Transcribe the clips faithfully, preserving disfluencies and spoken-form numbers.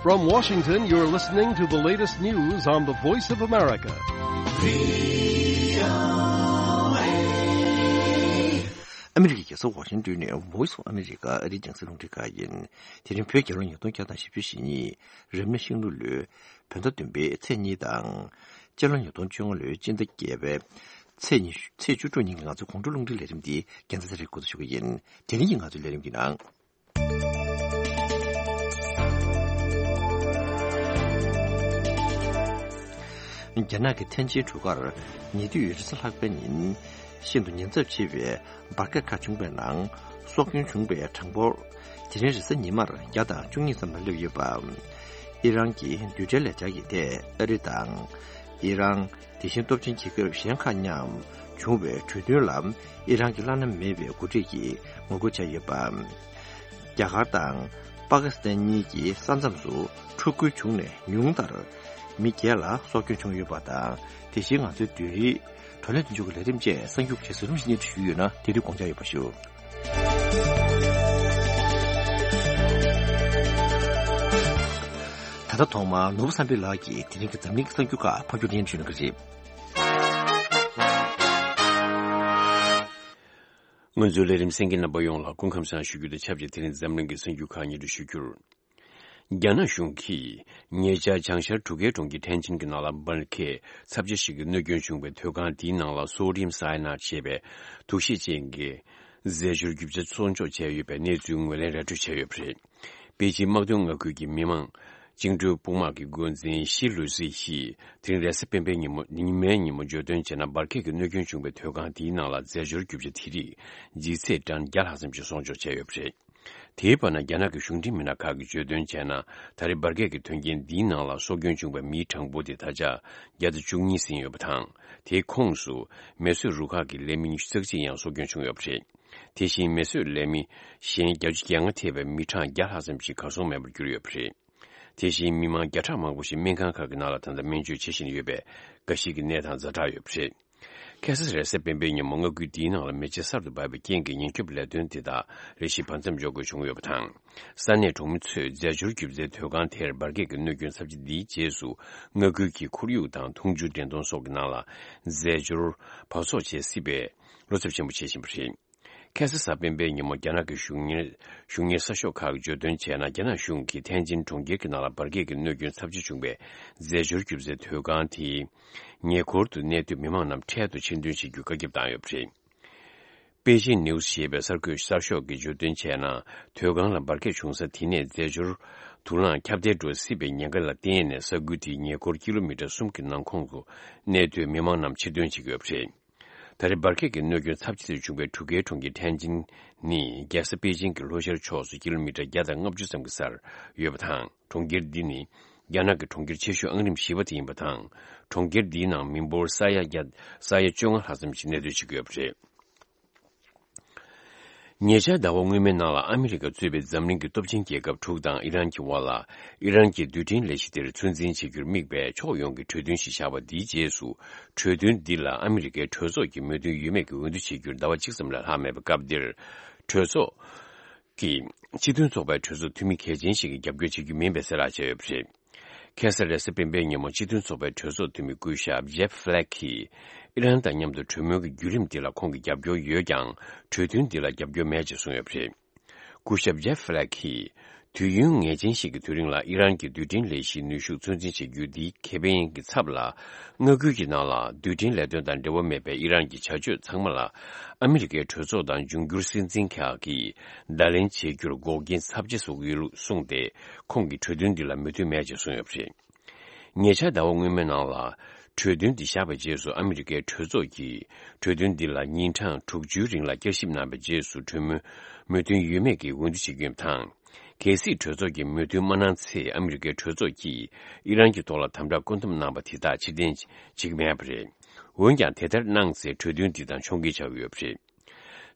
From Washington, you're listening to the latest news on the Voice of America. ཨ་མི་རི་ཀའི་རྒྱལ་ས་ཝ་ཤིང་ཏོན་ནས་Voice of America ཨ་རིའི་རྒྱང་སྲིང་རླུང་འཕྲིན་ཁང་ཡིན། དེ་རིང་བོད་རྒྱལ་ལོ་ཉིས་སྟོང་བརྒྱ་དང་བཞི་བཅུ་ཞེ་གཉིས། རབ་གནས་ཤིང་ལུག་ལོའི་བོད་ཟླ་བདུན་པའི་ཚེས་གཉིས་དང་། སྤྱི་ལོ་ཉིས་སྟོང་བཅོ་ལྔ་ལོའི་སྤྱི་ཟླ་བརྒྱད་པའི་ཚེས་ཉི་ཤུ། ཚེས་བཅུ་དྲུག་ཉིན་གྱི་ང་ཚོའི་དགོང་དྲོ་རླུང་འཕྲིན་ལས་རིམ་འདི་རྒྱལ་མཚན་ཚེ་རིང་འགོ་འཛུགས་ཞུ་གི་ཡིན། དེ་རིང་གི་ང་ཚོའི་ལས་རིམ་གྱི་ནང་། རྒྱ་ནག་གི་ཐེན་ཅིན་གྲུ་ཁར་ཉེ་དུས་རེས་གཟའ་ལྷག་པའི་ཉིན་ཤིན་ཏུ་ཉེན་ཚབས་ཆེ་བའི་འབར་གས་ཁག་བྱུང་བའི་ནང་སྲོག་སྐྱོན་བྱུང་བའི་གྲངས་འབོར་དེ་རིང་རེས་གཟའ་ཉི་མར་བརྒྱ་དང་བཅུ་གཉིས་ཙམ་ལ་སླེབས་ཡོད་པ། ཨི་རན་གྱི་རྡུལ་ཕྲན་ལས་འཆར་གྱི་ཐད་ཨ་རི་དང་། ཨི་རན། དེ་བཞིན་སྟོབས་ཆེན་རྒྱལ་ཁབ་གཞན་ཁག་མཉམ་བྱུང་བའི་གྲོས་མཐུན་ལ་ཨི་རན་གྱིས་བླ་ན་མེད་པའི་འགོ་ཁྲིད་ཀྱིས་ངོ་རྒོལ་བྱས་ཡོད་པ། རྒྱ་གར་དང་པ་ཀི་སི་ཐན་གཉིས་ཀྱི་ས་མཚམས་སུ་འཁྲུག་རྒོལ་བྱུང་ནས་ཉུང་མཐར་མི་བརྒྱད་ལ་སྲོག་སྐྱོན་བྱུང་ཡོད་པ་དང་། དེ་བཞིན་ང་ཚོའི་བདུན་རེའི་བགྲོ་གླེང་དོན་གཅོད་ཀྱི་ལས་རིམ་བཅས་གསར་འགྱུར་གྱི་གཞི་རིམ་ཞིག་སྙན་སྒྲོན་ཞུས་ཡོད་ན་དེ་དུས་དགོངས་འཇགས་ཡོད་པ་ཞུ། ད་ལྟ་ཐོག་མར་ནོར་བུ་བསམ་འཕེལ་ལགས་ཀྱིས་དེ་རིང་གི་འཛམ་གླིང་གི་གསར་འགྱུར་ཁག་ཕབ་སྒྱུར་སྙན་ཞུ་གནང་གི་རེད། ང་ཚོའི་ལས་རིམ་གསན་མཁན་རྣམ་པ་ཡོངས་ལ་སྐུ་ཁམས་བཟང་ཞུ་རྒྱུ་དང་ཆབས་ཅིག་དེ་རིང་འཛམ་གླིང་གི་གསར་འགྱུར་ཁག་སྙན་སྒྲོན་ཞུ་རྒྱུར། རྒྱ་ནག་གཞུང་གིས་ཉེ་ཆར་བྱང་ཤར་གྲུ་ཁའི་གྲོང་ཁྱེར་ཐན་ཅིན་གྱི་ནང་ལ་འབར་གས་ཚབས་ཆེ་ཞིག་གི་གནོད་སྐྱོན་བྱུང་བའི་མཐོ་སྒང་དེའི་ནང་ལ་སོ་ཌི་ཡམ་སའི་ནཱད་ཅེས་པའི་དུག་ཤེད་ཅན་གྱི་རྫས་སྦྱོར་རྒྱུ་ཆ་ཚོང་འཇོག་བྱས་ཡོད་པའི་གནས་ཚུལ་ངོས་ལེན་ར་སྤྲོད་བྱས་ཡོད་པ་རེད། པེ་ཅིན་དམག་དོན་མངའ་ཁུལ་གྱི་མི་དམངས་བཅིངས་འགྲོལ་དཔུང་དམག་གི་འགོ་འཛིན་ཤི་ལུ་སི་ཡིས་དེ་རིང་རེས་གཟའ་སྤེན་པའི་ཉིན་མོ། ཉི་མའི་ཉིན་མོ་བརྗོད་དོན་བྱས་ན། འབར་གས་ཀྱི་གནོད་སྐྱོན་བྱུང་བའི་མཐོ་སྒང་དེའི་ནང་ལ་རྫས་སྦྱོར་རྒྱུ་ཆ་དེ་རིགས་ལྗིད་ཚད་ཊོན་བརྒྱ་ལྷག་ཙམ་ཞིག་ཚོང་འཇོག་བྱས་ཡོད་པ་རེད། དེའི་བར་ན། རྒྱ་ནག་གི་གཞུང་འབྲེལ་མི་སྣ་ཁག་གིས་བརྗོད་དོན་བྱས་ན། ད་རེས་འབར་གས་ཀྱི་དོན་རྐྱེན་འདིའི་ནང་ལ་སྲོག་སྐྱོན་བྱུང་བའི་མིའི་གྲངས་འབོར་དེ་ད་ཆ་བརྒྱ་དང་བཅུ་གཉིས་ཟིན་ཡོད་པ་དང་། དེའི་ཁོངས་སུ་མེ་གསོད་རུ་ཁག་གི་ལས་མི་ཉི་ཤུ་རྩ་གཅིག་ཡང་སྲོག་སྐྱོན་བྱུང་ཡོད་པ་རེད། དེ་བཞིན་མེ་གསོད་ལས་མི་གཞན་བརྒྱད་ཅུ་གྱ་ལྔ་ཐེ་བའི་མི་གྲངས་བརྒྱ་ལྷག་ཙམ་ཞིག་གར་སོང་མེད་པར་གྱུར་ཡོད་པ་རེད། དེ་བཞིན་མི་མང་བརྒྱ་ཕྲག་མང་པོ་ཞིག་སྨན་ཁང་ཁག་གི་ནང་ལ་ད་ལྟ་སྨན་བཅོས་བྱེད་བཞིན་ཡོད་པས། འགའ་ཞིག་གི་གནས་སྟངས་ཛ་དྲག་ཡོད་པ་རེད། ཁ་སང་རེས་གཟའ་སྤེན་པའི་ཉིན་མོ་མངའ་ཁུལ་འདིའི་ནང་ལ་མེ་ལྕེ་གསར་དུ་འབར་བའི་རྐྱེན་གྱིས་ཉེན་སྐྱོབ་ལས་དོན་དེ་དག་རེ་ཞིག་བར་མཚམས་འཇོག་དགོས་བྱུང་ཡོད་པ་དང་། ས་གནས་གྲོང་མི་ཚོས་རྫས་སྦྱོར་རྒྱུ་རྫས་མཐོ་སྒང་དེར་འབར་གས་ཀྱི་གནོད་སྐྱོན་ཚབས་ཆེ་འདིའི་རྗེས་སུ། མངའ་ཁུལ་གྱི་ཁོར་ཡུག་དང་འཐུང་ཆུ་འདྲེན་གཏོང་སོགས་ཀྱི་ནང་ལ་རྫས་སྦྱོར་འབག་བཙོག་བྱེད་སྲིད་པའི་བློ་འཚབ་ཆེན་པོ་བྱེད་བཞིན་པ་རེད། ཁ་སང་གཟའ་སྤེན་པའི་ཉིན་མོ་རྒྱ་ནག་གི་གཞུང་གཉེར། གཞུང་གཉེར་གསར་ཤོག་ཁག་གིས་བརྗོད་དོན་བྱས་ན། རྒྱ་ནག་གཞུང་གིས་ཐན་ཅིན་གྲོང་ཁྱེར་གྱི་ནང་ལ་འབར་གས་ཀྱི་གནོད་སྐྱོན་ཚབས་ཆེ་བྱུང་བའི་རྫས་སྦྱོར་རྒྱུ་རྫས་མཐོ་སྒང་དེའི་ཉེ་འཁོར་དུ་གནས་སྡོད་མི་མང་རྣམས་འཕྲལ་དུ་ཕྱིར་འདོན་བྱེད་རྒྱུའི་བཀའ་ཁྱབ་བཏང་ཡོད་པ་རེད། པེ་ཅིན་ནིའུ་སི་ཞེས་པའི་གསར་འགོད་གསར་ཤོག་གིས་བརྗོད་དོན་བྱས་ན། མཐོ་སྒང་ལ་འབར་གས་བྱུང་ས་དེ་ནས་རྫས་སྦྱོར་དུག་རླངས་ཁྱབ་གདལ་འགྲོ་སྲིད་པའི་ཉེན་ཁ་ལ་བརྟེན་ནས། ས་ཁུལ་དེའི་ཉེ་འཁོར་ཀི་ལོ་མི་ཊར་གསུམ་གྱི་ནང་ཁོངས་སུ་གནས་སྡོད་མི་མང་རྣམས་ཕྱིར་འདོན་བྱེད་ཀྱི་ཡོད་པ་རེད། ད་རེས་འབར་གས་ཀྱི་གནོད་སྐྱོན་ཚབས་ཆེ་ཞིག་བྱུང་བའི་གྲུ་ཁའི་གྲོང་ཁྱེར་ཐན་ཅིན་ནི། རྒྱལ་ས་པེ་ཅིན་གྱི་ལྷོ་ཤར་ཕྱོགས་སུ་ཀི་ལོ་མི་ཊར་བརྒྱ་དང་ལྔ་བཅུ་ཙམ་གྱི་སར་ཡོད་པ་དང་། གྲོང་ཁྱེར་འདི་ནི་རྒྱ་ནག་གི་གྲོང་ཁྱེར་ཆེ་ཤོས་ཨང་རིམ་བཞི་པ་དེ་ཡིན་པ་དང་། གྲོང་ཁྱེར་འདིའི་ནང་མི་འབོར་ས་ཡ་བརྒྱ། ས་ཡ་བཅོ་ལྔ་ལྷག་ཙམ་ཞིག་གནས་སྡོད་བྱེད་ཀྱི་ཡོད་པ་རེད། ཉེ་ཆར་ཟླ་བ་སྔོན་མའི་ནང་ལ་ཨ་མི་རི་ཀ་གཙོས་པའི་འཛམ་གླིང་གི་སྟོབས་ཆེན་རྒྱལ་ཁབ་དྲུག་དང་ཨི་རན་གྱི་དབར་ལ། ཨི་རན་གྱི་རྡུལ་ཕྲན་ལས་གཞི་དེར་ཚོད་འཛིན་བྱེད་རྒྱུར་དམིགས་པའི་ཕྱོགས་ཡོངས་ཀྱི་གྲོས་མཐུན་ཞིག་བཞག་པ་འདིའི་རྗེས་སུ། གྲོས་མཐུན་འདི་ལ་ཨ་མི་རི་ཀའི་གྲོས་ཚོགས་ཀྱིས་མོས་མཐུན་ཡོད་མེད་ཀྱི་འོས་བསྡུ་བྱེད་རྒྱུར་ཟླ་བ་གཅིག་ཙམ་ལས་ལྷག་མེད་པའི་སྐབས་འདིར། གྲོས་ཚོགས་ཀྱིས་སྤྱི་མཐུན་ཚོགས་པའི་གྲོས་ཚོགས་འཐུས་མི་གལ་ཆེན་ཞིག་གིས་རྒྱབ་སྐྱོར་བྱེད་རྒྱུ་མིན་པའི་གསལ་བསྒྲགས་བྱས་ཡོད་པ་རེད། ཁ་སང་རེས་གཟའ་སྤེན་པའི་ཉིན་མོ་སྤྱི་མཐུན་ཚོགས་པའི་གྲོས་ཚོགས་འཐུས་མི་སྐུ་ཞབས་ཇེབ་ཧྥི་ལེག་གིས་ཨི་རན་དང་མཉམ་དུ་གྲོས་མོལ་གྱི་བརྒྱུད་རིམ་འདི་ལ་ཁོང་གི་རྒྱབ་སྐྱོར་ཡོད་ཀྱང་། གྲོས་མཐུན་འདི་ལ་རྒྱབ་སྐྱོར་མེད་ཅེས་གསུངས་ཡོད་པ་རེད། སྐུ་ཞབས་ཇེབ་ཧྥི་ལེག་གིས། དུས་ཡུན་ངེས་ཅན་ཞིག་གི་དུས་རིང་ལ་ཨི་རན་གྱི་རྡུལ་ཕྲན་ལས་གཞིའི་ནུས་ཤུགས་ཚོད་འཛིན་བྱེད་རྒྱུ་འདི་ཁེ་ཕན་གྱི་ཚབ་ལ། མངའ་ཁུལ་གྱི་ནང་ལ་རྡུལ་ཕྲན་ལས་དོན་དང་འབྲེལ་བ་མེད་པའི་ཨི་རན་གྱི་བྱ་སྤྱོད་ཚང་མ་ལ་ཨ་མི་རི་ཀའི་གྲོས་ཚོགས་དང་འབྱུང་འགྱུར་སྲིད་འཛིན་ཁག་གིས་བརྡ་ལན་བྱེད་རྒྱུར་འགོག་རྐྱེན་ཚབས་ཆེ་བཟོ་གི་ཡོད་ལུགས་གསུངས་ཏེ། ཁོང་གིས་གྲོས་མཐུན་འདི་ལ་མོས་མཐུན་མེད་ཅེས་གསུངས་ཡོད་པ་རེད། ཉེ་ཆར་ཟླ་བ་སྔོན་མའི་ནང་ལ། གྲོས་མཐུན་འདི་བཞག་པའི་རྗེས་སུ་ཨ་མི་རི་ཀའི་གྲོས་ཚོགས་ཀྱིས་གྲོས་མཐུན་འདི་ལ་ཉིན་གྲངས་དྲུག་ཅུའི་རིང་ལ་བསྐྱར་ཞིབ་གནང་བའི་རྗེས་སུ་གྲོས་མོལ་མོས་མཐུན་ཡོད་མེད་ཀྱི་འོས་བསྡུ་བྱེད་ཀྱི་ཡོད་པ་དང་། གལ་སྲིད་གྲོས་ཚོགས་ཀྱིས་མོས་མཐུན་མ་གནང་ཚེ། ཨ་མི་རི་ཀའི་གྲོས་ཚོགས་ཀྱིས་ཨི་རན་གྱི་ཐོག་ལ་དམ་དྲག་བཀོད་འདོམས་གནང་བ་དེ་དག་ཕྱིར་འཐེན་བྱེད་ཀྱི་མེད་པ་རེད། འོན་ཀྱང་དེ་ལྟར་གནང་ཚེ་གྲོས་མཐུན་འདི་དང་ཕྱོགས་འགལ་ཆགས་ཀྱི་ཡོད་པ་རེད།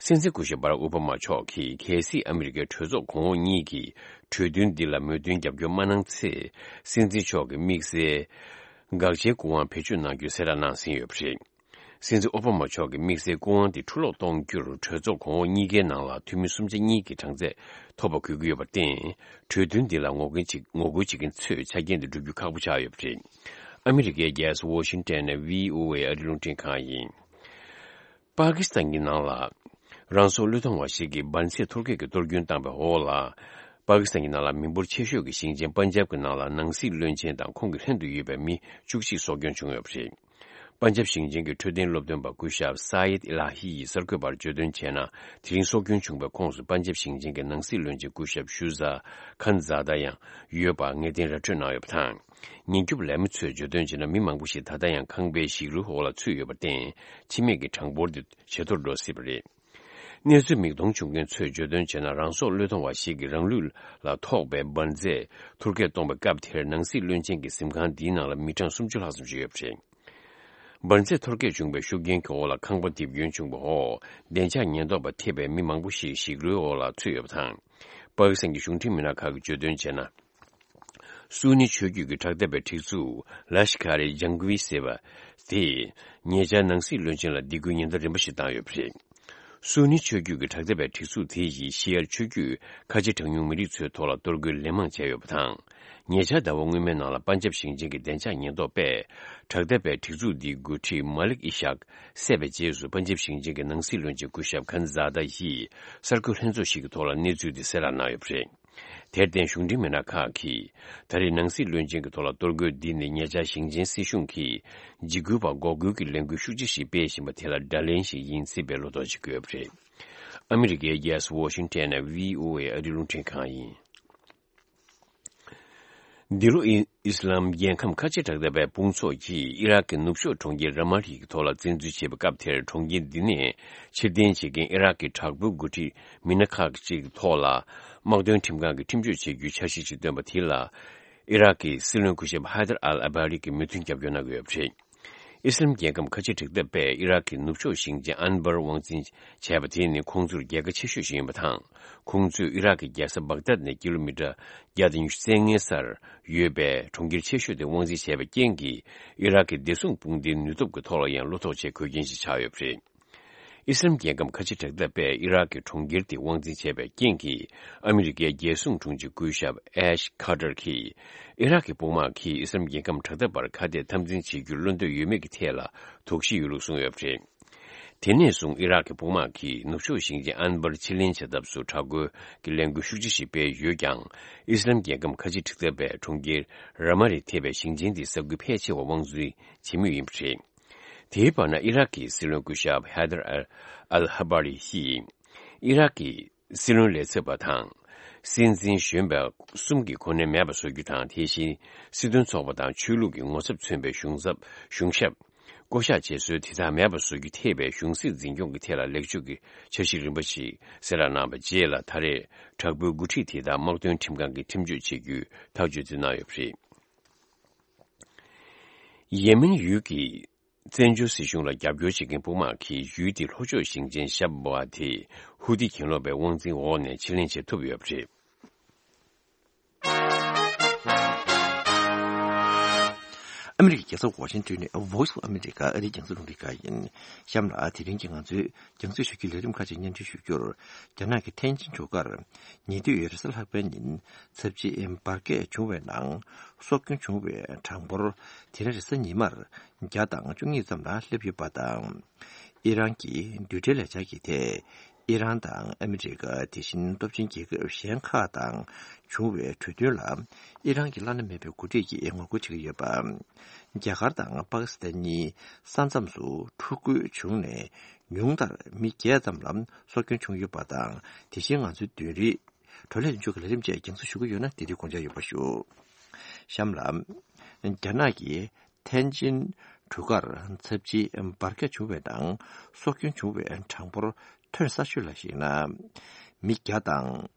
སྲིད་འཛིན་སྐུ་ཞབས་བྷ་རག་ཨོ་བྷ་མ་མཆོག་གིས་གལ་སྲིད་ཨ་མི་རི་ཀའི་གྲོས་ཚོགས་གོང་འོག་གཉིས་ཀྱིས་གྲོས་མཐུན་འདི་ལ་མོས་མཐུན་རྒྱབ་སྐྱོར་མ་གནང་ཚེ། སྲིད་འཛིན་མཆོག་གི་དམིགས་བསལ་དགག་བྱའི་སྐུ་དབང་བེད་སྤྱོད་གནང་རྒྱུའི་གསལ་བསྒྲགས་གནང་ཟིན་ཡོད་པ་རེད། སྲིད་འཛིན་ཨོ་བྷ་མ་མཆོག་གི་དམིགས་བསལ་སྐུ་དབང་དེ་འཕྲོ་བརླག་གཏོང་རྒྱུར་གྲོས་ཚོགས་གོང་འོག་གཉིས་ཀའི་ནང་ལ་འཐུས་མི་སུམ་ཆ་གཉིས་ཀྱི་གྲངས་ཚད་ཐོབ་པ་དགོས་ཀྱི་ཡོད་པར་བརྟེན། གྲོས་མཐུན་འདི་ལ་ངོ་རྒོལ་བྱེད་ངོ་རྒོལ་བྱེད་མཁན་ཚོས་ཆ་རྐྱེན་དེ་བསྒྲུབ་རྒྱུ་ཁག་པོ་ཆགས་ཡོད་པ་རེད། ཨ་མི་རི་ཀའི་རྒྱལ་ས་ཝོ་ཤིང་ཏན་ནས་བྷི་ཨོ་ཨེ་ཨ་རིའི་རླུང་འཕྲིན་ཁང་ཡིན། པ་ཀི་སི་ཐན་གྱི་ནང་ལ་རང་སྲོག་བློས་གཏོང་བ་ཞིག་གིས་འབར་རྫས་ཐོར་སྐྱོད་ཀྱི་གཏོར་སྐྱོན་བཏང་བའི་འོག་ལ། པ་ཀི་སི་ཐན་གྱི་ནང་ལ་མི་འབོར་ཆེ་ཤོས་ཀྱི་ཞིང་ཆེན་པན་ཇབ་ཀྱི་ནང་ལ་ནང་སྲིད་བློན་ཆེན་དང་ཁོང་གི་ལྷན་དུ་ཡོད་པའི་མི་བཅུ་གཅིག་སྲོག་སྐྱོན་བྱུང་ཡོད་པ་རེད། པན་ཇབ་ཞིང་ཆེན་གྱི་འཕྲོད་བསྟེན་སློབ་སྟོན་པ་སྐུ་ཞབས་ས་ཡེད་ཨི་ལ་ཧི་ཡིས་གསར་འགོད་པར་བརྗོད་དོན་བྱས་ན། དེ་རིང་སྲོག་སྐྱོན་བྱུང་བའི་ཁོངས་སུ་པན་ཇབ་ཞིང་ཆེན་གྱི་ནང་སྲིད་བློན་ཆེན་སྐུ་ཞབས་ཤུ་ཛ་ཁན་ཛ་ད་ཡང་ཡོད་པ་ངེས་གཏན་ར་འཕྲོད་གནང་ཡོད་པ་དང་། ཉེན་སྐྱོབ་ལས་མི་ཚོས་བརྗོད་དོན་བྱས་ན། མི་མང་པོ་ཞིག་ད་ལྟ་ཡང་ཁང་པའི་ཞིག་རོའི་འོག་ལ་ཚུད་ཡོད་པར་བརྟེན། འཆི་རྨས་ཀྱི་གྲངས་འབོར་དེ་ཇེ་མཐོར་འགྲོ་སྲིད་པ་རེད། གནས་ཚུལ་མིག་མཐོང་བྱུང་མཁན་ཚོས་བརྗོད་དོན་བྱས་ན། རང་སྲོག་བློས་གཏོང་བ་ཞིག་གིས་རང་ལུས་ལ་ཐོགས་པའི་འབར་རྫས་ཐོར་སྐྱོད་གཏོང་བའི་སྐབས་དེར། ནང་སྲིད་བློན་ཆེན་གྱི་གཟིམ་ཁང་འདིའི་ནང་ལ་མི་གྲངས་སུམ་ཅུ་ལྷག་ཙམ་ཞིག་ཡོད་པ་རེད། འབར་རྫས་ཐོར་སྐྱོད་བྱུང་བའི་ཤུགས་རྐྱེན་གྱི་འོག་ལ་ཁང་པ་རྡིབ་སྐྱོན་བྱུང་བའི་འོག་བདེ་འཇགས་ཉེན་རྟོག་པ་ཐེ་བའི་མི་མང་པོ་ཞིག་ཞིག་རོའི་འོག་ལ་ཚུད་ཡོད་པ་དང་། པ་ཀི་སི་ཐན་གྱི་གཞུང་འབྲེལ་མི་སྣ་ཁག་གིས་བརྗོད་དོན་བྱས་ན། སུ་ནི་ཆོས་བརྒྱུད་ཀྱི་དྲག་འཐབ་པའི་སྒྲིག་འཛུགས་ལ་ཤི་ཁ་རི་ཇང་གུའི་ཟེར་བ་དེས་ཉེ་ཆར་ནང་སྲིད་བློན་ཆེན་ལ་སྡིགས་སྐུལ་ཉེན་བརྡ་རིམ་པ་ཞིག་བཏང་ཡོད་པ་རེད། སུ་ནི་ཆོས་བརྒྱུད་ཀྱི་དྲག་འཐབ་པའི་སྒྲིག་འཛུགས་དེ་ཡིས་ཤི་ཡར་ཆོས་བརྒྱུད་ཁ་ཆེ་གྲངས་ཉུང་མི་རིགས་ཚོའི་ཐོག་ལ་གཏོར་རྒོལ་ལན་མང་བྱས་ཡོད་པ་དང་། ཉེ་ཆར་ཟླ་བ་སྔོན་མའི་ནང་ལ་པན་ཇབ་ཞིང་ཆེན་གྱི་བདེ་འཇགས་ཉེན་རྟོག་པས་དྲག་འཐབ་པའི་སྒྲིག་འཛུགས་འདིའི་འགོ་ཁྲིད་མ་ལིག་ཨི་ཤག་བསད་པའི་རྗེས་སུ། པན་ཇབ་ཞིང་ཆེན་གྱི་ནང་སྲིད་བློན་ཆེན་སྐུ་ཞབས་ཁན་ཛ་ད་ཡིས་གསར་འགོད་ལྷན་ཚོགས་ཤིག་གི་ཐོག་ལ་གནས་ཚུལ་འདི་གསལ་བསྒྲགས་གནང་ཡོད་པ་རེད། དེར་བརྟེན་གཞུང་འབྲེལ་མི་སྣ་ཁག་གིས། ད་རེས་ནང་སྲིད་བློན་ཆེན་གྱི་ཐོག་ལ་གཏོར་རྒོལ་འདི་ནི་ཉེ་ཆར་ཞིང་ཆེན་སྲིད་གཞུང་གིས་འཇིགས་སྐུལ་བ་འགོག་རྒོལ་གྱི་ལས་འགུལ་ཤུགས་ཆེ་ཞིག་སྤེལ་བཞིན་པ་དེ་ལ་དགྲ་ལན་ཞིག་ཡིན་སྲིད་པའི་བློ་དོགས་ཤིག་བཀོད་པ་རེད། ཨ་མི་རི་ཀའི་རྒྱལ་ས་ཝོ་ཤིང་ཊོན་ནས་བྷི་ཨོ་ཨེ་ཨ་རིའི་རླུང་འཕྲིན་ཁང་ཡིན། འདི་ལོ་ཨི་ཨི་སི་ལམ་རྒྱལ་ཁམས་ཁ་ཆེ་དྲག་འཐབ་པའི་དཔུང་ཚོགས་ཀྱིས་ཨི་རག་གི་ནུབ་ཕྱོགས་གྲོང་ཁྱེར་ར་མ་ལི་གི་ཐོག་ལ་བཙན་འཛུལ་བྱས་པའི་སྐབས་དེར། གྲོང་ཁྱེར་འདི་ནས་ཕྱིར་འཐེན་བྱེད་མཁན་ཨི་རག་གི་དྲག་པོའི་འགོ་ཁྲིད་མི་སྣ་ཁག་ཅིག་ཐོག་ལ་དམག་དོན་ཁྲིམས་ཁང་གིས་ཁྲིམས་གཅོད་བྱེད་རྒྱུའི་འཆར་གཞི་ཞིག་བཏོན་པ་དེ་ལ། ཨི་རག་གི་སྲིད་བློན་སྐུ་ཞབས་ཧ་དར་ཨལ་ཨ་བྷ་རི་གིས་མོས་མཐུན་རྒྱབ་སྐྱོར་གནང་གི་ཡོད་པ་རེད། ཨི་སི་ལམ་རྒྱལ་ཁམས་ཁ་ཆེ་དྲག་འཐབ་པས་ཨི་རག་གི་ནུབ་ཕྱོགས་ཞིང་ཆེན་ཨན་བར་དབང་འཛིན་བྱས་པ་དེ་ནི་ཁོང་ཚོར་རྒྱལ་ཁ་ཆེ་ཤོས་ཤིག་ཡིན་པ་དང་། ཁོང་ཚོས་ཨི་རག་གི་རྒྱལ་ས་བག་དད་ནས་ཀི་ལོ་མི་ཊར་བརྒྱ་དང་ཉི་ཤུ་རྩ་ལྔའི་སར་ཡོད་པའི་གྲོང་ཁྱེར་ཆེ་ཤོས་དེ་དབང་འཛིན་བྱས་པའི་རྐྱེན་གྱིས། ཨི་རག་གི་བདེ་སྲུང་དཔུང་སྡེའི་ནུས་སྟོབས་ཀྱི་ཐོག་ལ་ཡང་བློ་ཐོག་ཆེ་དགོས་རྐྱེན་ཞིག་ཆགས་ཡོད་པ་རེད། ཨི་སི་ལམ་རྒྱལ་ཁམས་ཁ་ཆེ་དྲག་འཐབ་པས་ཨི་རག་གི་གྲོང་ཁྱེར་དེ་དབང་འཛིན་བྱས་པའི་རྐྱེན་གྱིས། ཨ་མི་རི་ཀའི་རྒྱལ་སྲུང་དྲུང་ཆེ་སྐུ་ཞབས་ཨེཤ་ཁ་ཏར་གྱིས། ཨི་རག་གི་དཔུང་དམག་གིས་ཨི་སི་ལམ་རྒྱལ་ཁམས་དྲག་འཐབ་པར་ཁ་གཏད་འཐབ་འཛིང་བྱེད་རྒྱུར་བློ་འདོད་ཡོད་མེད་ཀྱི་ཐད་ལ་དོགས་གཞི་ཡོད་ལུགས་གསུངས་ཡོད་པ་རེད། དེ་ནས་བཟུང་ཨི་རག་གི་དཔུང་དམག་གིས་ནུབ་ཕྱོགས་ཞིང་ཆེན་ཨན་བར་ཕྱིར་ལེན་བྱ་ཐབས་སུ་དྲག་རྒོལ་གྱི་ལས་འགུལ་ཤུགས་ཆེ་ཞིག་སྤེལ་ཡོད་ཀྱང་། ཨི་སི་ལམ་རྒྱལ་ཁམས་ཁ་ཆེ་དྲག་འཐབ་པའི་གྲོང་ཁྱེར་ར་མ་རི་ཐེ་བའི་ཞིང་ཆེན་དེའི་ས་ཁུལ་ཕལ་ཆེ་བ་དབང་འཛིན་བྱེད་མུས་ཡིན་པ་རེད། དེའི་བར་ན། ཨི་རག་གི་སྲིད་བློན་སྐུ་ཞབས་ཧེ་དར་ཨལ་ཧ་བ་རི་ཡིས་ཨི་རག་གི་སྲིད་བློན་ལས་ཚབ་པ་དང་། སྲིད་འཛིན་གཞོན་པ་གསུམ་གྱི་གོ་གནས་མེད་པ་བཟོ་རྒྱུ་དང་། དེ་བཞིན་སྲིད་དོན་ཚོགས་པ་དང་ཆོས་ལུགས་ཀྱི་ངོ་ཚབ་མཚོན་པའི་གཞུང་ཚབ་གཞུང་ཞབས་བསྐོ་གཞག་བྱེད་སྲོལ་དེ་དག་མེད་པ་བཟོ་རྒྱུ་ཐེ་བའི་གཞུང་སྲིད་འཛིན་སྐྱོང་གི་ཐད་ལ་ལེགས་བཅོས་ཀྱི་འཆར་གཞི་རིམ་པ་ཞིག་གསལ་བསྒྲགས་གནང་བའི་རྗེས་ལ། ད་རེས་དྲག་པོའི་འགོ་ཁྲིད་དེ་དག་དམག་དོན་ཁྲིམས་ཁང་གིས་ཁྲིམས་གཅོད་བྱེད་རྒྱུའི་ཐག་གཅོད་དེ་གནང་ཡོད་པ་རེད། ཡེ་མེན་ཡུལ་གྱི་བཙན་བྱོལ་སྲིད་གཞུང་ལ་རྒྱབ་སྐྱོར་བྱེད་མཁན་དཔུང་དམག་གིས་ཡུལ་དེའི་ལྷོ་ཕྱོགས་ཞིང་ཆེན་ཤབ་བ་དེ་ཧུ་ཏི་གྱེན་ལོག་པའི་དབང་འཛིན་འོག་ནས་ཕྱིར་ལེན་བྱེད་ཐུབ་ཡོད་པ་རེད། ཨ་མི་རི་ཀའི་རྒྱལ་ས་ཝ་ཤིང་ཏོན་ནས་Voice of America ཨ་རིའི་རྒྱང་སྲིང་རླུང་འཕྲིན་ཁང་ཡིན། གཤམ་ལ་དེ་རིང་གི་ང་ཚོའི་རྒྱང་སྲིང་ཞུ་རྒྱུའི་ལས་རིམ་ཁག་ཅིག་སྙན་སྒྲོན་ཞུ་རྒྱུར། རྒྱ་ནག་གི་ཐེན་ཅིན་གྲུ་ཁར་ཉེ་དུས་རེས་གཟའ་ལྷག་པའི་ཉིན་ཚབས་ཆེའི་འབར་གས་བྱུང་བའི་ནང་སྲོག་སྐྱོན་བྱུང་བའི་གྲངས་འབོར་དེ་རིང་རེས་གཟའ་ཉི་མར་བརྒྱ་དང་བཅུ་གཉིས་ཙམ་ལ་སླེབས་ཡོད་པ་དང་། ཨི་རན་གྱི་རྡུལ་ཕྲན་ལས་འཆར་གྱི་ཐད། ཨི་རན་དང་ཨ་མི་རི་ཀ། དེ་བཞིན་སྟོབས་ཆེན་རྒྱལ་ཁབ་གཞན་ཁག་དང་བྱུང་བའི་གྲོས་མཐུན་ལ། ཨི་རན་གྱི་བླ་ན་མེད་པའི་འགོ་ཁྲིད་ཀྱིས་ངོ་རྒོལ་བྱེད་ཀྱི་ཡོད་པ། རྒྱ་གར་དང་པ་ཀི་སི་ཐན་གཉིས་ས་མཚམས་སུ་འཁྲུག་རྒོལ་བྱུང་ནས། ཉུང་མཐར་མི་བརྒྱད་ཙམ་ལ་སྲོག་སྐྱོན་བྱུང་ཡོད་པ་དང་། དེ་བཞིན་ང་ཚོའི་བདུན་རེའི་བགྲོ་གླེང་མཇུག་གི་ལས་རིམ་བཅས་རྒྱང་སྲིང་ཞུ་གི་ཡོད་ན། དེ་དུས་དགོངས་འཇགས་ཡོད་པ་ཞུ། གཤམ་ལ། རྒྱ་ནག་གི་ཐེན་ཅིན་གྲུ་ཁར་ཚབས་ཆེའི་འབར་གས་བྱུང་བའི་ནང་སྲོག་སྐྱོན་བྱུང་བའི་གྲངས་འབོར་ཐོན་གསར་ཤོས་ལ་གཞིགས་ན། མི་བརྒྱ་དང་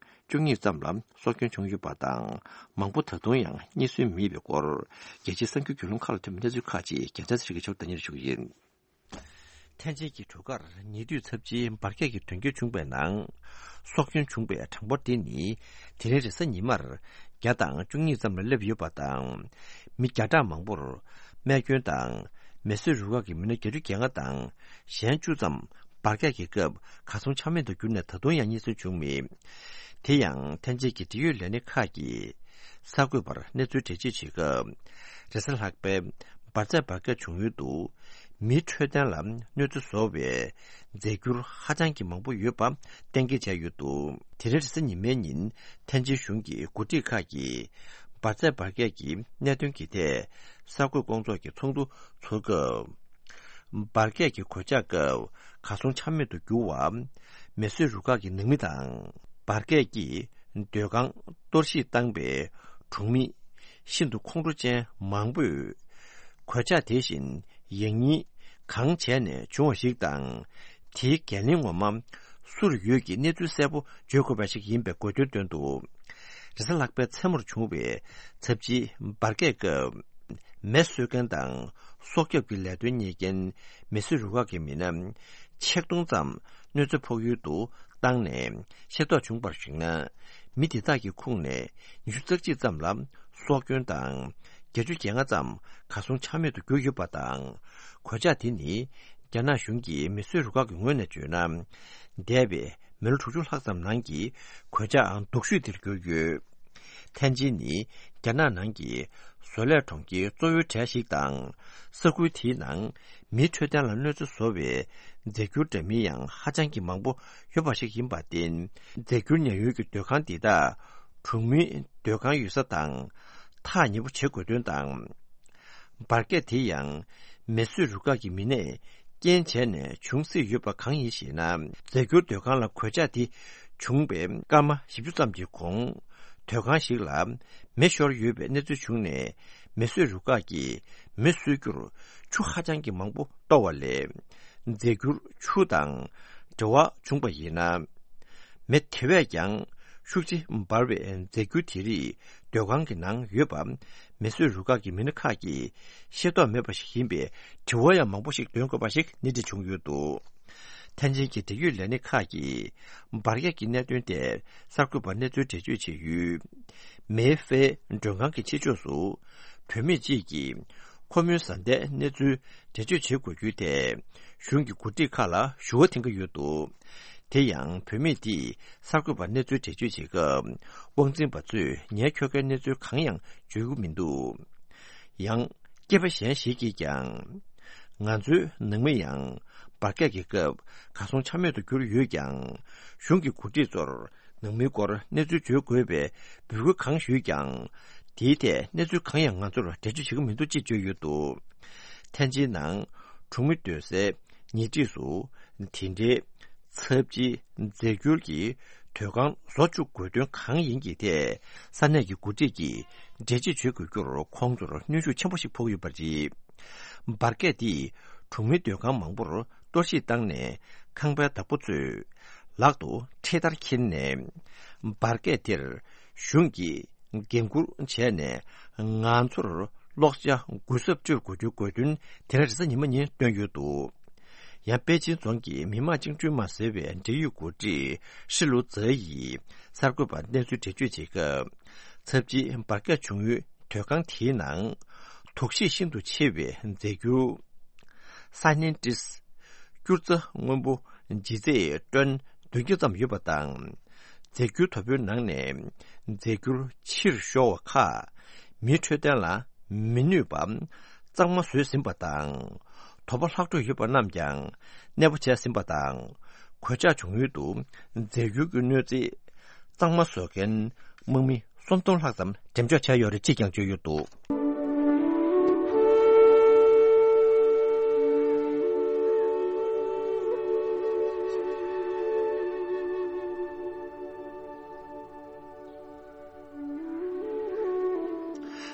བཅུ་གཉིས་ཙམ་ལ་སྲོག་སྐྱོན་བྱུང་ཡོད་པ་དང་། མང་པོ་ད་དུང་ཡང་རྙེད་སོན་མེད་པའི་སྐོར། རྒྱལ་སྤྱིའི་གསར་འགྱུར་བརྒྱུད་ལམ་ཁག་ལ་ཐོན་པའི་གནས་ཚུལ་ཁག་ཅིག་རྒྱལ་མཚན་ཚེ་རིང་གིས་ཕྱོགས་སྡེ་སྙན་ཞུ་གི་ཡིན། ཐེན་ཅིན་གྱི་གྲུ་ཁར་ཉེ་དུས་ཚབས་ཆེའི་འབར་གས་ཀྱི་དོན་རྐྱེན་བྱུང་བའི་ནང་། སྲོག་སྐྱོན་བྱུང་བའི་གྲངས་འབོར་དེ་ནི་དེ་རིང་རེས་གཟའ་ཉི་མར་བརྒྱ་དང་བཅུ་གཉིས་ཙམ་ལ་སླེབས་ཡོད་པ་དང་། མི་བརྒྱ་ཕྲག་མང་པོར་རྨས་སྐྱོན་དང་ མེ་གསོད་རུ་ཁག་གི་མི་སྣ་བརྒྱད་ཅུ་གྱ་ལྔ་དང་གཞན་བཅུ་ཙམ་འབར་གས་ཀྱི་སྐབས་གར་སོང་ཆ་མེད་དུ་གྱུར་ནས་ད་དུང་ཡང་རྙེད་སོན་བྱུང་མེད། དེ་ཡང་ཐེན་ཅིན་གྱི་འབྲེལ་ཡོད་ལས་སྣེ་ཁག་གིས་གསར་འགོད་པར་གནས་ཚུལ་འགྲེལ་བརྗོད་བྱེད་སྐབས། རེས་གཟའ་ལྷག་པའི་འབར་རྫས་འབར་གས་བྱུང་ཡུལ་དུ་མིའི་འཕྲོད་བསྟེན་ལ་གནོད་འཚེ་བཟོ་བའི་རྫས་འགྱུར་ཧ་ཅང་གི་མང་པོ་ཡོད་པ་གཏན་འཁེལ་བྱས་ཡོད་འདུག་དེ་རིང་རེས་གཟའ་ཉི་མའི་ཉིན་ཐེན་ཅིན་གཞུང་གི་འགོ་ཁྲིད་ཁག་གིས་འབར་རྫས་འབར་གས་ཀྱི་གནད་དོན་གྱི་ཐད་གསར་འགོད་སྐོང་ཚོགས་ཀྱི་ཚོགས་འདུ་ཚོགས་སྐབས། འབར་གས་ཀྱི་གོད་ཆག་སྐབས་གར་སོང་ཆ་མེད་དུ་གྱུར་བ། མེ་གསོད་རུ་ཁག་གི་ནང་མི་དང་། འབར་གས་ཀྱིས་སྡོད་ཁང་གཏོར་བཤིག་བཏང་པའི་གྲོང་མི་ཤིན་ཏུ་ཁོང་ཁྲོ་ཅན་མང་པོས། གོད་ཆག་དེ་བཞིན་ཡང་སྙིང་གང་བྱས་ནས་བྱུང་བ་ཞིག་དང་། དེའི་འགན་ལེན་ངོ་མ་སུར་ཡོད་ཀྱི་གནས་ཚུལ་གསལ་པོ་བརྗོད་དགོས་པ་ཞིག་ཡིན་པའི་དགོས་འདུན་བཏོན་འདུག་རེས་གཟའ་ལྷག་པའི་མཚན་མོར་བྱུང་བའི་ཚབས་ཆེའི་འབར་གས་སྐབས། མེ་གསོད་མཁན་དང་སྲོག་སྐྱོབ་ཀྱི་ལས་དོན་གཉེར་མཁན་མེ་གསོད་རུ་ཁག་གི་མི་སྣ་ཆིག་སྟོང་ཙམ་གནོད་འཚེ་ཕོག་ཡུལ་དུ་བཏང་ནས་ཤེས་རྟོགས་བྱུང་བར་གཞིགས་ན། མི་དེ་དག་གི་ཁོངས་ནས་ཉི་ཤུ་རྩ་གཅིག་ཙམ་ལ་སྲོག་སྐྱོན་དང་། བརྒྱད་ཅུ་གྱ་ལྔ་ཙམ་གར་སོང་ཆ་མེད་དུ་གྱུར་ཡོད་པ་དང་། གོད་ཆག་དེ་ནི་རྒྱ་ནག་གཞུང་གི་མེ་གསོད་རུ་ཁག་གི་ངོས་ནས་བརྗོད་ན། འདས་པའི་མི་ལོ་དྲུག་ཅུ་ལྷག་ཙམ་ནང་གི་གོད་ཆག་སྡུག་ཤོས་དེར་གྱུར་ཡོད། ཐེན་ཅིན་ནི་རྒྱ་ནག་ནང་གི་བཟོ་ལས་གྲོང་ཁྱེར་གཙོ་བོའི་གྲས་ཤིག་དང་། ས་ཁུལ་དེའི་ནང་མིའི་འཕྲོད་བསྟེན་ལ་གནོད་འཚེ་བཟོ་བའི་རྫས་འགྱུར་འདྲ་མིན་ཡང་ཧ་ཅང་གི་མང་པོ་ཡོད་པ་ཞིག་ཡིན་པར་བརྟེན། རྫས་འགྱུར་ཉར་ཡུལ་གྱི་སྡོད་ཁང་འདི་དག་གྲོང་མིའི་སྡོད་ཁང་ཡོད་ས་དང་ཐག་ཉེ་པོ་བྱེད་དགོས་དོན་དང་། འབར་གས་དེ་ཡང་མེ་གསོད་རུ་ཁག་གི་མི་སྣས་རྐྱེན་བྱས་ནས་བྱུང་སྲིད་ཡོད་པ་གང་ཡིན་ཞེ་ན། རྫས་འགྱུར་སྡོད་ཁང་ལ་གོད་ཆག་དེ་བྱུང་བའི་སྐར་མ་བཞི་བཅུ་ཙམ་གྱི་གོང་། སྡོད་ཁང་ཞིག་ལ་མེ་ཤོར་ཡོད་པའི་གནས་ཚུལ་བྱུང་ནས། མེ་གསོད་རུ་ཁག་གིས་མེ་གསོད་རྒྱུར་ཆུ་ཧ་ཅང་གི་མང་པོ་གཏོར་བ་ལས། རྫས་འགྱུར་ཆུ་དང་འབྲེལ་བ་བྱུང་པ་ཡིན་ན། མེ་དེ་བས་ཀྱང་ཤུགས་ཆེ་འབར་བའི་རྫས་འགྱུར་དེ་རིགས་སྡོད་ཁང་གི་ནང་ཡོད་པ། མེ་གསོད་རུ་ཁག་གི་མི་སྣ་ཁག་གིས་ཤེས་རྟོགས་མེད་པ་ཞིག་ཡིན་པའི་དྲི་བ་ཡང་མང་པོ་ཞིག་འདོན་དགོས་པ་ཞིག་སྣེ་ཁྲིད་བྱུང་ཡོད་འདུག་ཐེན་ཅིན་གྱི་འབྲེལ་ཡོད་ལས་སྣེ་ཁག་གིས་འབར་གས་ཀྱི་གནད་དོན་ཐད་གསར་འགོད་པར་གནས་ཚུལ་འགྲེལ་བརྗོད་བྱས་ཡོད། མེ་ཧྥེ་མགྲོན་ཁང་གི་ཕྱི་ཕྱོགས་སུ་བུད་མེད་ཅིག་གིས་ཁོ་མོའི་བཟའ་ཟླའི་གནས་ཚུལ་འགྲེལ་བརྗོད་བྱེད་དགོས་རྒྱུའི་ཐད་གཞུང་གི་འགོ་ཁྲིད་ཁག་ལ་ཞུ་བ་འཐེན་གྱི་ཡོད་འདུག་དེ་ཡང་བུད་མེད་དེས་གསར་འགོད་པར་གནས་ཚུལ་འགྲེལ་བརྗོད་བྱེད་སྐབས། དབང་འཛིན་པ་ཚོས་ངའི་ཁྱོ་གའི་གནས་ཚུལ་གང་ཡང་བརྗོད་ཀྱི་མི་འདུག་ཡང་། སྐྱེས་པ་གཞན་ཞིག་གིས་ཀྱང་། ང་ཚོའི་ནང་མི་ཡང་འབར་གས་ཀྱི་སྐབས་གར་སོང་ཆ་མེད་དུ་གྱུར་ཡོད་ཀྱང་། གཞུང་གི་འགོ་ཁྲིད་ཚོར་ནང་མིའི་སྐོར་གནས་ཚུལ་བརྗོད་དགོས་པའི་འབོད་སྐུལ་གང་ཞུས་ཀྱང་། དེའི་ཐད་གནས་ཚུལ་གང་ཡང་ང་ཚོར་འགྲེལ་བརྗོད་བྱེད་ཀྱི་མི་འདུག་ཅེས་བརྗོད་ཡོད་འདུག་ཐེན་ཅིན་ནང་གྲོང་མི་སྡོད་སའི་ཉེ་འཁྲིས་སུ་དེ་འདྲའི་ཚབས་ཆེའི་རྫས་འགྱུར་གྱི་སྡོད་ཁང་བཟོ་བཅུག་དགོས་དོན་གང་ཡིན་གྱི་ཐད་ས་གནས་ཀྱི་འགོ་ཁྲིད་ཀྱིས་འགྲེལ་བརྗོད་བྱེད་དགོས་རྒྱུར་ཁོང་ཚོར་གནོན་ཤུགས་ཆེན་པོ་ཞིག་ཕོག་ཡོད་པ་རེད། འབར་གས་འདིས་གྲོང་མིའི་སྡོད་ཁང་མང་པོར་གཏོར་བཤིག་བཏང་ནས་ཁང་པའི་བདག་པོ་ཚོས་ལག་ཏུ་འཕྲེད་དར་འཁྱེར་ནས། འབར་གས་དེར་གཞུང་གིས་འགན་འཁུར་བྱས་ནས་ང་ཚོར་གློག་ཆ་གུན་གསབ་སྤྲོད་དགོས་རྒྱུ་དགོས་དོན་དེ་རིང་རེས་གཟའ་ཉི་མ་ཉིན་བཏོན་ཡོད་འདུག་ཡང་པེ་ཅིན་རྫོང་གི་མི་དམངས་བཅིངས་འགྲོལ་དམག་ཟེར་བའི་འབྲེལ་ཡོད་འགོ་ཁྲིད་ཧྲི་ལུ་ཛེ་ཡིས་གསར་འགོད་པར་གནས་ཚུལ་འགྲེལ་བརྗོད་བྱེད་སྐབས། ཚབས་ཆེའི་འབར་གས་བྱུང་ཡུལ་སྡོད་ཁང་དེའི་ནང་དུག་ཤེད་ཤིན་ཏུ་ཆེ་བའི་རྫས་འགྱུར་སའི་ནན་ཏིས་སྐྱུར་རྩ་སྔོན་པོ་ལྗིད་ཚད་ཊོན་བདུན་བརྒྱ་ཙམ་ཡོད་པ་དང་། རྫས་འགྱུར་དོ་པོའི་ནང་ནས་རྫས་འགྱུར་ཕྱིར་ཤོར་བ་ཁག་མིའི་འཕྲོད་བསྟེན་ལ་མི་ནུས་པ་གཙང་མ་བཟོས་ཟིན་པ་དང་། དོ་པོ་ལྷག་འཕྲོས་ཡོད་པ་རྣམས་ཀྱང་གནས་སྤོ་བྱས་ཟིན་པ་དང་། གོད་ཆག་བྱུང་ཡུལ་དུ་རྫས་འགྱུར་གྱི་གནོད་འཚེ་གཙང་མ་བཟོ་མཁན་དམག་མི་སུམ་སྟོང་ལྷག་ཙམ་འགྲེམས་འཇོག་བྱས་ཡོད་རེད་ཅེས་ཀྱང་བརྗོད་ཡོད་འདུག་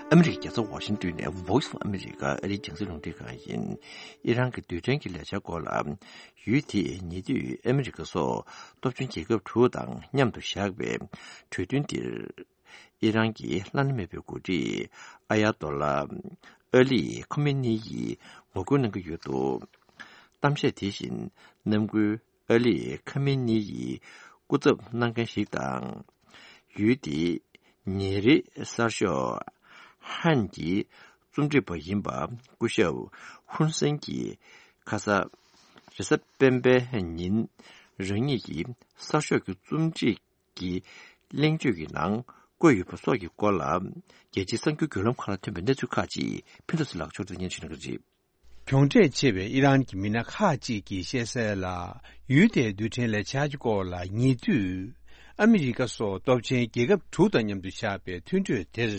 ཨ་མི་རི་ཀའི་རྒྱལ་ས་ཝ་ཤིང་ཏོན་ནས་Voice of America ཨ་རིའི་རྒྱང་སྲིང་རླུང་འཕྲིན་ཁང་ཡིན། ཨི་རན་གྱི་རྡུལ་ཕྲན་གྱི་ལས་འཆར་སྐོར་ལ། ཡུལ་དེས་ཉེ་དུས་ཨ་མི་རི་ཀ་སོགས་སྟོབས་ཆེན་རྒྱལ་ཁབ་དྲུག་དང་མཉམ་དུ་བཞག་པའི་གྲོས་མཐུན་འདིར། ཨི་རན་གྱི་བླ་ན་མེད་པའི་འགོ་ཁྲིད་ཨ་ཡ་ཏོ་ལ་ཨ་ལི་ཁོ་མེ་ནི་ཡིས་ངོ་རྒོལ་གནང་གི་ཡོད་འདུག་གཏམ་བཤད་དེ་བཞིན་གནམ་སྒོའི་ཨ་ལི་ཁ་མེ་ནི་ཡི་སྐུ་ཚབ་གནང་མཁན་ཞིག་དང་། ཡུལ་དེའི་ཉིན་རེའི་གསར་ཤོག་ཧན་གྱི་ རྩོམ་སྒྲིག་པ་ཡིན་པ་སྐུ་ཞབས་ཧུན་སེན་གྱིས་ཁ་ས་རེས་གཟའ་སྤེན་པའི་ཉིན་རང་ཉིད་ཀྱི་གསར་ཤོག་གི་རྩོམ་སྒྲིག་གི་གླེང་བརྗོད་ཀྱི་ནང་བཀོད་ཡོད་པ་སོགས་ཀྱི་སྐོར་ལ། རྒྱལ་སྤྱིའི་གསར་འགྱུར་བརྒྱུད་ལམ་ཁག་ལ་ཐོན་པའི་གནས་ཚུལ་ཁག་ཅིག་ཕུན་ཚོགས་ཚེ་ལགས་མཆོག་སྟོན་སྙན་ཞུ་གནང་གི་རེད། གྱོང་ཁྲལ་ཆེ་བའི་ཨི་རན་གྱི་མི་སྣ་ཁག་ཅིག་གིས་བཤད་གསལ་ལ། ཡུལ་དེའི་རྡུལ་ཕྲན་ལས་འཆར་གྱི་སྐོར་ལ་ཉེ་དུས་ཨ་མི་རི་ཀ་སོགས་སྟོབས་ཆེན་རྒྱལ་ཁབ་དྲུག་དང་མཉམ་དུ་བཞག་པའི་མཐུན་གྲོས་དེར།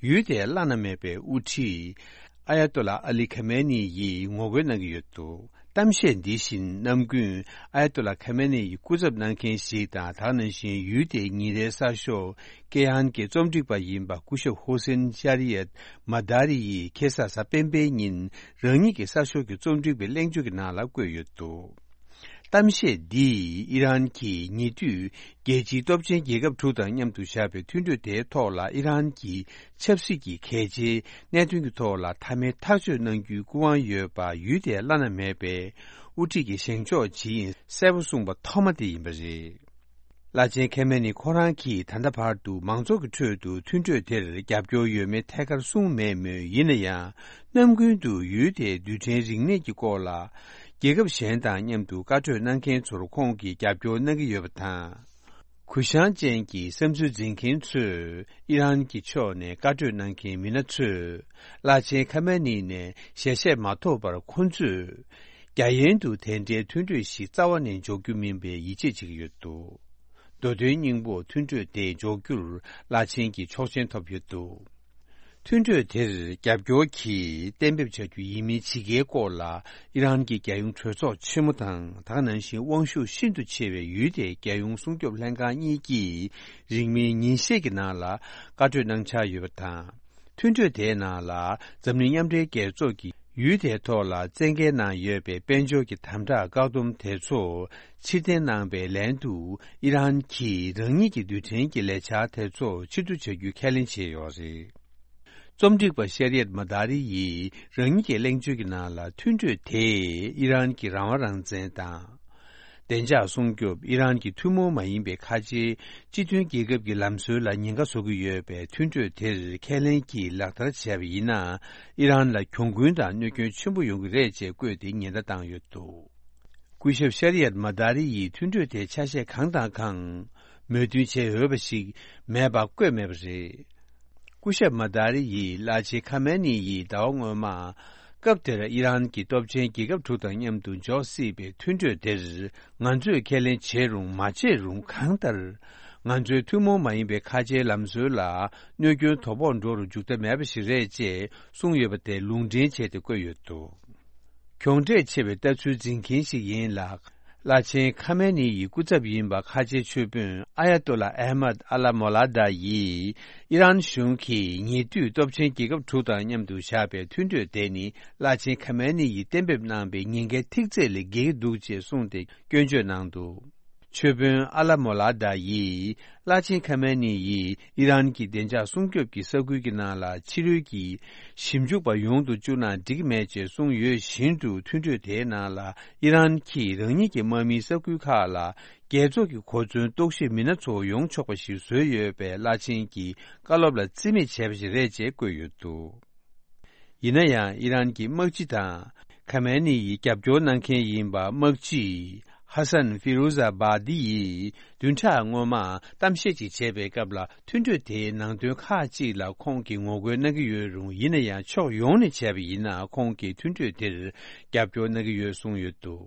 ཡུལ་དེའི་བླ་ན་མེད་པའི་དབུ་ཁྲིད་ཨ་ཡ་ཏོ་ལ་ཨ་ལི་ཁ་མེ་ནི་ཡིས་ངོ་རྒོལ་གནང་གི་ཡོད་འདུག་གཏམ་བཤད་འདི་བཞིན་ནམ་རྒྱུན་ཨ་ཡ་ཏོ་ལ་ཁ་མེ་ནི་ཡི་སྐུ་ཚབ་གནང་མཁན་ཞིག་དང་། དེ་ནང་བཞིན་ཡུལ་དེའི་ཉིན་རེའི་གསར་ཤོག་ཀེ་ཧན་གྱི་རྩོམ་སྒྲིག་པ་ཡིན་པ་སྐུ་ཞབས་ཧུ་སེན་ཤ་རི་ཡད་མ་དཱ་རི་ཡིས་ཁ་སང་གཟའ་སྤེན་པའི་ཉིན་རང་ཉིད་ཀྱི་གསར་ཤོག་གི་རྩོམ་སྒྲིག་པའི་གླེང་བརྗོད་ཀྱི་ནང་ལ་བཀོད་ཡོད་འདུག་གཏམ་བཤད་འདིས་ཨི་རན་གྱིས་ཉེ་དུས་རྒྱལ་སྤྱིའི་སྟོབས་ཆེན་རྒྱལ་ཁབ་དྲུག་དང་མཉམ་དུ་བཞག་པའི་མཐུན་གྲོས་དེའི་ཐོག་ལ་ཨི་རན་གྱི་ཆབ་སྲིད་ཀྱི་གལ་ཆེའི་གནད་དོན་གྱི་ཐོག་ལ་མཐའ་མའི་ཐག་གཅོད་གནང་རྒྱུའི་སྐུ་དབང་ཡོད་པ་ཡུལ་དེའི་བླ་ན་མེད་པའི་དབུ་ཁྲིད་ཀྱིས་བཞེངས་ཕྱོགས་ཇི་ཡིན་གསལ་པོ་གསུངས་པ་ཐོག་མ་དེ་ཡིན་པ་རེད། བླ་ཆེན་ཁེ་མེ་ནི་ཁོ་རང་གིས་ད་ལྟ་བར་དུ་མང་ཚོགས་ཀྱི་ཁྲོད་དུ་མཐུན་གྲོས་དེར་རྒྱབ་སྐྱོར་ཡོད་མེད་ཐད་ཀར་གསུངས་མེད་མོད། ཡིན་ན་ཡང་ནམ་རྒྱུན་དུ་ཡུལ་དེའི་རྡུལ་ཕྲན་རིག་གནས་ཀྱི་སྐོར་ལ་རྒྱལ་ཁབ་གཞན་དང་མཉམ་དུ་བཀའ་གྲོས་གནང་མཁན་ཚོར་ཁོང་གིས་རྒྱབ་སྐྱོར་གནང་གི་ཡོད་པ་དང་། གུ་ཡངས་ཅན་གྱི་བསམ་ཚུལ་འཛིན་མཁན་ཚོས་ཨི་རན་གྱི་ཕྱོགས་ནས་བཀའ་གྲོས་གནང་མཁན་མི་སྣ་ཚོས་བླ་ཆེན་ཁ་མེ་ནི་ནས་ཞལ་བཞེས་མ་ཐོབ་པར་ཁོང་ཚོས་རྒྱ་ཡན་དུ་དེ་འདྲའི་མཐུན་གྲོས་ཤིག་རྩ་བ་ནས་འཇོག་རྒྱུ་མིན་པའི་ཡིད་ཆེས་བྱེད་ཀྱི་ཡོད་འདུག་མདོ་དོན་སྙིང་པོ་མཐུན་གྲོས་དེ་འཇོག་རྒྱུར་བླ་ཆེན་གྱིས་ཆོག་མཆན་ཐོབ་ཡོད་འདུག་མཐུན་གྲོས་དེར་རྒྱབ་སྐྱོར་གྱིས་གཏན་འབེབས་བྱ་རྒྱུ་ཡིན་མིན་ཇི་དགེའི་སྐོར་ལ་ཨི་རན་གྱི་རྒྱལ་ཡོངས་གྲོས་ཚོགས་ཆེན་མོ་དང་། དེ་ནང་བཞིན་དབང་ཤུགས་ཤིན་ཏུ་ཆེ་བའི་ཡུལ་དེའི་རྒྱལ་ཡོངས་སྲུང་སྐྱོབ་ལྷན་ཁང་གཉིས་ཀྱིས་རིང་མིན་ཉིན་ཤས་ཀྱི་ནང་ལ་བཀའ་གྲོས་གནང་འཆར་ཡོད་པ་དང་། མཐུན་གྲོས་དེའི་ནང་ལ་འཛམ་གླིང་མཉམ་འབྲེལ་རྒྱལ་ཚོགས་ཀྱིས་ཡུལ་དེའི་ཐོག་ལ་བཙན་འགེལ་གནང་ཡོད་པའི་དཔལ་འབྱོར་གྱི་དམ་དྲག་བཀག་སྡོམ་དེ་ཚོ་ཕྱིར་འཐེན་གནང་པའི་ལན་དུ། ཨི་རན་གྱིས་རང་ཉིད་ཀྱི་རྡུལ་ཕྲན་གྱི་ལས་འཆར་དེ་ཚོ་ཕྱིར་བསྡུ་བྱ་རྒྱུའི་ཁས་ལེན་བྱས་ཡོད་རེད། རྩོམ་སྒྲིག་པ་ཤེ་རི་ཡད་མ་དཱ་རི་ཡིས་རང་ཉིད་ཀྱི་གླེང་བརྗོད་ཀྱི་ནང་ལ། མཐུན་གྲོས་དེས་ཨི་རན་གྱི་རང་དབང་རང་བཙན་དང་། བདེ་འཇགས་སྲུང་སྐྱོབ། ཨི་རན་གྱི་ཐུན་མོང་མ་ཡིན་པའི་ཁ་ཆེའི་སྤྱི་མཐུན་རྒྱལ་ཁབ་ཀྱི་ལམ་སྲོལ་ལ་ཉེན་ཁ་བཟོ་གི་ཡོད་པས། མཐུན་གྲོས་དེར་ཁས་ལེན་གྱིས་ལག་བསྟར་བྱས་པ་ཡིན་ན། ཨི་རན་ལ་གྱོང་གུན་དང་གནོད་སྐྱོན་ཆེན་པོ་ཡོང་གི་རེད་ཅེས་བཀོད་དེ་ཉེན་བརྡ་བཏང་ཡོད་འདུག་སྐུ་ཞབས་ཤ་རི་ཡད་མ་དཱ་རི་ཡིས་མཐུན་གྲོས་དེའི་ཆ་ཤས་གང་དང་གང་མོས་མཐུན་བྱས་ཡོད་པ་ཞིག་མེད་པ་བཀོད་མེད་པ་རེད། སྐུ་ཞབས་མ་དཱ་རི་ཡིས་བླ་ཆེན་ཁ་མེ་ནི་ཡིས་ཟླ་བ་སྔོན་མ། སྐབས་དེར་ཨི་རན་གྱི་སྟོབས་ཆེན་རྒྱལ་ཁབ་དྲུག་དང་མཉམ་དུ་འཇོག་སྲིད་པའི་མཐུན་གྲོས་དེར། ང་ཚོས་ཁས་ལེན་བྱས་རུང་མ་བྱས་རུང་། གང་ལྟར། ང་ཚོའི་ཐུན་མོང་མ་ཡིན་པའི་ཁ་ཆེའི་ལམ་སྲོལ་ལ་གནོད་སྐྱོན་དོ་ཕོག་འགྲོ་རུ་འཇུག་ཐབས་མེད་པ་ཞིག་རེད་ཅེས་གསུངས་ཡོད་པ་དེ་ལུང་འདྲེན་བྱས་ཏེ་བཀོད་ཡོད་འདུག་གྱོང་ཁྲལ་ཆེ་བའི་ལྟ་ཚུལ་འཛིན་མཁན་ཞིག་ཡིན་ལ། བླ་ཆེན་ཁ་མེ་ནི་ཡི་སྐུ་ཚབ་ཡིན་པ་ཁ་ཆེའི་ཆོས་དཔོན་ཨ་ཡ་ཏོ་ལ་ཨེ་མད་ཨ་ལ་མོ་ལ་དཱ་ཡིས། ཨི་རན་གཞུང་གིས་ཉེ་དུས་སྟོབས་ཆེན་རྒྱལ་ཁབ་དྲུག་དང་མཉམ་དུ་བཞག་པའི་མཐུན་གྲོས་དེ་ནི། བླ་ཆེན་ཁ་མེ་ནི་ཡིས་གཏན་འབེབས་གནང་པའི་ཉེན་ཁའི་ཐིག་ཚད་ལས་བརྒལ་གྱི་འདུག་ཅེས་གསུངས་ཏེ་སྐྱོན་བརྗོད་གནང་འདུག་ཆོས་དཔོན་ཨ་ལ་མོ་ལ་དཱ་ཡིས། བླ་ཆེན་ཁ་མེ་ནི་ཡིས་ཨི་རན་གྱི་བདེ་འཇགས་སྲུང་སྐྱོབ་ཀྱི་ས་ཁུལ་གྱི་ནང་ལ་ཕྱི་རོལ་གྱི་ཞིབ་འཇུག་པ་ཡོང་དུ་བཅུག་ན་འགྲིག་གི་མེད་ཅེས་གསུངས་ཡོད་བཞིན་དུ། མཐུན་གྲོས་དེའི་ནང་ལ་ཨི་རན་གྱིས་རང་ཉིད་ཀྱི་དམག་མིའི་ས་ཁུལ་ཁག་ལ་རྒྱལ་ཚོགས་ཀྱི་གོ་མཚོན་རྟོག་ཞིབ་མི་སྣ་ཚོ་ཡོང་ཆོག་པ་ཞིག་བཟོས་ཡོད་པའི་བླ་ཆེན་གྱི་བཀའ་སློབ་ལ་རྩིས་མེད་བྱས་པ་ཞིག་རེད་ཅེས་བཀོད་ཡོད་འདུག་ཡིན་ན་ཡང་ཨི་རན་གྱི་དམག་སྤྱི་དང་། ཁ་མེ་ནི་ཡི་རྒྱབ་སྐྱོར་གནང་མཁན་ཡིན་པ་དམག་སྤྱི་ཧ་སན་ཧྥི་རུ་ཟ་བྷ་དི་ཡིས་བདུན་ཕྲག་སྔོན་མ་གཏམ་བཤད་ཅིག་བྱས་པའི་སྐབས་ལ། མཐུན་གྲོས་དེའི་ནང་དོན་ཁག་ཅིག་ལ་ཁོང་གིས་ངོ་རྒོལ་གནང་གི་ཡོད་རུང་། ཡིན་ན་ཡང་ཕྱོགས་ཡོངས་ནས་བྱས་པ་ཡིན་ན་ཁོང་གིས་མཐུན་གྲོས་དེར་རྒྱབ་སྐྱོར་གནང་གི་ཡོད་གསུངས་ཡོད་འདུག་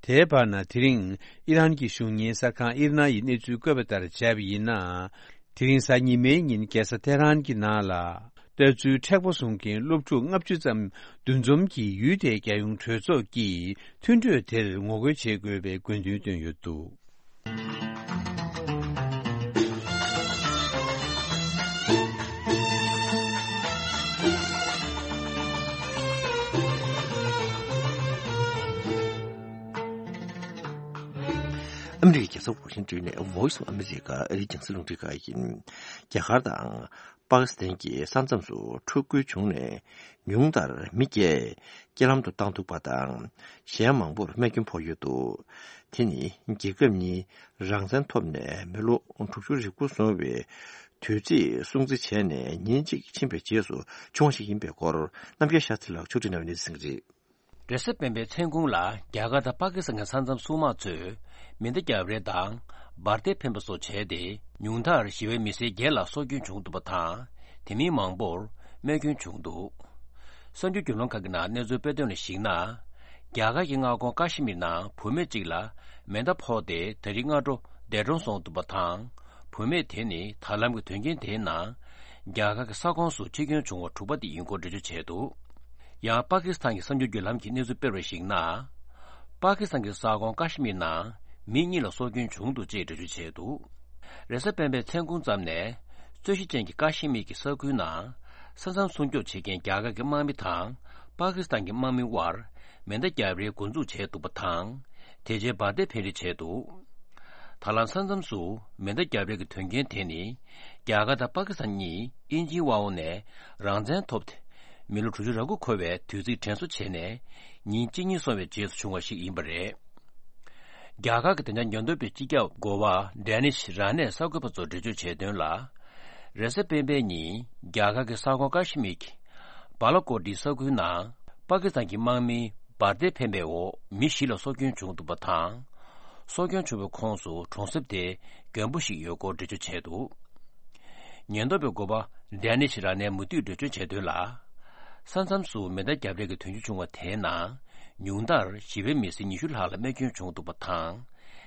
དེའི་བར་ན། དེ་རིང་ཨི་རན་གྱི་གཞུང་གཉེར་གསར་ཁང་ཨིར་ན་ཡིས་གནས་ཚུལ་བཀོད་པ་ལྟར་བྱས་པ་ཡིན་ན། དེ་རིང་གཟའ་ཉི་མའི་ཉིན་རྒྱལ་ས་ཐེ་རན་གྱི་ནང་ལ། ལྟ་ཚུལ་མཁྲེགས་པོ་བཟུང་མཁན་སློབ་ཕྲུག་ལྔ་བཅུ་ཙམ་འདུ་འཛོམས་ཀྱིས་ཡུལ་དེའི་རྒྱལ་ཡོངས་གྲོས་ཚོགས་ཀྱི་མཐུན་གྲོས་དེར་ངོ་རྒོལ་བྱེད་དགོས་པའི་དགོས་འདུན་བཏོན་ཡོད་འདུག་ཨ་མི་རི་ཀའི་རྒྱལ་ས་ཝ་ཤིང་ཏོན་ནས་Voice of America ཨ་རིའི་རྒྱང་སྲིང་རླུང་འཕྲིན་ཁང་ཡིན། རྒྱ་གར་དང་པ་ཀི་སི་ཐན་གྱི་ས་མཚམས་སུ་འཁྲུག་རྐྱེན་བྱུང་ནས་ཉུང་མཐར་མི་བརྒྱད་རྐྱེན་ལམ་དུ་བཏང་ཐུབ་པ་དང་། གཞན་མང་པོར་རྨས་སྐྱོན་ཕོག་ཡོད་འདུག་དེ་ནི་རྒྱལ་ཁབ་གཉིས་རང་བཙན་ཐོབ་ནས་མི་ལོ་དྲུག་ཅུ་རེ་དགུ་སོང་བའི་ དུས་ཚིགས་སྲུང་བརྩི་བྱས་ནས་ཉིན་གཅིག་ཕྱིན་པའི་རྗེས་སུ་བྱུང་བ་ཞིག་ཡིན་པའི་སྐོར། རྣམ་རྒྱལ་ཤཱ་ཐི་ལགས་ཕྱོགས་སྒྲིག་གནང་བའི་གནས་ཚུལ་ཞིག་རེད། རེས་གཟའ་སྤེན་པའི་མཚན་གུང་ལ་རྒྱ་གར་དང་པ་ཀི་སི་ཐན་གྱི་ས་མཚམས་སྲུང་དམག་ཚོས་མེ་མདའ་བརྒྱབ་རེས་དང་འབར་མདེལ་འཕེན་པ་སོགས་བྱས་ཏེ། ཉུང་མཐར་ཞི་བའི་མི་སེར་བརྒྱད་ལ་སྲོག་སྐྱོན་བྱུང་འདུག་པ་དང་། དེ་མིན་མང་པོར་རྨས་སྐྱོན་བྱུང་འདུག། གསར་འགྱུར་བརྒྱུད་ལམ་ཁག་གི་ནང་གནས་ཚུལ་སྤེལ་དོན་ལ་གཞིགས་ན། རྒྱ་གར་གྱི་མངའ་ཁོངས་ཀ་ཤི་མིར་ནང་བུད་མེད་ཅིག་ལ་མེ་མདའ་ཕོག་སྟེ་ད་རེས་སྔ་དྲོ་འདས་གྲོངས་སོང་འདུག་པ་དང་། བུད་མེད་དེ་ནི་ད་ལམ་གྱི་དོན་རྐྱེན་དེའི་ནང་རྒྱ་གར་གྱི་ས་ཁོངས་སུ་འཆི་སྐྱོན་བྱུང་བ་དྲུག་པ་དེ་ཡིན་སྐོར་འགྲེལ་བརྗོད་བྱས་འདུག། ཡང་པ་ཀི་སི་ཐན་གྱི་གསར་འགྱུར་བརྒྱུད་ལམ་གྱིས་གནས་ཚུལ་སྤེལ་བར་གཞིགས་ན། པ་ཀི་སི་ཐན་གྱི་ས་ཁོངས་ཀ་ཤི་མིར་ནང་མི་གཉིས་ལ་སྲོག་སྐྱོན་བྱུང་འདུག་ཅེས་འགྲེལ་བརྗོད་བྱས་འདུག། རེས་གཟའ་སྤེན་པའི་མཚན་གུང་ཙམ་ནས་རྩོད་གཞི་ཅན་གྱི་ཀ་ཤི་མིར་གྱི་ས་ཁུལ་ནང་ས་མཚམས་སྲུང་སྐྱོབ་བྱེད་མཁན་རྒྱ་གར་གྱི་དམག་མི་དང་པ་ཀི་སི་ཐན་གྱི་དམག་མིའི་དབར་མེ་མདའ་བརྒྱབ་རེས་འགོ་འཛུགས་བྱས་འདུག་པ་དང་། དེ་རྗེས་འབར་མདེལ་འཕེན་རེས་བྱས་འདུག། ད་ལམ་ས་མཚམས་སུ་མེ་མདའ་བརྒྱབ་རེས་ཀྱི་དོན་རྐྱེན་དེ་ནི་རྒྱ་གར་དང་པ་ཀི་སི་ཐན་གཉིས་དབྱིན་ཇིའི་དབང་འོག་ནས་རང་བཙན་ཐོབ་སྟེ། མི་ལོ་དྲུག་ཅུ་རེ་དགུ་འཁོར་བའི་དུས་ཚིགས་དྲན་གསོ་བྱས་ནས་ཉིན་གཅིག་གཉིས་སོང་བའི་རྗེས་སུ་བྱུང་བ་ཞིག་ཡིན་པ་རེད། རྒྱ་གར་གྱི་བདེ་འཇགས་ཉེན་རྟོག་པའི་སྤྱི་ཁྱབ་འགོ་པ་ཌེ་ནིཤ་ར་ནས་གསར་འགོད་པ་ཚོར་འགྲེལ་བརྗོད་བྱས་དོན་ལ། རེས་གཟའ་སྤེན་པའི་ཉིན་རྒྱ་གར་གྱི་ས་ཁོངས་ཀ་ཤི་མིར་གྱི་བ་ལ་ཀོ་ཏི་ས་ཁུལ་ནང་པ་ཀི་སི་ཐན་གྱི་དམག་མིའི་འབར་མདེལ་འཕེན་པའི་འོག་མི་བཞི་ལ་སྲོག་སྐྱོན་བྱུང་འདུག་པ་དང་། སྲོག་སྐྱོན་བྱུང་བའི་ཁོངས་སུ་གྲོང་གསེབ་དེའི་རྒན་པོ་ཞིག་ཡོད་སྐོར་འགྲེལ་བརྗོད་བྱས་འདུག། ཉེན་རྟོག་པའི་འགོ་པ་ཌེ་ནིཤ་ར་ནས་མུ་མཐུད་འགྲེལ་བརྗོད་བྱས་དོན་ལ། ས་མཚམས་སུ་མེ་མདའ་བརྒྱབ་རེས་ཀྱི་དོན་རྐྱེན་བྱུང་བ་དེའི་ནང་ཉུང་མཐར་ཞི་བའི་མི་སེར་ཉི་ཤུ་ལྷག་ལ་རྨས་སྐྱོན་བྱུང་འདུག་པ་དང་།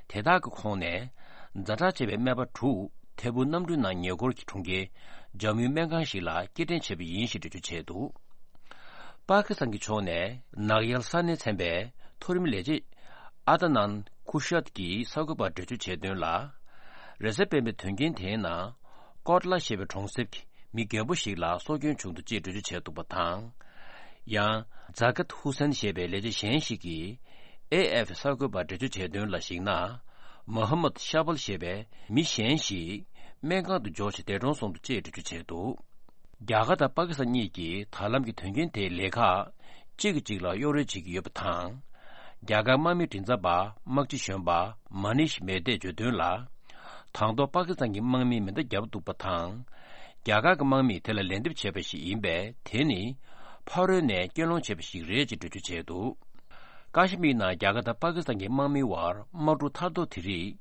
དེ་དག་གི་ཁོངས་ནས་ཛ་དྲག་ཆེ་བའི་སྨན་པ་དྲུག་ཐད་འཕུར་གནམ་གྲུའི་ནང་ཉེ་འཁོར་གྱི་གྲོང་ཁྱེར་ཇམ་མུའི་སྨན་ཁང་ཞིག་ལ་སྐྱེལ་འདྲེན་བྱས་པ་ཡིན་ཞེས་འགྲེལ་བརྗོད་བྱས་འདུག། པ་ཀི་སི་ཐན་གྱི་ཕྱོགས་ནས་ནག་ཡལ་ས་གནས་ཚན་པའི་མཐོ་རིམ་ལས་བྱེད་ཨ་ཏ་ནན་ཁུ་ཤད་ཀྱིས་གསར་འགོད་པར་འགྲེལ་བརྗོད་བྱས་དོན་ལ། རེས་གཟའ་སྤེན་པའི་དོན་རྐྱེན་དེའི་ནང་ཀོ་ཏ་ལ་ཞེས་པའི་གྲོང་གསེབ་ཀྱི་མི་རྒན་པོ་ཞིག་ལ་སྲོག་སྐྱོན་བྱུང་འདུག་ཅེས་འགྲེལ་བརྗོད་བྱས་འདུག་པ་དང་། ཡང་ཛ་ཀད་ཧུ་སན་ཞེས་པའི་ལས་བྱེད་གཞན་ཞིག་གིས་ཨེ་ཨེཕ་གསར་འགོད་པར་འགྲེལ་བརྗོད་བྱས་དོན་ལ་གཞིགས་ན། མོ་ཧ་མད་ཤ་བལ་ཞེས་པའི་མི་གཞན་ཞིག་སྨན་ཁང་དུ་འབྱོར་ཞིང་འདས་གྲོངས་སོང་འདུག་ཅེས་འགྲེལ་བརྗོད་བྱས་འདུག། རྒྱ་གར་དང་པ་ཀི་སི་ཐན་གཉིས་ཀྱིས་ད་ལམ་གྱི་དོན་རྐྱེན་དེའི་ལས་ཁག་གཅིག་གིས་གཅིག་ལ་གཡོ་རོལ་བྱེད་ཀྱི་ཡོད་པ་དང་། རྒྱ་གར་དམག་མིའི་མགྲིན་ཚབ་པ་དམག་སྤྱི་གཞོན་པ་མ་ནིཤ་མེ་ཏེས་བརྗོད་དོན་ལ། དང་ཐོག་པ་ཀི་སི་ཐན་གྱི་དམག་མིས་མེ་མདའ་བརྒྱབ་འདུག་པ་དང་། རྒྱ་གར་གྱི་དམག་མིས་དེ་ལ་ལན་འདེབས་བྱས་པ་ཞིག་ཡིན་པས། དེ་ནི་ཕ་རོལ་ནས་སྐྱོན་སློང་བྱས་པ་ཞིག་རེད་ཅེས་འགྲེལ་བརྗོད་བྱས་འདུག། ཀ་ཤི་མིར་ནང་རྒྱ་གར་དང་པ་ཀི་སི་ཐན་གྱི་དམག་མིའི་དབར་དམག་འཁྲུག་ཐར་ཐོར་དེ་རིགས་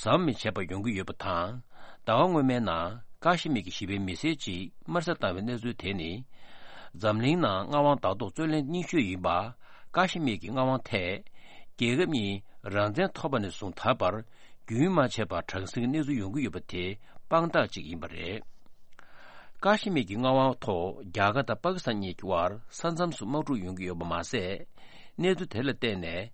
ཟམ་མི་ཆད་པར་ཡོང་གི་ཡོད་པ་དང་། ཟླ་བ་སྔོན་མའི་ནང་ཀ་ཤི་མིར་གྱི་ཞི་བའི་མི་སེར་གཅིག་དམར་གསོད་བཏང་བའི་གནས་ཚུལ་དེ་ནི། འཛམ་གླིང་ནང་མངའ་དབང་བདག་ཐོག་རྩོད་ལེན་རྙིང་ཤོས་ཡིན་པ། ཀ་ཤི་མིར་གྱི་མངའ་དབང་ཐད་རྒྱལ་ཁབ་གཉིས་རང་བཙན་ཐོབ་པ་ནས་བཟུང་ད་བར་རྒྱུན་མ་ཆད་པར་གྲངས་སྲིང་གི་གནས་ཚུལ་ཡོང་གི་ཡོད་པ་དེ་དཔང་རྟགས་གཅིག་ཡིན་པ་རེད། ཀ་ཤི་མིར་གྱི་མངའ་དབང་ཐོག་རྒྱ་གར་དང་པ་ཀི་སི་ཐན་གཉིས་ཀྱི་དབར་ས་མཚམས་སུ་དམག་འཁྲུག་ཡོང་གི་ཡོད་པ་མ་ཟད། གནས་ཚུལ་དེ་ལ་བརྟེན་ནས་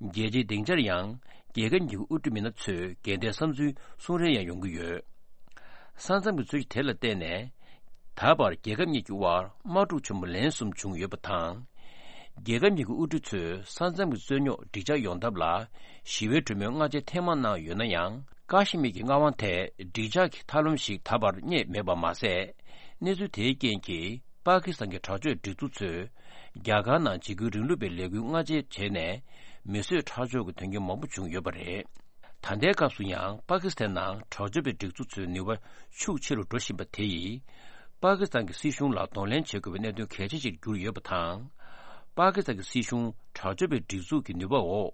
རྒྱལ་སྤྱིའི་སྡིངས་ཆར་ཡང་རྒྱལ་ཁབ་གཉིས་ཀྱི་དབུ་ཁྲིད་མི་སྣ་ཚོས་འགལ་ཟླའི་བསམ་ཚུལ་གསུང་རེས་ཡང་ཡོང་གི་ཡོད། ས་མཚམས་ཀྱི་རྩོད་གཞི་དེ་ལ་བརྟེན་ནས། ད་བར་རྒྱལ་ཁབ་གཉིས་ཀྱི་དབར་དམག་འཁྲུག་ཆེན་པོ་ལན་གསུམ་བྱུང་ཡོད་པ་དང་། རྒྱལ་ཁབ་གཉིས་ཀྱི་དབུ་ཁྲིད་ཚོས་ས་མཚམས་ཀྱི་རྩོད་རྙོག་འགྲིག་འཇགས་ཡོང་ཐབས་ལ་ཞི་བའི་གྲོས་མོལ་སྔ་རྗེས་ཐེངས་མང་གནང་ཡོད་ན་ཡང་། ཀ་ཤི་མིར་གྱི་མངའ་དབང་ཐད་འགྲིག་འཇགས་ཀྱི་ཐབས་ལམ་ཞིག་ད་བར་རྙེད་མེད་པ་མ་ཟད། གནས་ཚུལ་དེའི་རྐྱེན་གྱིས་པ་ཀི་སི་ཐན་གྱི་དྲག་སྤྱོད་སྒྲིག་འཛུགས་ཚོས་རྒྱ་གར་ནང་འཇིགས་སྐུལ་རིང་ལུགས་པའི་ལས་འགུལ་སྔ་རྗེས་བྱས་ནས་མི་གསོད་ཁྲག་སྦྱོར་གྱི་དོན་རྐྱེན་མང་པོ་བྱུང་ཡོད་པ་རེད། ད་ལྟའི་སྐབས་སུ་ཡང་པ་ཀི་སི་ཐན་ནང་དྲག་སྤྱོད་པའི་སྒྲིག་འཛུགས་ཚོའི་ནུས་པ་ཤུགས་ཆེ་རུ་འགྲོ་བཞིན་པ་དེ་ཡིས། པ་ཀི་སི་ཐན་གྱི་སྲིད་གཞུང་ལ་གདོང་ལེན་བྱེད་དགོས་པའི་གནད་དོན་གལ་ཆེ་ཞིག་གྱུར་ཡོད་པ་དང་། པ་ཀི་སི་ཐན་གྱི་སྲིད་གཞུང་དྲག་སྤྱོད་པའི་སྒྲིག་འཛུགས་ཀྱི་ནུས་པ་འོག་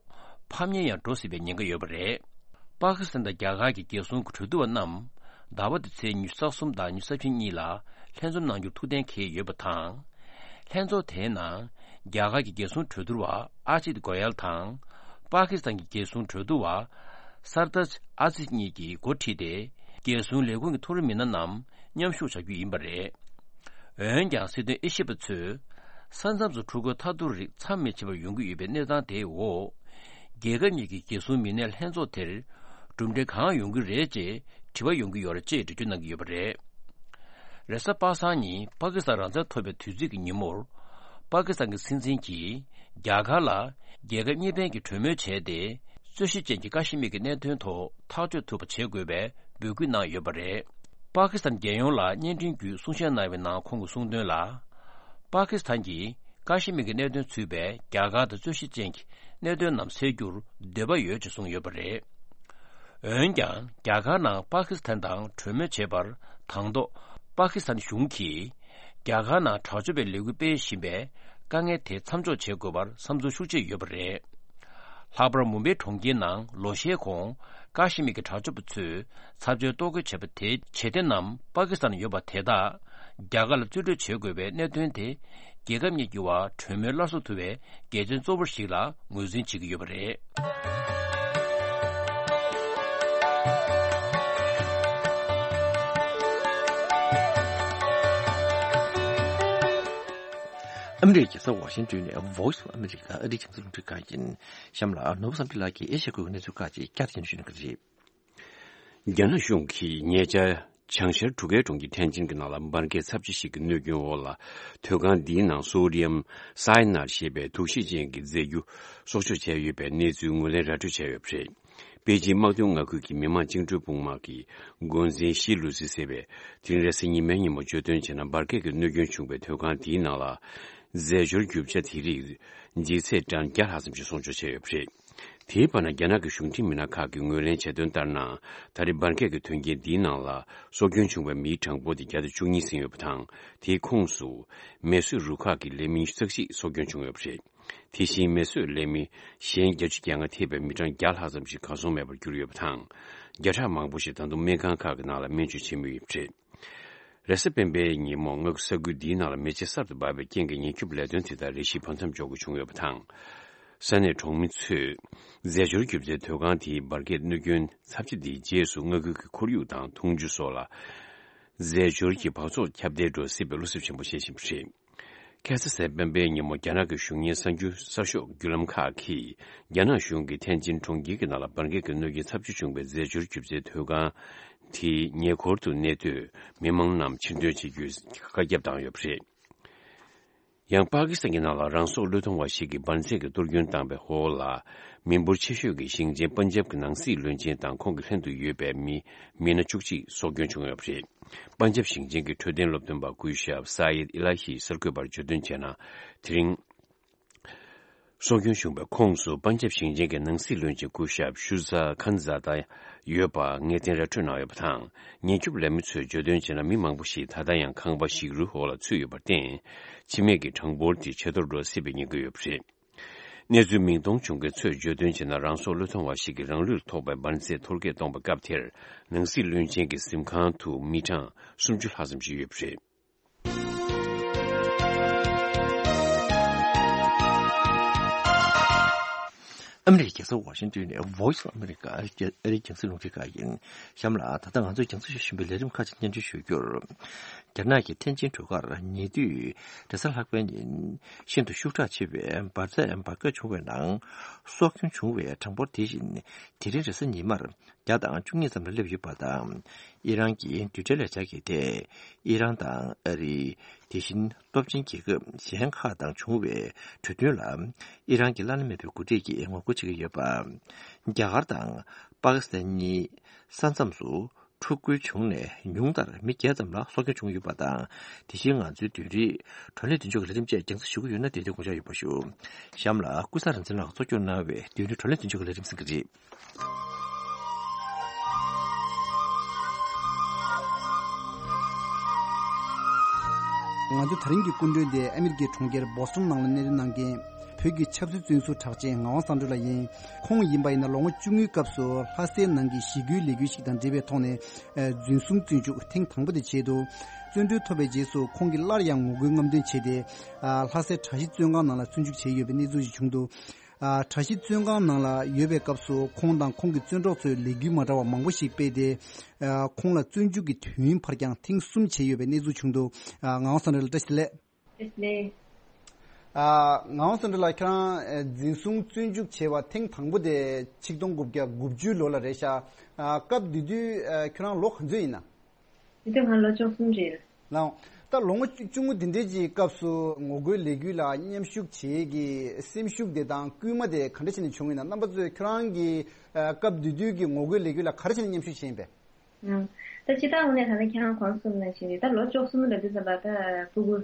ཕམ་ཉེས་ཡང་འགྲོ་སྲིད་པའི་ཉེན་ཁ་ཡོད་པ་རེད། པ་ཀི་སི་ཐན་དང་རྒྱ་གར་གྱི་རྒྱལ་སྲུང་གི་གྲོས་བསྡུར་བ་རྣམས་ཟླ་བ་འདིའི་ཚེས་ཉི་ཤུ་རྩ་གསུམ་དང་ཉི་ཤུ་རྩ་བཞི་གཉིས་ལ་ལྷན་འཛོམས་གནང་རྒྱུར་ཐུགས་གཏན་འཁེལ་ཡོད་པ་དང་། ལྷན་ཚོགས་དེའི་ནང་རྒྱ་གར་གྱི་རྒྱལ་སྲུང་གྲོས་བསྡུར་བ་ཨ་ཇིད་གོ་ཡལ་དང་། པ་ཀི་སི་ཐན་གྱི་རྒྱལ་སྲུང་གྲོས་བསྡུར་བ་སར་ཏཱཇ་ཨ་ཛིས་གཉིས་ཀྱིས་འགོ་ཁྲིད་དེ། རྒྱལ་སྲུང་ལས་ཁུངས་ཀྱི་མཐོ་རིམ་མི་སྣ་རྣམས་མཉམ་ཞུགས་བྱ་རྒྱུ་ཡིན་པ་རེད། འོན་ཀྱང་སྲིད་དོན་དབྱེ་ཞིབ་པ་ཚོས། ས་མཚམས་སུ་འཁྲུག་རྒོལ་ཐར་ཐོར་རིགས་མཚམས་མི་ཆད་པར་ཡོང་གི་ཡོད་པའི་གནས་སྟངས་དེའི་འོག་རྒྱལ་ཁབ་གཉིས་ཀྱི་རྒྱལ་སྲུང་མི་སྣའི་ལྷན་ཚོགས་དེར་གྲུབ་འབྲས་གང་ཡོང་གི་རེད་ཅེས་དྲི་བ་ཡོང་གི་ཡོད་རེད་ཅེས་འགྲེལ་བརྗོད་གནང་གི་ཡོད་པ་རེད། རེས་གཟའ་པ་སངས་ཉིན་པ་ཀི་སི་ཐན་རང་བཙན་ཐོབ་པའི་དུས་ཚིགས་ཀྱི་ཉིན་མོར། པ་ཀི་སི་ཐན་གྱི་སྲིད་འཛིན་གྱིས་རྒྱ་གར་ལ་རྒྱལ་ཁབ་གཉིས་ཕན་གྱི་གྲོས་མོལ་བྱས་ཏེ། རྩོད་གཞི་ཅན་གྱི་ཀ་ཤི་མིར་གྱི་གནད་དོན་ཐོག་ཐག་གཅོད་ཐུབ་པ་བྱེད་དགོས་པའི་འབོད་སྐུལ་གནང་ཡོད་པ་རེད། པ་ཀི་སི་ཐན་རྒྱལ་ཡོངས་ལ་བརྙན་འཕྲིན་བརྒྱུད་གསུང་བཤད་གནང་བའི་ནང་ཁོང་གིས་གསུངས་དོན་ལ། པ་ཀི་སི་ཐན་གྱིས་ཀ་ཤི་མིར་གྱི་གནད་དོན་ཚུད་པའི་རྒྱ་གར་དང་རྩོད་གཞི་ཅན་གྱི་གནད་དོན་རྣམས་སེལ་རྒྱུར་འདོད་པ་ཡོད་ཅེས་གསུངས་ཡོད་པ་རེད། འོན་ཀྱང་རྒྱ་གར་ནང་པ་ཀི་སི་ཐན་དང་གྲོས་མོལ་བྱེད་པར་དང་ཐོག་པ་ཀི་སི་ཐན་གཞུང་གིས་རྒྱ་གར་ནང་དྲག་སྤྱོད་པའི་ལས་འགུལ་སྤེལ་བཞིན་པའི་དཀའ་ངལ་དེ་མཚམས་འཇོག་བྱེད་དགོས་པར་བསམ་ཚུལ་ཤུགས་ཆེ་ཡོད་པ་རེད། ལྷག་པར་མུམ་བེ་གྲོང་ཁྱེར་ནང་ལོ་ཤས་གོང་ཀ་ཤི་མིར་གྱི་དྲག་སྤྱོད་པ་ཚོས་ཚབས་ཆེའི་གཏོར་རྒོལ་བྱས་པ་དེའི་བྱེད་གཏེ་རྣམས་པ་ཀི་སི་ཐན་ཡོད་པ་དེ་དག་རྒྱ་གར་ལ་རྩིས་སྤྲོད་བྱེད་དགོས་པའི་གནད་དོན་དེ། རྒྱལ་ཁབ་གཉིས་ཀྱི་བར་གྲོས་མོལ་སླར་གསོ་ཐུབ་པའི་གལ་ཆེན་གཙོ་བོ་ཞིག་ལ་ངོས་འཛིན་བྱེད་ཀྱི་ཡོད་པ་རེད། ཨ་མི་རི་ཀའི་རྒྱལ་ས་ཝ་ཤིང་ཏོན་ནས་Voice of America ཨ་རིའི་རྒྱང་སྲིང་རླུང་འཕྲིན་ཁང་ཡིན། གཤམ་ལ་ནོར་བུ་བསམ་འཕེལ་ལགས་ཀྱིས་ཨེ་ཤ་ཡའི་ཁུལ་གྱི་གནས་ཚུལ་ཁག་ཅིག་བསྐྱར་དུ་སྙན་སྒྲོན་ཞུ་གནང་གི་རེད། རྒྱ་ནག་གཞུང་གིས་ཉེ་ཆར་བྱང་ཤར་གྲུ་ཁའི་གྲོང་ཁྱེར་ཐན་ཅིན་གྱི་ནང་ལ་འབར་གས་ཚབས་ཆེ་ཞིག་གི་གནོད་སྐྱོན་འོག་ལ། ཐོན་ཁང་འདིའི་ནང་སོ་ཌི་ཡམ་སའི་ནཱད་ཞེས་པའི་དུག་ཤེད་ཅན་གྱི་རྫས་འགྱུར་གསོག་འཇོག་བྱས་ཡོད་པའི་གནས་ཚུལ་ངོས་ལེན་ར་སྤྲོད་བྱས་ཡོད་པ་རེད། པེ་ཅིན་དམག་དོན་མངའ་ཁུལ་གྱི་མི་དམངས་བཅིངས་འགྲོལ་དཔུང་དམག་གི་འགོ་འཛིན་ཞི་ལུ་སི་ཟེར་བས་དེ་རིང་རེས་གཟའ་ཉི་མའི་ཉིན་མོ་བརྗོད་དོན་བྱས་ན། འབར་གས་ཀྱི་གནོད་སྐྱོན་བྱུང་བའི་ཐོན་ཁང་དེའི་ནང་ལ་རྫས་སྦྱོར་རྒྱུ་ཆ་དེ་རིགས་ལྗིད་ཚད་ཊོན་བརྒྱ་ལྷག་ཙམ་ཞིག་གསོག་འཇོག་བྱས་ཡོད་པ་རེད། དེའི་བར་ན་རྒྱ་ནག་གི་གཞུང་འབྲེལ་མི་སྣ་ཁག་གིས་ངོས་ལེན་བྱས་དོན་ལྟར་ན། ད་རེས་འབར་གས་ཀྱི་དོན་རྐྱེན་འདིའི་ནང་ལ་སྲོག་སྐྱོན་བྱུང་བའི་མིའི་གྲངས་འབོར་དེ་བརྒྱ་དང་བཅུ་གཉིས་ཟིན་ཡོད་པ་དང་། དེའི་ཁོངས་སུ་མེ་གསོད་རུ་ཁག་གི་ལས་མི་རྩ་བཞི་སྲོག་སྐྱོན་བྱུང་ཡོད་པ་རེད། དེ་བཞིན་མེ་གསོད་ལས་མི་གཞན་བརྒྱད་ཅུ་གྱ་ལྔ་ཐེ་བའི་མི་གྲངས་བརྒྱ་ལྷག་ཙམ་ཞིག་གར་སོང་མེད་པར་གྱུར་ཡོད་པ་དང་། བརྒྱ་ཕྲག་མང་པོ་ཞིག་ད་དུང་སྨན་ཁང་ཁག་གི་ནང་ལ་སྨན་བཅོས་བྱེད་མུས་ཡིན་པ་རེད། རེས་གཟའ་སྤེན་པའི་ཉིན་མོ་མངའ་ཁུལ་ས་ཁུལ་འདིའི་ནང་ལ་མེ་ལྕེ་གསར་དུ་འབར་བའི་རྐྱེན་གྱིས་ཉེན་སྐྱོབ་ལས་དོན་དེ་དག་རེ་ཞིག་བར་མཚམས་འཇོག་དགོས་བྱུང་ཡོད་པ་དང་། ས་གནས་གྲོང་མི་ཚོས་རྫས་སྦྱོར་རྒྱུ་རྫས་ཐོན་ཁང་དེའི་འབར་གས་གནོད་སྐྱོན་ཚབས་ཆེ་འདིའི་རྗེས་སུ་མངའ་ཁུལ་གྱི་ཁོར་ཡུག་དང་འཐུང་ཆུ་སོགས་ལ་རྫས་སྦྱོར་གྱི་འབག་བཙོག་ཁྱབ་གདལ་འགྲོ་སྲིད་པའི་བློ་འཚབ་ཆེན་པོ་བྱེད་བཞིན་པ་རེད། ཁ་སང་རེས་གཟའ་སྤེན་པའི་ཉིན་མོ་རྒྱ་ནག་གི་གཞུང་གཉེར་གསར་འགྱུར་གསར་ཤོག་བརྒྱུད་ལམ་ཁག་གིས་རྒྱ་ནག་གཞུང་གིས་ཐན་ཅིན་གྲོང་ཁྱེར་གྱི་ནང་ལ་འབར་གས་ཀྱི་གནོད་སྐྱོན་ཚབས་ཆེ་བྱུང་བའི་རྫས་སྦྱོར་རྒྱུ་རྫས་ཐོན་ཁང་དེའི་ཉེ་འཁོར་དུ་གནས་སྡོད་མི་མང་རྣམས་ཕྱིར་འདོན་བྱེད་རྒྱུའི་བཀའ་ཁྱབ་བཏང་ཡོད་པ་རེད། ཡང་པ་ཀི་སི་ཐན་གྱི་ནང་ལ་རང་སྲོག་བློས་གཏོང་བ་ཞིག་གིས་འབར་རྫས་ཀྱི་གཏོར་སྐྱོན་བཏང་བའི་འོག་ལ། མི་འབོར་ཆེ་ཤོས་ཀྱི་ཞིང་ཆེན་པན་ཇབ་ཀྱི་ནང་སྲིད་བློན་ཆེན་དང་ཁོང་གི་ལྷན་དུ་ཡོད་པའི་མི་མི་སྣ་བཅུ་གཅིག་སྲོག་སྐྱོན་བྱུང་ཡོད་པ་རེད། པན་ཇབ་ཞིང་ཆེན་གྱི་འཕྲོད་བསྟེན་སློབ་སྟོན་པ་སྐུ་ཞབས་ས་ཡིད་ཨི་ལ་ཧི་གསར་འགོད་པར་བརྗོད་དོན་བྱས་ན། དེ་རིང་སྲོག་སྐྱོན་བྱུང་བའི་ཁོངས་སུ་པན་ཇབ་ཞིང་ཆེན་གྱི་ནང་སྲིད་བློན་ཆེན་སྐུ་ཞབས་ཤུ་ཛ་ཁན་ཛ་ད་ཡོད་པ་ངེས་གཏན་ར་འཕྲོད་གནང་ཡོད་པ་དང་། ཉེན་སྐྱོབ་ལས་མི་ཚོས་བརྗོད་དོན་བྱས་ན། མི་མང་པོ་ཞིག་ད་ལྟ་ཡང་ཁང་པ་ཞིག་རུ་འོག་ལ་ཚུད་ཡོད་པར་བརྟེན། འཆི་རྨས་ཀྱི་གྲངས་འབོར་དེ་ཇེ་མཐོར་འགྲོ་སྲིད་པའི་ཉེན་ཁ་ཡོད་པ་རེད། གནས་ཚུལ་མིང་མཐོང་བྱུང་མཁན་ཚོས་བརྗོད་དོན་བྱས་ན། རང་སྲོག་བློས་གཏོང་བ་ཞིག་གིས་རང་ལུས་ལ་ཐོགས་པའི་འབར་རྫས་གཏོར་སྐྱོན་གཏོང་བའི་སྐབས་དེར། ནང་སྲིད་བློན་ཆེན་གྱི་གཟིམ་ཁང་དུ་མི་གྲངས་སུམ་ཅུ་ལྷག་ཙམ་ཞིག་ཡོད་པ་རེད། ཨ་མི་རི་ཀའི་རྒྱལ་ས་ཝ་ཤིང་ཏོན་ནས་Voice of America ཨ་རིའི་རྒྱང་སྲིང་རླུང་འཕྲིན་ཁང་ཡིན། གཤམ་ལ་ད་ལྟ་ང་ཚོས་རྒྱང་སྲིང་ཞུ་བཞིན་པའི་ལས་རིམ་ཁག་ཅིག་སྙན་སྒྲོན་ཞུ་རྒྱུར། རྒྱ་ནག་གི་ཐེན་ཅིན་གྲུ་ཁར་ཉེ་དུས་རེས་གཟའ་ལྷག་པའི་ཉིན་ཤིན་ཏུ་ཤུགས་དྲག་ཆེ་བའི་འབར་རྫས་འབར་གས་བྱུང་བའི་ནང་སྲོག་སྐྱོན་བྱུང་བའི་གྲངས་འབོར་དེ་བཞིན་དེ་རིང་རེས་གཟའ་ཉི་མར་བརྒྱ་དང་བཅུ་གཉིས་ཙམ་ལ་སླེབས་ཡོད་པ་དང་། ཨི་རན་གྱི་རྡུལ་ཕྲན་ལས་འཆར་གྱི་ཐད་ཨི་རན་དང་ཨ་རི། དེ་བཞིན་སྟོབས་ཆེན་རྒྱལ་ཁབ་གཞན་ཁག་དང་བྱུང་བའི་གྲོས་མཐུན་ལ་ཨི་རན་གྱིས་བླ་ན་མེད་པའི་གོ་སྒྲིག་གིས་ངོ་རྒོལ་བྱེད་ཀྱི་ཡོད་པ། རྒྱ་གར་དང་པ་ཀི་སི་ཐན་གཉིས་ས་མཚམས་སུ་འཁྲུག་རྒོལ་བྱུང་ནས་ཉུང་མཐར་མི་བརྒྱད་ཙམ་ལ་སྲོག་སྐྱོན་བྱུང་ཡོད་པ་དང་། དེ་བཞིན་ང་ཚོའི་བདུན་རེའི་བགྲོ་གླེང་མདུན་ལྕོག་གི་ལས་རིམ་བཅས་རྒྱང་སྲིང་ཞུ་གི་ཡོད་ན་དེ་དུས་དགོངས་འཇགས་ཡོད་པ་ཞུ། གཤམ་ལ་ཀུན་བཟང་རིག་འཛིན་ལགས་གཙོ་སྐྱོང་གནང་བའི་བདུན་རེའི་བགྲོ་གླེང་མདུན་ལྕོག་གི་ལས་རིམ་གསན་གྱི་རེད། ང་ཚོ་དེ་རིང་གི་སྐུ་མགྲོན་དེ་ཨ་མི་རི་ཀའི་གྲོང་ཁྱེར་བོ་སི་ཊོན་ནང་ལ་གནས་སྡོད་གནང་མཁན་བོད་ཀྱི་ཆབ་སྲིད་བཙོན་ཟུར་གྲགས་ཅན་ངག་དབང་བསམ་གྲུབ་ལགས་ཡིན། ཁོང་ཡིན་པ་ཡིན་ན་ལོ་ངོ་བཅུ་དངུལ་སྐབས་སུ་ལྷ་སའི་ནང་གི་ཞི་རྒོལ་ལས་འགུལ་ཞིག་དང་འབྲེལ་བའི་ཐོག་ནས་འཛིན་བཟུང་བཙོན་འཇུག་ཐེངས་དང་པོ་དེ་བྱས་འདུག་བཙོན་གྲོལ་ཐོབ་པའི་རྗེས་སུ་ཁོང་གིས་སླར་ཡང་ངོ་རྒོལ་རྔམ་སྟོན་བྱས་ཏེ། ལྷ་སའི་གྲྭ་བཞི་བཙོན་ཁང་ནང་ལ་བཙོན་འཇུག་བྱས་ཡོད་པའི་གནས་ཚུལ་ཞིག་བྱུང་འདུག་ཨ། གྲྭ་བཞི་བཙོན་ཁང་ནང་ལ་ཡོད་པའི་སྐབས་སུ་ཁོང་དང་ཁོང་གི་བཙོན་གྲོགས་ཚོས་ལས་འགུལ་མ་འདྲ་བ་མང་པོ་ཞིག་སྤེལ་ཏེ། ཨ། ཁོང་ལ་བཙོན་འཇུག་གི་དུས་ཡུན་ཕར་འགྱངས་ཐེངས་གསུམ་བྱས་ཡོད་པའི་གནས་ཚུལ་བྱུང་འདུག་ཨ། ངག་དབང་བསམ་གྲུབ་ལགས་བཀྲ་ཤིས་བདེ་ལེགས། བཀྲ་ཤིས་བདེ་ལེགས། ཨ། ངག་དབང་བསམ་གྲུབ་ལགས་ཁྱེད་རང་ཨ། འཛིན་བཟུང་བཙོན་འཇུག་བྱས་པ་ཐེངས་དང་པོ་དེ་ཆིག་སྟོང་དགུ་བརྒྱ་དགུ་བཅུ་ལོ་ལ་རེད་ཤག་ཨ། སྐབས་དེ་དུས་ཨ། ཁྱོད་རང་ལོ་ག་ཚོད་ཡིན་ན། དེ་དུས་ང་ལོ་བཅུ་གསུམ་རེད། ལགས། ད་ལོ་ངོ་བཅུ་བཅུ་ངོ་འདི་འདྲའི་ཅིག་སྐབས་སུ་ངོ་རྒོལ་ལས་འགུལ་ལ་མཉམ་ཞུགས་བྱེད་ཀྱི་སེམས་ཤུགས་དེ་དང་སྐུལ་མ་དེ་ག་འདྲ་བྱས་ནས་བྱུང་ཡིན་ན། རྣམ་པ་ཚོས་ཁྱོད་རང་གི་ཨ། སྐབས་དེ་དུས་ཀྱི་ངོ་རྒོལ་ལས་འགུལ་ལ་ག་རེ་བྱས་ནས་མཉམ་ཞུགས་བྱས་ཡིན་པས། ཨང་། ད་སྤྱིར་བཏང་ངོས་ནས་ད་ལྟ་ཁྱེད་རང་གོང་གསུངས་ནང་བཞིན་རེད། ད་ལོ་བཅུ་གསུམ་ལ་དུས་ཙམ་པ་ད་ཕྲུ་གུ་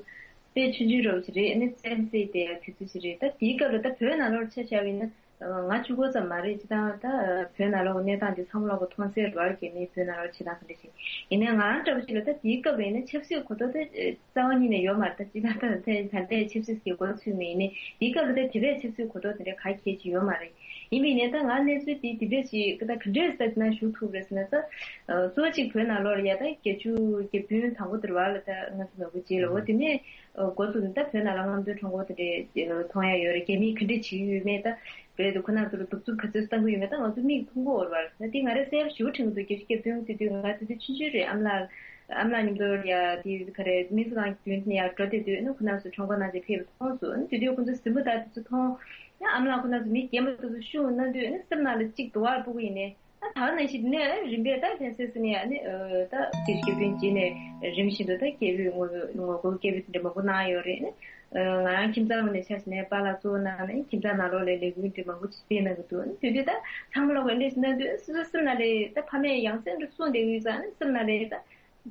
དཔེ་ཆུང་ཆུང་འདྲ་བོ་ཞིག་རེད། ཨ་ནི་བཙན་བྱོལ་དེ་དུས་ཚོད་ཞིག་རེད། ད་དེའི་སྐབས་ལ་ད་བོད་ནང་ལོགས་ཆ་བཞག་པ་ཡིན་ན། ང་གཅིག་པོ་ཙམ་མ་རེད། སྤྱིར་བཏང་ད་བོད་ནང་ལོགས་གནས་སྟངས་འདི་ཚང་མ་ལོགས་མཐོང་གསལ་རེད་བ། རྒྱ་མིས་བོད་ནང་ལོགས་བྱེད་སྟངས་ག་འདྲ་ཞིག་ཡིན་ནའི་ང་རང་འདྲ་པོ་ཞིག་ལ་ད་དེའི་སྐབས་ལ་ཡིན་ན་ཆབ་སྲིད་གོ་རྟོགས་དེ་རྩ་བ་ཉིད་ནས་ཡོད་མ་རེད། ད་སྤྱིར་བཏང་ད་ད་ད་ལྟའི་ཆབ་སྲིད་ཀྱི་མགོ་ཚུད་མེད་ཡིན་ནའི་དེའི་སྐབས་ལ་ད་དེ་འདྲའི་ཆབ་སྲིད་གོ་རྟོགས་དེ་འདྲ་ག་གལ་ཆེ་ཡོད་མ་རེད། ཡིན་པ་ཡིན་ནའི་ད་ང་གནས་ཚུལ་དེ་དེ་འདྲ་ཞིག་ད་ག་འདྲས་ད་ན་ཞུགས་ཐུབ་རེད་ཟེར་ན་ད་གཙོ་བོ་གཅིག་བོད་ནང་ལོགས་ལ་ཡ་ད་བརྒྱད་ཅུ་གྱ་བདུན་དང་པོ་དེར་བ་ལ་ད་ང་ཚོ་ནོར་བུ་རྗེ་ལ་འོ་དེ་ནས་འགོ་བཙུགས་ནས་ད་བོད་ནང་ལ་རྔམ་སྟོན་ཁྲོམ་སྐོར་དེ་འདྲས་མཐོང་ཡ་ཡོད་རེད། རྒྱ་མིས་ག་འདྲས་བྱེད་ཀྱི་ཡོད་མེད་ད་བོད་དུ་ཁོ་ན་ཚོར་གདུག་རྩུབ་ག་ཚོད་བཏང་གི་ཡོད་མེད་ད་ང་ཚོ་མིག་མཐོང་གི་ཡོད་རེད་བ། ད་དེ་ང་རས་གསལ་པོ་ཞེ་པོ་དྲན་གྱི་འདུག་བརྒྱད་ཅུ་གྱ་བདུན་དེ་དུས་ང་དེ་དུས་ཆུང་ཆུང་རེད། ཨ་མ་ལགས་ཨ་མ་ལགས་མཉམ་དུ་ཡ་དེ་ག་རེད་མི་ཚོ་གང་མདུན་ནས་ཡར་འགྲོ་བསྡད་དུས་ནི་ཁོ་ན་ཚོ་ཁྲོམ་སྐོར་གནང་བྱས་ཕེབས་པ་མཐོང་སོང་། ནི་དེ་དུས་ཁོ་ཚོ་གཟིམ་པ་དང་དེ་ཚོ་མཐོང་ཡང་ཨ་མ་ལགས་ཁོ་ན་ཚོ་མི་རྒན་པ་དེ་ཚོ་ཤུགས་གནང་དུས་ནི་སེམས་ནང་ལ་གཅིག་དུ་བར་སྤུ་གུ་ཡིན་ནའི། ད་ད་ག་ནང་བཞིན་དེ་ནས་རིམ་པས་ད་ལྷན་སེལ་ཟེར་ནས་ཨ་ནི་ཨ་ད་དེ་སྐྱེ་བུ་རྗེས་ནས་རིམ་བཞིན་དུ་ད་སྐྱེ་བུའི་ངོ་ངོ་རྒོལ་སྐྱེ་བུ་དེ་འདྲ་མང་པོ་གནང་ཡོད་རེད། ཨ་ང་རང་ཁྱིམ་ཚང་ནང་ནས་ཆ་བཞག་ནས་པཱ་ལགས་གཙོ་བོ་གནང་ནས་ཁྱིམ་ཚང་ནང་ལོགས་ལ་ལས་འགུལ་འདྲ་མང་པོ་ཅིག་སྤེལ་གནང་གི་འདུག་དེ་དུས་ད་ཚང་མ་ལོག་གི་འདྲ་ཞིག་གནང་དུས་སོ་སོའི་སེམས་ནང་ལ་ད་ཕ་མས་ཡང་སེམས་འདྲ་གསུངས་བསྡད་ཀྱི་ཡོད་ཙང་ནི་སེམས་ནང་ལ་ད།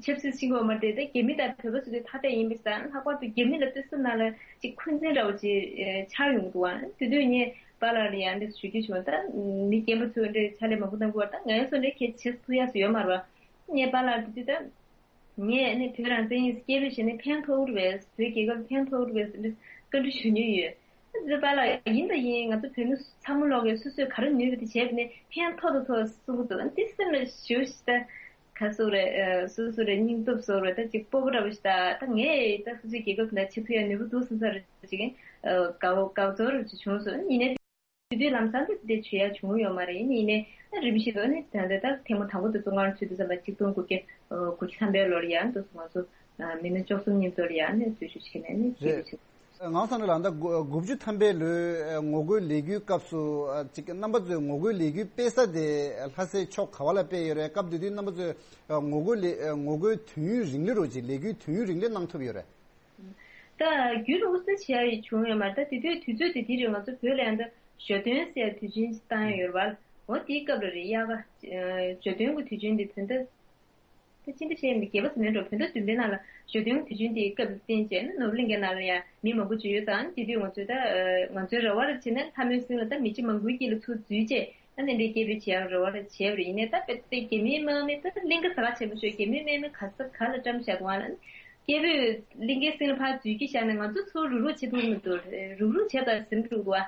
ཆབ་སྲིད་ཕྱིན་དགོས་མ་རེད། ད་རྒྱ་མི་དང་བོད་པ་ཚོ་དེ་ཐ་དད་ཡིན་པ་ཞིག་དང་ལྷག་པར་དུ་རྒྱ་མི་ལ་ཏོག་ཙམ་ནང་ལ་ཅིག་འཁོན་འཛིན་འདྲ་བོ་ཅིག་ཨེ་འཆར་ཡོང་གི་འདུག་ཨ། དེ་དུས་ངས་པཱ་ལགས་ལ་ཡང་འདི་ཞུ་རྒྱུ་བྱུང་། ད་མི་རྒན་པ་ཚོས་འདྲ་ཕྱག་ལས་མང་པོ་གནང་གི་ཡོད་རེད། ད་ང་ཚོ་འདྲ་གལ་ཆེ་ཐུག་ཡག་ཚོ་ཡོད་མ་རེད་བ། ངས་པཱ་ལགས་དེ་དུས་ད་ངས་ནི་བོད་རང་བཙན་ཡིན་སྐད་འབོད་བྱས་ནས་ཕན་ཐོགས་རེད་པས། བོད་རྒྱལ་ཁབ་ཕན་ཐོགས་རེད་པས་འདི་བཀའ་འདྲི་ཞུ་མྱོང་ཡོད། འདི་པཱ་ལགས་ཡིན་ད་ཡིན། ང་ཚོ་བོད་མི་ཚང་མ་ལོག་གིས་སོ་སོས་ག་རེ་ནུས་པ་དེ་བྱས་པ་ནས་ཕན་ཐོགས་ད་ཐོགས་གསུང་གི་འདུག་འདི་སེམས་ལ་ཞུ་ཞིག་ད། ག་སོགས་རེད། ཨ་སོ་སོ་རེད། སྙིང་སྟོབས་སོགས་རེད། ད་ཅིག་སྤོབས་པ་འདྲ་བོ་ཞིག་ད་ད་ངས་ད་སོ་སོའི་རྒྱལ་ཁབ་དེ་འདྲ་ཆེ་ཐུབ་ཡ་ནུས་པ་འདུག་བསམ་ས་རེད། ཅིག་ཨ་དགའ་བོ་དགའ་ཚོར་རེ་ཅིག་བྱུང་སོང་། ཡིན་ནའི་དེ་དུས་ལམ་སང་དེ་དེ་བྱེད་ཡ་བྱུང་ཡོད་མ་རེད། ཡིན་ནའི་ད་རིམ་བཞིན་དུ་ནི་ད་ལྟ་ད་ཐེངས་མ་དང་པོ་དེ་བཙོན་ཁང་ཚུད་དུས་ཙམ་པ་ཆིག་སྟོང་དགུ་བརྒྱ་དགུ་བཅུ་ཐམ་པའི་ལོར་ཡང་འདུག་སོང་། ང་ཚོ་མི་སྣ་བཅུ་གསུམ་མཉམ་དུ་ལ་ཡང་ནས་འཛུལ་ཞུགས་བྱས་ནས་ནི་སྐྱེས་རེད། བུ་ཆེ། ངག་དབང་བསམ་གྲུབ་ལགས་ད་དགུ་བཅུ་ཐམ་པའི་ལོའི་ངོ་རྒོལ་ལས་འགུལ་སྐབས་སུ་ཅིག་རྣམ་པ་ཚོས་ངོ་རྒོལ་ལས་འགུལ་སྤེལ་ས་དེ་ལྷ་སའི་ཕྱོགས་ག་བ་ལ་སྤེལ་ཡོད་རེད། སྐབས་དེ་དུས་རྣམ་པ་ཚོས་ངོ་རྒོལ་ལས་ངོ་རྒོལ་དུས་ཡུན་རིང་ལི་རོ་ཅིག་ལས་འགུལ་དུས་ཡུན་རིང་ལི་གནང་ཐུབ་ཡོད་རེད། ད་རྒྱུན་དུ་དབུ་གསོལ་བྱེད་ཡ་ཡི་བྱུང་ཡོད་མ་རེད། ད་དེ་དུས་དུས་ཚོད་དེ་དེ་རེད། ང་ཚོ་བོད་ལ་ཡང་ད་ཞོ་སྟོན་ཟེར་དུས་ཆེན་བཏང་ཡ་ཡོད་རེད་བ། འོ་དེའི་སྐབས་ལ་རེད། དབྱར་ཁ་ཞོ་སྟོན་གྱི་དུས་ཆེན་དེ་དོན་དུ། ད་ཅི་འདྲ་བཤད་ཡིན་རྒྱལ་པོ་ཟེར་ནས་འགྲོ་བོད་ཟླ་བདུན་པའི་ནང་ལ་ཞོ་སྟོན་དུས་ཆེན་དེའི་སྐབས་བསྟན་བྱས་ན་ནོར་བུ་གླིང་གའི་ནང་ལ་ཡང་མི་མང་པོ་ཅིག་ཡོད་ཙང་དེ་དུས་ང་ཚོས་ད་ང་ཚོའི་རེ་བ་རེ་བྱས་ནས་ལྷ་མོའི་གསེང་ལ་ད་མི་ཆེ་མང་པོའི་དཀྱིལ་ལ་ཚུར་འཛུལ་བྱས་ད་ནི་འདྲའི་སྐད་འབོད་བྱེད་ཡག་རེ་བ་རེ་བྱས་པ་རེད། ཡིན་ནའི་ད་དཔེ་དེ་རྒྱ་མིའི་དམག་མི་ད་གླིང་ག་ཟ་ཁ་ཆེན་པོ་ཤོད་རྒྱ་མིའི་དམག་མི་ག་ས་ག་ལ་བཀྲམ་བཞག་འདུག་ཨ་ལ་སྐད་འབོད་གླིང་གའི་གསེང་ལ་ཕར་འཛུལ་གྱིས་བཞག་ནས་ང་ཚོ་ཚུར་རུག་རུག་བྱེད་ཐུབ་མི་འདུག་རུག་རུག་བྱས་པ་ཟིན་འགྲོ་འདུག་ཨ།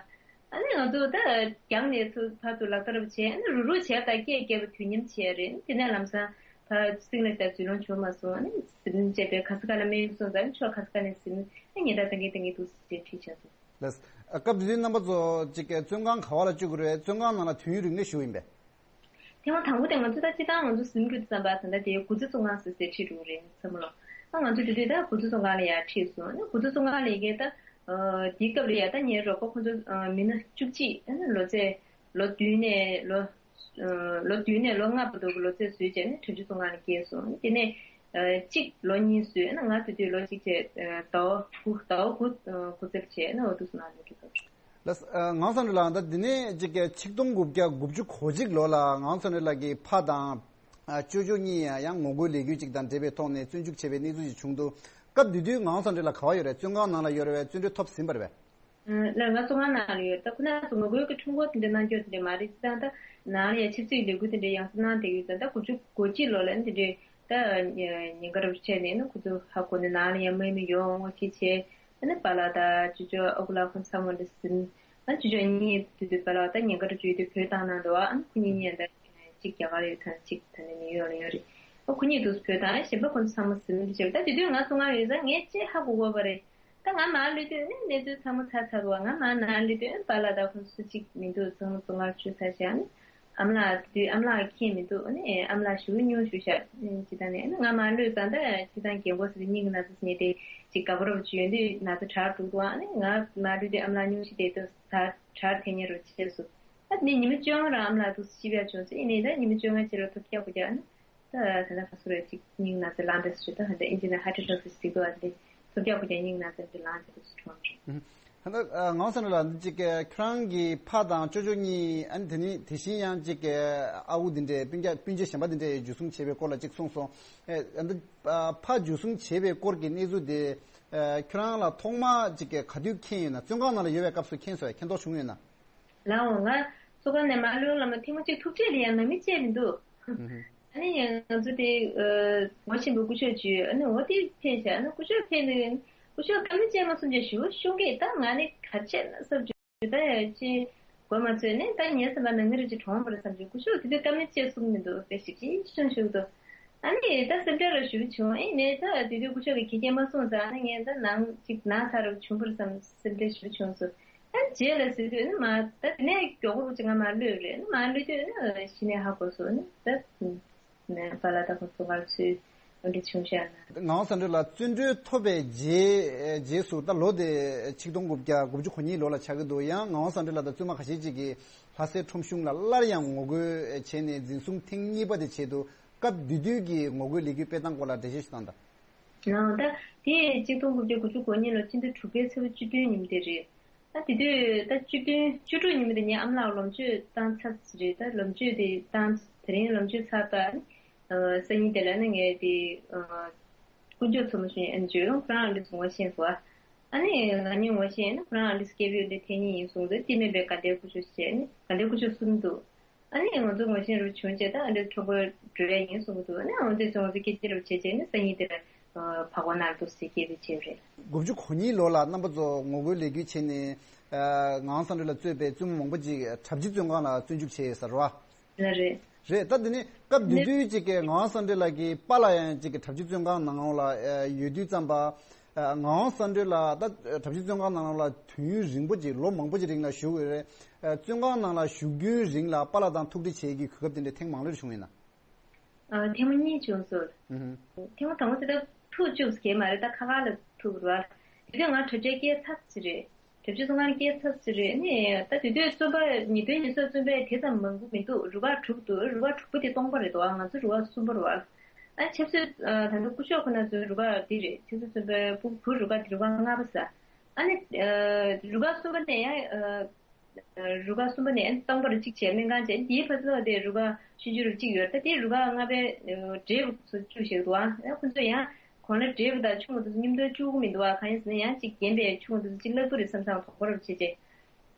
ཨ་ནི་ང་ཚོ་ད་རྒྱང་ནས་ཚུར་ཕར་ཚུར་ལག་བསྟར་བྱས། ཨ་ནི་རུག་རུག་བྱས་པ་དང་སྐད་རྒྱབ་པ་དུས་མཉམ་བྱས་རེད། དེ་ནས་ལམ་སང་ཕར་གསེང་ལ་ད་འཛུལ་ལོང་བྱུང་མ་སོང་། ཨ་ནི་ཟིན་བྱས་པའི་ག་ས་ག་ལ་སྨན་གསུངས་ཙང་ཕྱོགས་ག་ས་ག་ནས་ཟིན་ཨ་ཉེན་བརྡ་བཏང་གིན་བཏང་གིན་འདུག་ཟེར་བྲིས་བྱས་སོང་། ལགས། སྐབས་དེ་དུས་རྣམ་པ་ཚོ་གཅིག་བཙོན་ཁང་ག་བ་ལ་བཅུག་གི་རེད། བཙོན་ཁང་ནང་ལ་དུས་ཡུན་རིང་ལ་བཞུགས་ཡིན་པས། ཐེངས་མ་དང་པོ་དེ་ང་ཚོ་ད་སྤྱིར་བཏང་ང་ཚོ་ཟིན་དགོས་དུས་ཙམ་པ་ད་ལྟ་དེ་དགུ་རྩེ་བཙོན་ཁང་ཟེར་ཟེར་ཁྲིད་འགྲོ་གི་རེད་ཚང་མ་ལོ། ཨ་ང་ཚོ་དེ་དུས་ད་དགུ་རྩེ་བཙོན་ཁང་ལ་ཡར་ཁྲིད་སོང་། ཨ་ནི་དགུ་རྩེ་བཙོན་ཁང་ལ་ཡི་གེ་ད་དེའི་སྐབས་ལ་ཡ་ད་ངའི་རོགས་པ་ཁོ་ཚོ་མི་སྣ་བཅུ་གཅིག་ཨ་ནི་ལོ་ཚད་ལོ་བདུན་ནས་ལོ་ལོ་བདུན་ནས་ལོ་ལྔ་བར་དུ་གི་ལོ་ཚད་བཟོས་བྱས་ནས་ཁྲིམས་གཅོད་བཙོན་ཁང་ལ་བསྐྱལ་སོང་། དེ་ནས་གཅིག་ལོ་གཉིས་བཟོས་ཨ་ནི་ང་དེ་དུས་ལོ་གཅིག་བྱས་ཟླ་བ་དགུ་ཟླ་བ་དགུ་དགུ་རྩེ་བྱས་ཨ་ནི་འོ་དུ་བཙོན་ཁང་ལ་འགྲོ་དགོས། ལགས། ངག་དབང་བསམ་གྲུབ་ལགས་ད་འདི་ནས་ཅིག་ཆིག་སྟོང་དགུ་བརྒྱ་དགུ་བཅུ་གོ་གཅིག་ལོ་ལ་ངག་དབང་བསམ་གྲུབ་ལགས་ཀྱི་ཕ་དང་ཅོ་ཅོ་གཉིས་ཡང་ངོ་རྒོལ་ལས་འགུལ་ཅིག་དང་འབྲེལ་བའི་ཐོག་ནས་བཙོན་འཇུག་བྱས་པའི་གནས་ཚུལ་ཞིག་བྱུང་འདུག་སྐབས་དེ་དུས་ངག་དབང་བསམ་གྲུབ་ལགས་ག་བ་ཡོད་རེད། བཙོན་ཁང་ནང་ལ་ཡོད་རེད་པས། བཙོན་གྲོལ་ཐོབ་ཟིན་པ་རེད་པས། ལགས། ང་བཙོན་ཁང་ནང་ལ་ཡོད། ད་ཁོ་ན་ཚོ་ངོ་རྒོལ་གྱི་ཁྲོམ་སྐོར་དེ་འདྲ་གནང་རྒྱུ་དེ་འདྲ་མ་རེད། ཅི་ཙང་ད་ནང་ལ་ཡང་ཆབ་སྲིད་ཀྱི་ལས་འགུལ་དེ་འདྲ་ཡང་སེ་གནང་བསྡད་ཡོད་ཙང་ད་དགུ་བཅུ་གོ་གཅིག་ལོ་ལ་དེ་འདྲའི་ད་ཉེན་ཁ་རུ་ཆད་ནས་ནི་ཁོ་ཚོ་ཧ་གོ་ནས་ནང་ལ་ཡང་དམག་མི་ཡོང་ངོ་ཤེས་བྱས། ཨ་ནི་པཱ་ལགས་དང་ཅོ་ཅོ་ཨ་ཁུ་ལགས་ཁོང་ཚང་མ་འདི་ཟིན། ཨ་ཅོ་ཅོ་གཉིས་དེ་དུས་པཱ་ལགས་དང་ཉེན་ཁ་རུ་བཅུག་དུས་བོད་བཏང་གནང་འདུག་ཨ་ནི་ཁོ་གཉིས་གཉིས་ད་གཅིག་རྒྱ་གར་ཡོད་དང་གཅིག་ད་ནི་ནིའུ་ཡོག་ལ་ཡོད་རེད། ཨ་ཁོ་གཉིས་དུས་བོད་དང་གཞན་པ་ཁོང་ཚང་མ་ཟིན་འདི་བྱས། ད་དེ་དུས་ང་བཙོན་ཁང་ཡོད་ཙང་ངས་ཅི་ཧ་གོ་གོ་བ་རེད། ད་ང་མར་ལུས་དུས་ཨ་ནི་གནས་ཚུལ་ཚང་མ་ཚར་ཚར་འདུག་ང་མར་ནང་ལུས་དུས་ཨ་ནི་པཱ་ལགས་དང་ཁོང་སུ་གཅིག་མི་འདུག་ཚང་མ་བཙོན་ཁང་བཅུག་ཚར་བྱས། ཨ་ནི་ཨ་མ་ལགས་དེ་དུས་ཨ་མ་ལགས་མཁྱེན་མི་འདུག་ཨ་ནི་ཨ་མ་ལགས་ཞེ་པོ་སྙུང་ཞུ་ཤག་ཅི་ད་ནས་ཨ་ནི་ང་མར་ལུས་ཙང་ད་ཅི་ད་རྒན་གོག་ཟེར་ཏེ་སྙིང་གི་ན་ཚ་ཟེར་ནས་དེ་ཅིག་དགའ་པོ་རོབ་ཅིག་ཡོད་དུས་ན་ཚ་དྲག་འགྲོ་འདུག་ཨ་ནི་ང་མར་ལུས་དུས་ཨ་མ་ལགས་སྙུང་ཞིག་དེ་དུས་ད་དྲག་ཐེ་ཉེ་རུ་ཆེ་སོང་། ཨ་ནི་ཉི་མ་བཅོ་ལྔ་རང་ཨ་མ་ལགས་དུས་ཤི་བ་བྱུང་ཟེར། ཡིན་ནའི་ད་ཉི་མ་བཅོ་ལྔ་ཕྱི་ལ་ཐུག་རྒྱག་དགོས་ཀྱང་ཨ་ནི། ད་ད་ལྟ་ཁ་སོ་རེ་ཅིག་སྙིང་ན་ཚ་ལངས་ཏེ་སུ་ད་ཧ་འདྲ་ཨིན་ཇི་ནས་ཧ་ཏི་ཊོ་སི་ཟེར་དུས་ཨ་འདི་ཐུག་རྒྱག་གུ་རྒྱག་སྙིང་ན་ཚ་འདི་ལངས་ཏེ་སུ་ཁྲོང་ཁྲོང་། ཧ་ད་ངང་སོང་ལ་འདི་ཅིག་ཁྱོད་རང་གི་ཕ་དང་ཅོ་ཅོ་གཉིས་ཨ་ནི་དེ་ནི་དེ་བཞིན་ཡང་ཅིག་ཨ་ཁུ་འདི་འདྲའི་སྤུན་ཀྱག་སྤུན་མཆེད་གཞན་པ་འདི་འདྲའི་འཇུ་བཟུང་བྱས་པའི་སྐོར་ལ་ཅིག་གསུངས་སོང་། ཨ་འདི་ཕ་འཇུ་བཟུང་བྱས་པའི་སྐོར་གྱི་གནས་ཚུལ་དེ་ཁྱོད་རང་ལ་ཐོག་མ་ཅིག་ག་དུས་མཁྱེན་ཡོད་ན། བཙོན་ཁང་ནང་ལ་ཡོད་པའི་སྐབས་སུ་མཁྱེན་སོང་ཡ། མཁྱེན་རྟོགས་བྱུང་ཡོད་ན། ལའོ་ང་ཚོ་ག་ནས་མ་ལོས་ལ་མ་ཐེངས་མ་གཅིག་ཐུག་འཕྲད་ལ་ཡང་ནང་མི་བཅས་མི་འདུག་ཨ་ནི་ང་ཚོ་དེ་ངོ་ཤེས་པའི་སྐུ་ཞབས་བརྒྱུད་ཨ་ནི་འོ་དེ་ཕེབས་ཤག་ཨ་ནི་སྐུ་ཞབས་ཕེབས་ནས་སྐུ་ཞབས་བཀའ་མོལ་བཅས་མ་གསུངས་ཀྱང་ཞུ་ཤོང་གི་ད་ང་ནི་ག་བྱས་ན་བསམ་བྱུང་ད་ཡ་ཅི་གོ་མ་ཚོད་ནས་ད་ངའི་སེམས་པ་ནང་མི་རེ་ཅིག་གྲོངས་པ་རེད་བསམ་བྱུང་སྐུ་ཞབས་དེ་དུས་བཀའ་མོལ་བཅས་གསུངས་མི་འདུག་པས་ཞིབ་ཅིག་ཤོང་ཞུ་འདུག་ཨ་ནི་ད་སེམས་ཁྲལ་ར་ཞུ་བྱུང་ཨེ་ནས་ད་དེ་དུས་སྐུ་ཞབས་ཀྱི་ཁྱི་སྐད་མ་གསུངས་ཙང་ཨ་ནི་ངས་ད་ནང་ཅིག་ན་ཚ་རུ་བྱུང་པར་བསམ་སེམས་ཁྲལ་ཞུ་བྱུང་སོ། ཨ་ནི་རྗེས་ལ་ཟེར་དུས་ཨ་ནི་མ་ད་དེ་ནས་མགྱོགས་པོ་ཅིག་ང་མ་གློད་རེད་ཨ་ནི་མ་གློད་དུས་ཨ་ནི་གཞི་ནས་ཧ་གོ་སོ་ཨ་ནི་ད་ནས་པཱ་ལགས་ད་ཁོ་ཚོ་གར་ཚུད་འོ་འདྲ་བྱུང་ཤག་ན། ངག་དབང་བསམ་གྲུབ་ལགས་བཙོན་གྲོལ་ཐོབ་པའི་རྗེས་རྗེས་སུ་ད་ལོ་དེ་ཆིག་སྟོང་དགུ་བརྒྱ་དགུ་བཅུ་གོ་གཉིས་ལོ་ལ་ཆགས་ཀྱི་འདུག་ཡང་ངག་དབང་བསམ་གྲུབ་ལགས་དང་བཙུན་མ་ཁ་ཤས་ཅིག་གིས་ལྷ་སའི་ཁྲོམ་གཞུང་ལ་སླར་ཡང་ངོ་རྒོལ་བྱས་ནས་འཛིན་བཟུང་ཐེངས་གཉིས་པ་དེ་བྱས་འདུག་སྐབས་དེ་དུས་ཀྱི་ངོ་རྒོལ་ལས་འགུལ་སྤེལ་སྟངས་སྐོར་ལ་འགྲེལ་བཤད་ཞིག་གནང་དང་། ཡང་ད་དེ་ཆིག་སྟོང་དགུ་བརྒྱ་དགུ་བཅུ་གོ་གཉིས་ལོ་ཕྱི་ཟླ་དྲུག་པའི་ཚེས་པ་བཅུ་བདུན་ཉིན་དེ་རེད། ད་དེ་དུས་ད་བཅུ་བདུན་བཅུ་དྲུག་ཉིན་དེ་ངའི་ཨ་མ་ལགས་ལོ་མཆོད་བཏང་ཚར་རེད། ད་ལོ་མཆོད་དེ་བཏང་དེ་རིང་ལོ་མཆོད་ཚར་ད་ནི་སང་ཉིན་དེ་ལ་ནི་ངས་དེ་དཀོན་མཆོག་མཚོ་མོ་ཞུ་ཨན་ཇོ་ཡོང་ཁོ་རང་ཨ་འདྲས་ངོ་ཤེས་སོ། ཨ་ནི་ང་གཉིས་ངོ་ཤེས་ནི་ཁོ་རང་ཨ་འདྲས་སྐྱེས་བུ་འདི་ཐེངས་གཉིས་ཡིན་གསུངས་ཏེ་དེ་མིན་པའི་དགའ་ལྡན་སྐུ་ཞབས་བྱས་ནི་དགའ་ལྡན་སྐུ་ཞབས་གསུམ་འདུག་ཨ་ནི་ང་ཚོ་ངོ་ཤེས་རུ་བྱུང་རྗེས་ད་ཨ་འདྲས་ཁྲོམ་སྐོར་འགྲོ་ཡ་ཡིན་གསུང་གི་འདུག་ཨ་ནི་ཨ་འདྲས་ཚོ་ང་ཚོ་སྐད་ཆ་རུ་བྱས་རྗེས་ནི་སང་ཉིན་དེ་ལ་ཕ་གོ་ནར་འདུག་ཟེར་སྐད་ཆ་བྱས་རེད། དགུ་བཅུ་གོ་གཉིས་ལོ་ལ་རྣམ་པ་ཚོ་ངོ་རྒོལ་ལས་འགུལ་བྱས་ནས་ངག་དབང་བསམ་གྲུབ་ལ་གཙོས་པའི་བཙུན་མ་མང་པོ་ཅིག་གྲྭ་བཞི་བཙོན་ཁང་ལ་བཙོན་འཇུག་བྱས་ཡོད་ས་རེད་བ། ལ་རེད། རེད། ད་འདི་ནི་སྐབས་དེ་དུས་ཅིག་གི་ངག་དབང་བསམ་གྲུབ་ལགས་ཀྱི་པཱ་ལགས་ཡང་ཅིག་གི་གྲྭ་བཞི་བཙོན་ཁང་ནང་ལ་ཡོད་དུས་ཙམ་པ། ངག་དབང་བསམ་གྲུབ་ལགས་ད་གྲྭ་བཞི་བཙོན་ཁང་ནང་ལ་དུས་ཡུན་རིང་པོ་ཅིག་ལོ་མང་པོ་ཅིག་རིང་ལ་བཞུགས་ཡོད་རེད། བཙོན་ཁང་ནང་ལ་བཞུགས་རྒྱུའི་རིང་ལ་པཱ་ལགས་དང་ཐུག་འཕྲད་བྱེད་ཀྱི་གོ་སྐབས་དེ་འདྲ་ཐེངས་མང་ལོས་བྱུང་ཡོད་ན། ཐེངས་མ་གཉིས་བྱུང་སོང་། ཐེངས་མ་དང་པོ་དེ་ད་ཐུག་བཅུག་གི་མ་རེད། ད་ཁ་ཁ་ལ་ཐུག་རེད་བ། དེ་དུས་ང་གྲྭ་ཆས་སྐྱེལ་ཚར་ཅི་རེད། གྲྭ་ཆས་སོང་ང་སྐྱེལ་ཚར་ཅི་རེད་ནི་ད་དེ་དུས་བཙོན་པ་ཉིས་སྟོང་ཉི་ཤུ་བཙོན་པ་དེ་ཙམ་མང་པོ་མི་འདུག་རུ་ཁག་དྲུག་འདུག་རུ་ཁག་དྲུག་པོ་དེ་སྟོང་པ་རེད་འདུག་ང་ཚོ་རུ་ཁག་གསུམ་པ་རེད་བ། ཨ་ཆབ་སྲིད་ད་ལྟ་སྐུ་ཞབས་ཁོ་ན་ཚོའི་རུ་ཁག་འདི་རེད། ཆབ་སྲིད་བཙོན་པའི་བུ་བུ་རུ་ཁག་དེ་རུ་ཁག་ལྔ་པ་ས། ཨ་ནི་རུ་ཁག་གསུམ་པ་ནས་ཡང་། རུ་ཁག་གསུམ་པ་ནས་སྟོང་པར་གཅིག་བྱས་སྨན་ཁང་བྱས་དེའི་ཕ་ཚོ་དེ་རུ་ཁག་ཆུང་ཆུང་རུ་གཅིག་ཡོད་ད་དེ་རུ་ཁག་ལྔ་པའི་འབྲས་བུ་ཚོ་བཅུ་ཞིག་འདུག་ཨ་ཁོ་ཚོ་ཡང་གོང་ལ་འབྲས་བུ་དང་ཆུང་བ་དེ་ཚོ་མཉམ་དུ་བཅུག་གི་མི་འདུག་ཨ་གང་ཡིན་ཟེར་ན་ཡང་གཅིག་རྒན་པའི་ཆུང་བ་དེ་ཚོ་གཅིག་ལྷག་པོ་རེད་བསམ་སང་དོག་པོ་རབ་བྱེད་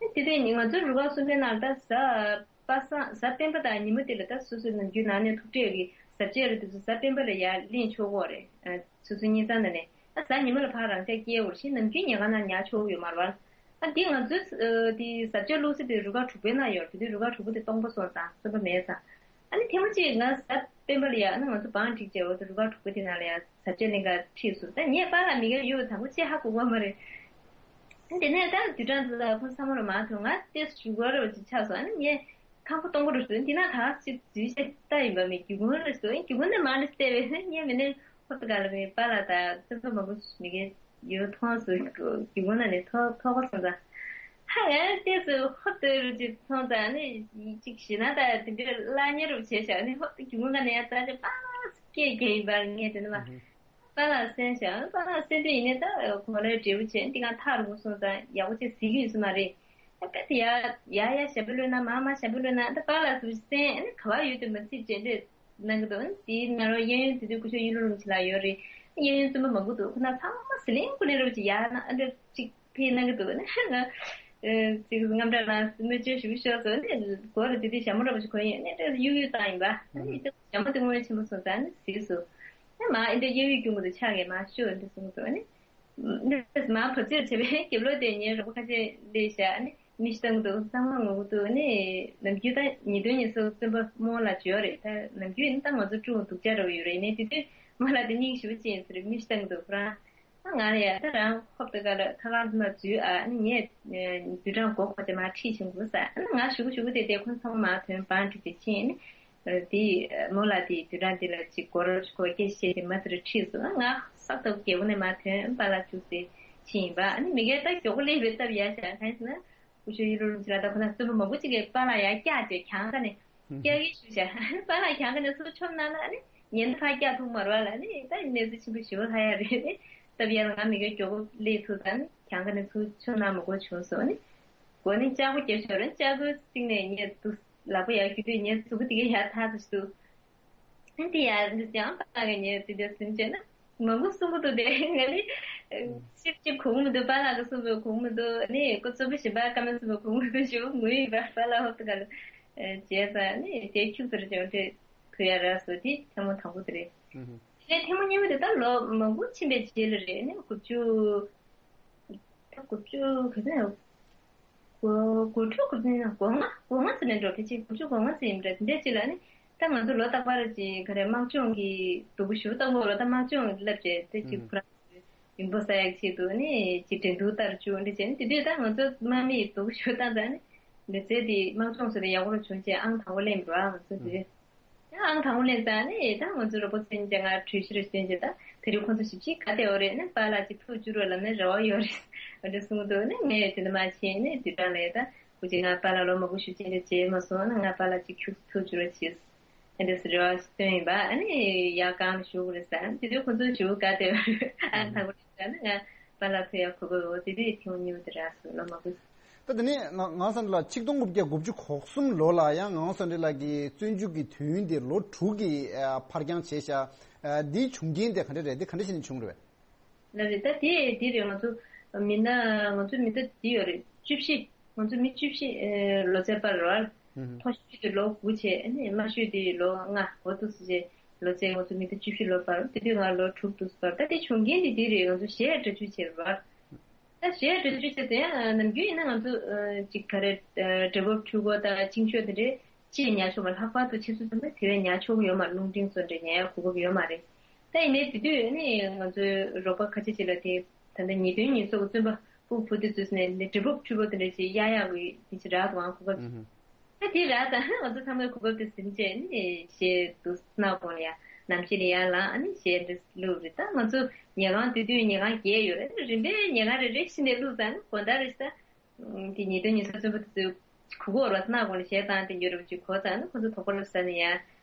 བྱས་དེ་དུས་ང་ཚོ་རུ་ཁག་གསུམ་པའི་ནང་ད་གཟའ་པ་སངས་གཟའ་སྤེན་པ་དང་ཉི་མ་དེ་ལ་ད་སོ་སོའི་ནམ་རྒྱུན་ནང་ནས་ཐུག་འཕྲད་ཀྱི་གཟབ་རྒྱས་རེད་དེ་ཚོ་གཟའ་སྤེན་པ་ལ་ཡར་ལེན་ཆོག་གོ་རེད། སོ་སོའི་ཉིན་གསང་ནང་ནས་ཨ་གཟའ་ཉི་མ་ལ་ཕར་རང་འཇགས་སྐྱེལ་འོར་ཞིང་ནམ་རྒྱུན་ཉལ་ཁང་ནང་ཉལ་ཆོག་ཡོད་མ་རེད་བ། ཨ་འདི་ང་ཚོའི་དེ་གཟབ་རྒྱས་བླུགས་ས་དེ་རུ་ཁག་དྲུག་པའི་ནང་ཡོད་དེ་དུས་རུ་ཁག་དྲུག་པོ་དེ་སྟོང་པ་སོང་ཙང་བཙོན་པ་མེད་ཙང་། ཨ་ནི་ཐེངས་མ་གཅིག་ང་གཟའ་སྤེན་པ་ལ་ཡ་ཨ་ནི་ང་ཚོ་བང་སྒྲིག་བྱས་འོ་དེ་རུ་ཁག་དྲུག་པོ་དེ་ནང་ལ་ཡ་གཟབ་རྒྱས་ལེན་ག་ཁྲིད་སོང་ད་ངས་པཱ་ལགས་མི་སྒེར་ཡོད་དང་པོ་ཅི་ཧ་གོ་གོ་མ་རེད། དེ་ནས་ད་དུས་གྲངས་འདི་ལ་ཁོང་ཚང་མ་རུ་མ་ཐོན་ང་ཏེས་ཞུ་གོ་ར་བ་ཅིག་ཆགས་སོང་ཨ་ནི་ངས། ཁང་པ་སྟོང་པ་རུ་སོང་འདི་ན་ད་ཅིག་འཛུལ་བྱས་ལྟ་ཡིན་པ་མེད་རྒྱུ་ཀུན་རེ་སོང་རྒྱུ་ཀུན་ནས་མ་ནི་བལྟས་པས་ངས་མི་ནས་ཧོབ་ཏེ་ག་ལ་མེད་པཱ་ལགས་དང་བཙུན་པ་མང་པོ་མི་གས་ཡོད་མཐོང་སོང་རྒྱུ་ཀུན་ན་ནས་ཐོ་ཐོ་གོ་སོང་ཙང་ཧ་ཡ་ལྟས་སུ་ཧོབ་ཏེ་རུ་ཅིག་མཐོང་ཙང་ནི་ཅིག་ཞེ་ན་ད་དེ་འདྲའི་བླ་ཉེ་རུ་བྱས་བཞག་ནི་ཧོབ་ཏེ་རྒྱུ་ཀུན་ན་ནས་ཡ་ཙང་ཅིག་པཱ་སྐད་རྒྱག་ཡིན་པར་ངས་དེ་ནི་མ། པཱ་ལགས་གསན་ཤག་པཱ་ལགས་གསན་དུས་ཡིན་ནའི་ད་གོ་ལའི་འབྲས་བུ་བྱས་འདི་གང་ཐག་རིང་པོ་སོང་ཙང་ཡག་པོ་ཅིག་གཟིགས་ཀྱི་ཡོད་ས་མ་རེད། ད་ཡ་ཡ་ཡ་ཞབས་པ་བློས་ན་མ་མ་ཞབས་པ་བློས་ན་ད་པཱ་ལགས་སུ་གསན་ཨ་ནི་ག་བ་ཡོད་དུ་མ་སྲིད་བྱས་འདི་གནང་གི་འདུག་དེའི་ནང་ལོགས་གཡས་གཡོན་དེ་དུས་སྐུ་ཞབས་གཡུ་ལོ་རིན་པོ་ཆེ་ལགས་ཡོད་རེད། གཡས་གཡོན་བཙུན་པ་མང་པོ་འདུག་ཁོ་ན་ཚང་མ་ཟི་ལིང་ཀུ་ལིང་རུ་ཅིག་ཡ་ན་ཨ་འདྲ་ཅིག་ཕེབས་གནང་གི་འདུག་ནི་ང་ཅིག་རྔམ་དྲག་ལ་སྨོས་ཅི་ཞུ་ཤོག་ཟེར་ནི་སྒོ་ལ་དེ་དུས་ཞྭ་མོ་འདྲ་པོ་ཞིག་གོན་ཡོད་ནི་འདྲ་གཡུག་གཡུག་བཏང་ཡིན་པ་ཨ་ནི་ཞྭ་མོ་དེ་ངོ་ཡ་ཆེན་པོ་སོང་ཙང་ནི་གཟིགས་སོ། ཨ་མ་ཨེ་འདྲ་གཡུག་གཡུག་རྒྱུ་མོ་དེ་ཆགས་ངས་མ་ཤོད་འདི་གསུངས་སོ་ཨ་ནི། འདི་མ་བབས་ཚོད་བྱས་པས་རྒྱབ་ལོགས་དེ་ཉལ་རོགས་ཁ་ཆེ་ལས་བཞག་ཨ་ནི་མི་ཤི་བཏང་གི་འདུག་ཚང་མ་ངུ་གི་འདུག་ཨ་ནི་ནམ་རྒྱུན་ད་ཉིས་སྟོང་ཉི་ཤུ་བཙུན་པ་རྨོ་ལགས་བརྗོད་རེད་ད་ནམ་རྒྱུན་ནི་ད་ང་ཚོ་ཀྲུང་སྡུག་ཅག་འདྲ་བོ་ཡོད་རེད་ནས་དེ་དུས་རྨོ་ལགས་དེ་སྙིང་ཞེ་པོ་ཅན་ཟེར་མི་ཤི་བཏང་གི་འདུག་ཁོ་རང་། ང་ལ་ཡ་ད་རང་ཧོབ་ཏེ་ག་ལ་ཁ་ཁ་ལ་འཛུལ་ཨ་ནི་ངས་དུས་གྲངས་གོ་གོ་དེ་མ་ཁྲིད་བཞིན་འདུག་ས་ཨ་ནི་ང་ཞུ་གུ་ཞུ་གུ་དེ་དེ་ཁོ་ཚང་མ་དོན་བང་ཁྲིད་དེ་ཕྱིན་ཨ་ནི་དེ་མོ་ལ་དེ་དུས་གྲངས་དེ་ལ་ཅིག་གོ་རོ་ཅིག་གོ་སྐད་བཤད་དེ་མ་དེར་ཁྲིད་སོང་ང་ཧོབ་ཏེ་རྒྱལ་པོ་ནས་མ་དོན་པ་ལ་བཅུག་སྟེ་ཕྱིན་ཡིན་པ་ཨ་ནི་མི་སྒེར་ད་མགྱོགས་པོ་སླེབས་པའི་སྟབས་ཡ་ཤ་གང་ཡིན་ཟེར་ན་སྐུ་ཞབས་ཡུ་རུ་རིན་ཆེ་ལ་ད་ཁོ་ན་བཙུན་པ་མང་པོ་ཅིག་གིས་པ་ལ་ཡ་སྐྱག་ཅེས་གྱང་ཁ་ནས། སྐྱག་གི་ཞུ་བྱ། པཱ་ལགས་གྱང་ཁ་ནས་ཚུར་མཆོང་གནང་ན་ནི་ཉན་ད་ཕར་སྐྱག་ཐུག་མ་རེད་བ་ལ་ནི་ད་གནས་ཚུལ་ཆེན་པོ་ཞེ་པོ་ལྷག་ཡ་རེད་ནི། སྟབས་ཡག་ལ་ང་མི་སྒེར་མགྱོགས་པོ་སླེབས་ཐུབ་ཙང་ནི་གྱང་ཁ་ནས་ཚུར་མཆོང་གནང་མི་དགོས་བྱུང་སོང་ནི། མགོ་ནི་ལྕགས་པོ་རྒྱབ་ཤོར་རེད་ལྕགས་པོའི་རྩིག་ནས་ཉལ་འདུག་ལག་པ་ཡར་རྒྱུ་དུས་ཉལ་གཟུགས་པོ་དེ་གའི་ཡར་ཐག་ཚུད་འདུག་ཨ་དེ་ཡར་འདི་ཅང་པཱ་ལགས་ཀྱི་ཉལ་དེ་འདྲ་ཟིན་བྱས་ན། མང་པོ་གསུང་གི་འདུག་དེ་ང་ནི་ཤེས་ཀྱི་གོ་མི་འདུག་པཱ་ལགས་ཀྱིས་གསུང་པའི་གོ་མི་འདུག་ནི་ཁོ་རྩོམ་པ་གཞན་པ་བཀའ་མོལ་གསུང་པའི་གོ་མི་འདུག་ཞུ་ངུ་ཡིན་པ་པཱ་ལགས་ཧོབ་ཏེ་ག་ལ་བྱས་ཙང་ནི་དེ་ཁྱུག་ཙམ་ཅང་དེ་ཐུ་ཡ་ར་སོ་དེ་ཐེངས་མ་དང་པོ་དེ་རེད། དེ་ནས་ཐེངས་མ་གཉིས་པ་དེ་ད་ལོ་མང་པོ་ཕྱིན་པའི་རྗེས་ལ་རེད་ནི་དགུ་བཅུ། ད་དགུ་བཅུ་ག་ཚོད་ཡོད། དགུ་དགུ་དྲུག་དགུ་བདུན་དགུ་ལྔ་དགུ་ལྔ་ཙམ་ནས་འགྲོ་ཕལ་ཆེར་དགུ་བཅུ་གོ་ལྔ་ཙམ་ཡིན་པ་འདྲ་དེ་འདྲའི་ཅིག་ལ་ནི། ད་ང་ཚོ་ལོ་རྟག་པར་ཅིག་ག་རེ་དམག་སྦྱོང་གི་སྡུག་པོ་ཞུ་ལྟ་བུ་ལོ་ད་དམག་སྦྱོང་བསླབ་བྱས་དེ་ཅིག་ཁོ་རང་ཡོན་པོ་ས་ཡག་ཆེད་དུ་ནི་ཅིག་འགྲན་བསྡུར་ལྟར་བཅུག་འདྲ་བྱས་ནི་དེ་དུས་ད་ང་ཚོ་དམག་མིས་སྡུག་པོ་ཞུ་བཏང་ཙང་ནི་ལུས་རྩལ་དེ་དམག་སྦྱོང་སོགས་དེ་ཡག་པོ་རུ་བྱུང་རྗེས་ཨང་དང་པོ་ལེན་པ་རེད་བ་ང་ཚོ་དེ། ཨང་དང་པོ་ལེན་ཙང་ནི་ད་ང་ཚོ་རོགས་པ་ཚན་ཅང་ང་གྲོས་གཞི་རེ་བཏོན་རྗེས་ད་དེ་རིང་ཁོང་ཚོ་ཞིབ་ཕྱིས་ག་དེ་འོ་རེད་ནི་པཱ་ལགས་ཀྱིས་ཐུགས་བཅུག་རོགས་ལབ་ན་རེ་བ་ཡོད་རེད་འདྲ་གསུངས་འདུག་ནི་ངས་དེ་འདྲ་མ་བྱས་ནི་དུས་གྲངས་ལས་ད་ཁོ་ཅིག་ང་པཱ་ལགས་ལོ་མང་པོ་ཞིབ་ཕྱིས་འདྲ་བྱས་མ་སོང་ན་ང་པཱ་ལགས་ཀྱིས་ཁྱུག་ཐུགས་བཅུག་རོགས་བྱས་ཨ་འདྲ་སུ་རེ་བ་ཞིག་བཏོན་ཡིན་པ་ཨ་ནི་ཡག་གང་ཞུ་དགོས་རེད་ཟེར་དེ་དུས་ཁོང་ཚོ་ཞུ་དགོས་རེད་ད་ཨང་དང་པོ་ལེན་ཙང་ནི་ང་པཱ་ལགས་ཐུགས་ཡག་གོ་གི་འོ་དེ་དུས་ཐེངས་མ་གཉིས་པ་དེ་རག་སོང་ལོ་མང་པོ། ད་དེ་ནས་ང་ང་སང་ལ་ཆིག་སྟོང་དགུ་བརྒྱ་དགུ་བཅུ་གོ་གསུམ་ལོ་ལ་ཡང་ངང་སང་འདྲི་ལགས་ཀྱི་བཙོན་འཇུག་གི་དུས་ཡུན་དེ་ལོ་དྲུག་གི་ཨ་ཕར་འགྱངས་བྱས་ཤག་ཨ་འདིའི་བྱུང་རྐྱེན་དེ་ག་འདྲ་རེད་འདི་ག་འདྲ་བྱས་ནས་བྱུང་རེད་པས། ལབ་རེད་ད་དེ་དེ་རེད་ང་ཚོ་མི་སྣ་ང་ཚོ་མི་སྣ་དེ་ཡོད་རེད་བཅུ་བཞི་ང་ཚོ་མི་བཅུ་བཞི་ཨེ་ལོ་ཚད་པར་རོལ་ཧུམ། མཐོ་ཤོས་དེ་ལོ་དགུ་བྱས་ཨ་ནི་དམའ་ཤོས་དེ་ལོ་ལྔ་འོ་འདུག་སེ་བྱས་ལོ་ཚད་ང་ཚོ་མི་སྣ་བཅུ་བཞི་ལོ་བར་དེ་དུས་ང་ལོ་དྲུག་འདུག་སེ་བར་ད་དེ་བྱུང་རྐྱེན་དེ་དེ་རེད་ང་ཚོ་གཞས་སྒྲ་སྒྱུར་བྱས་པར། ད་གཞས་སྒྲ་སྒྱུར་བྱས་ཏེ་ཡང་ནམ་རྒྱུན་ཡིན་ན་ང་ཚོ་ཅིག་ག་རེ་སྒྲ་ཕབ་འཕྲུལ་འཁོར་དང་ཅིང་ཤོས་དེ་འདྲའི་ཅིག་ཉར་ཆོག་མ་ལྷག་པར་དུ་ཆུ་ཚོད་ཙམ་པ་དེ་བས་ཉར་ཆོག་གི་ཡོད་མ་རེད། རླུང་འཕྲིན་སོགས་འདྲ་ཉར་ཡག་གོ་སྐབས་ཡོད་མ་རེད། ད་ཡིན་ནའི་དེ་དུས་ནི་ང་ཚོའི་རོགས་པ་ཁ་ཆེ་ཅིག་ལ་དེ་ད་ལྟ་ཉེས་དོན་ཉེས་གསོག་གི་བཙོན་པ་ཕྲུ་གུ་བུ་དེ་ཚོས་ནས་སྒྲ་ཕབ་འཕྲུལ་འཁོར་དེ་འདྲ་ཅིག་གཡར་ཡག་གི་དེ་ཅིག་རག་འདུག་ཨང་གོ་སྐབས་ཅིག་ད་དེ་ར་ད་ང་ཚོ་ཚང་མས་གོ་སྐབས་དེ་ཟིན་བྱས་ནི་གཞས་འདུག་སྣ་དགོང་ལ་ཡ་ནམ་ཞིག་ལ་ཡར་ལངས་ཨ་ནི་གཞས་འདི་བླུགས་རེད། ད་ང་ཚོ་ཉལ་ཁང་དེ་དུས་ཉལ་ཁང་བརྒྱད་ཡོད་རེད། རིམ་པས་ཉལ་ཁང་རེ་རེ་བཞིན་ནས་བླུགས་ཙང་ནི་དགོང་དག་རེ་ཞིག་ད་དེ་ཉེས་དོན་ཉེས་གསོག་བཙོན་པ་དེ་ཚོས་གུ་གུ་འོར་བ་སྣ་དགོང་ལ་གཞས་བཏང་དེ་ཉོ་རེ་བ་ཅིག་གོ་ཙང་ནི་ཁོ་ཚོ་དོགས་པ་སླེབས་ས་ནི་ཡ་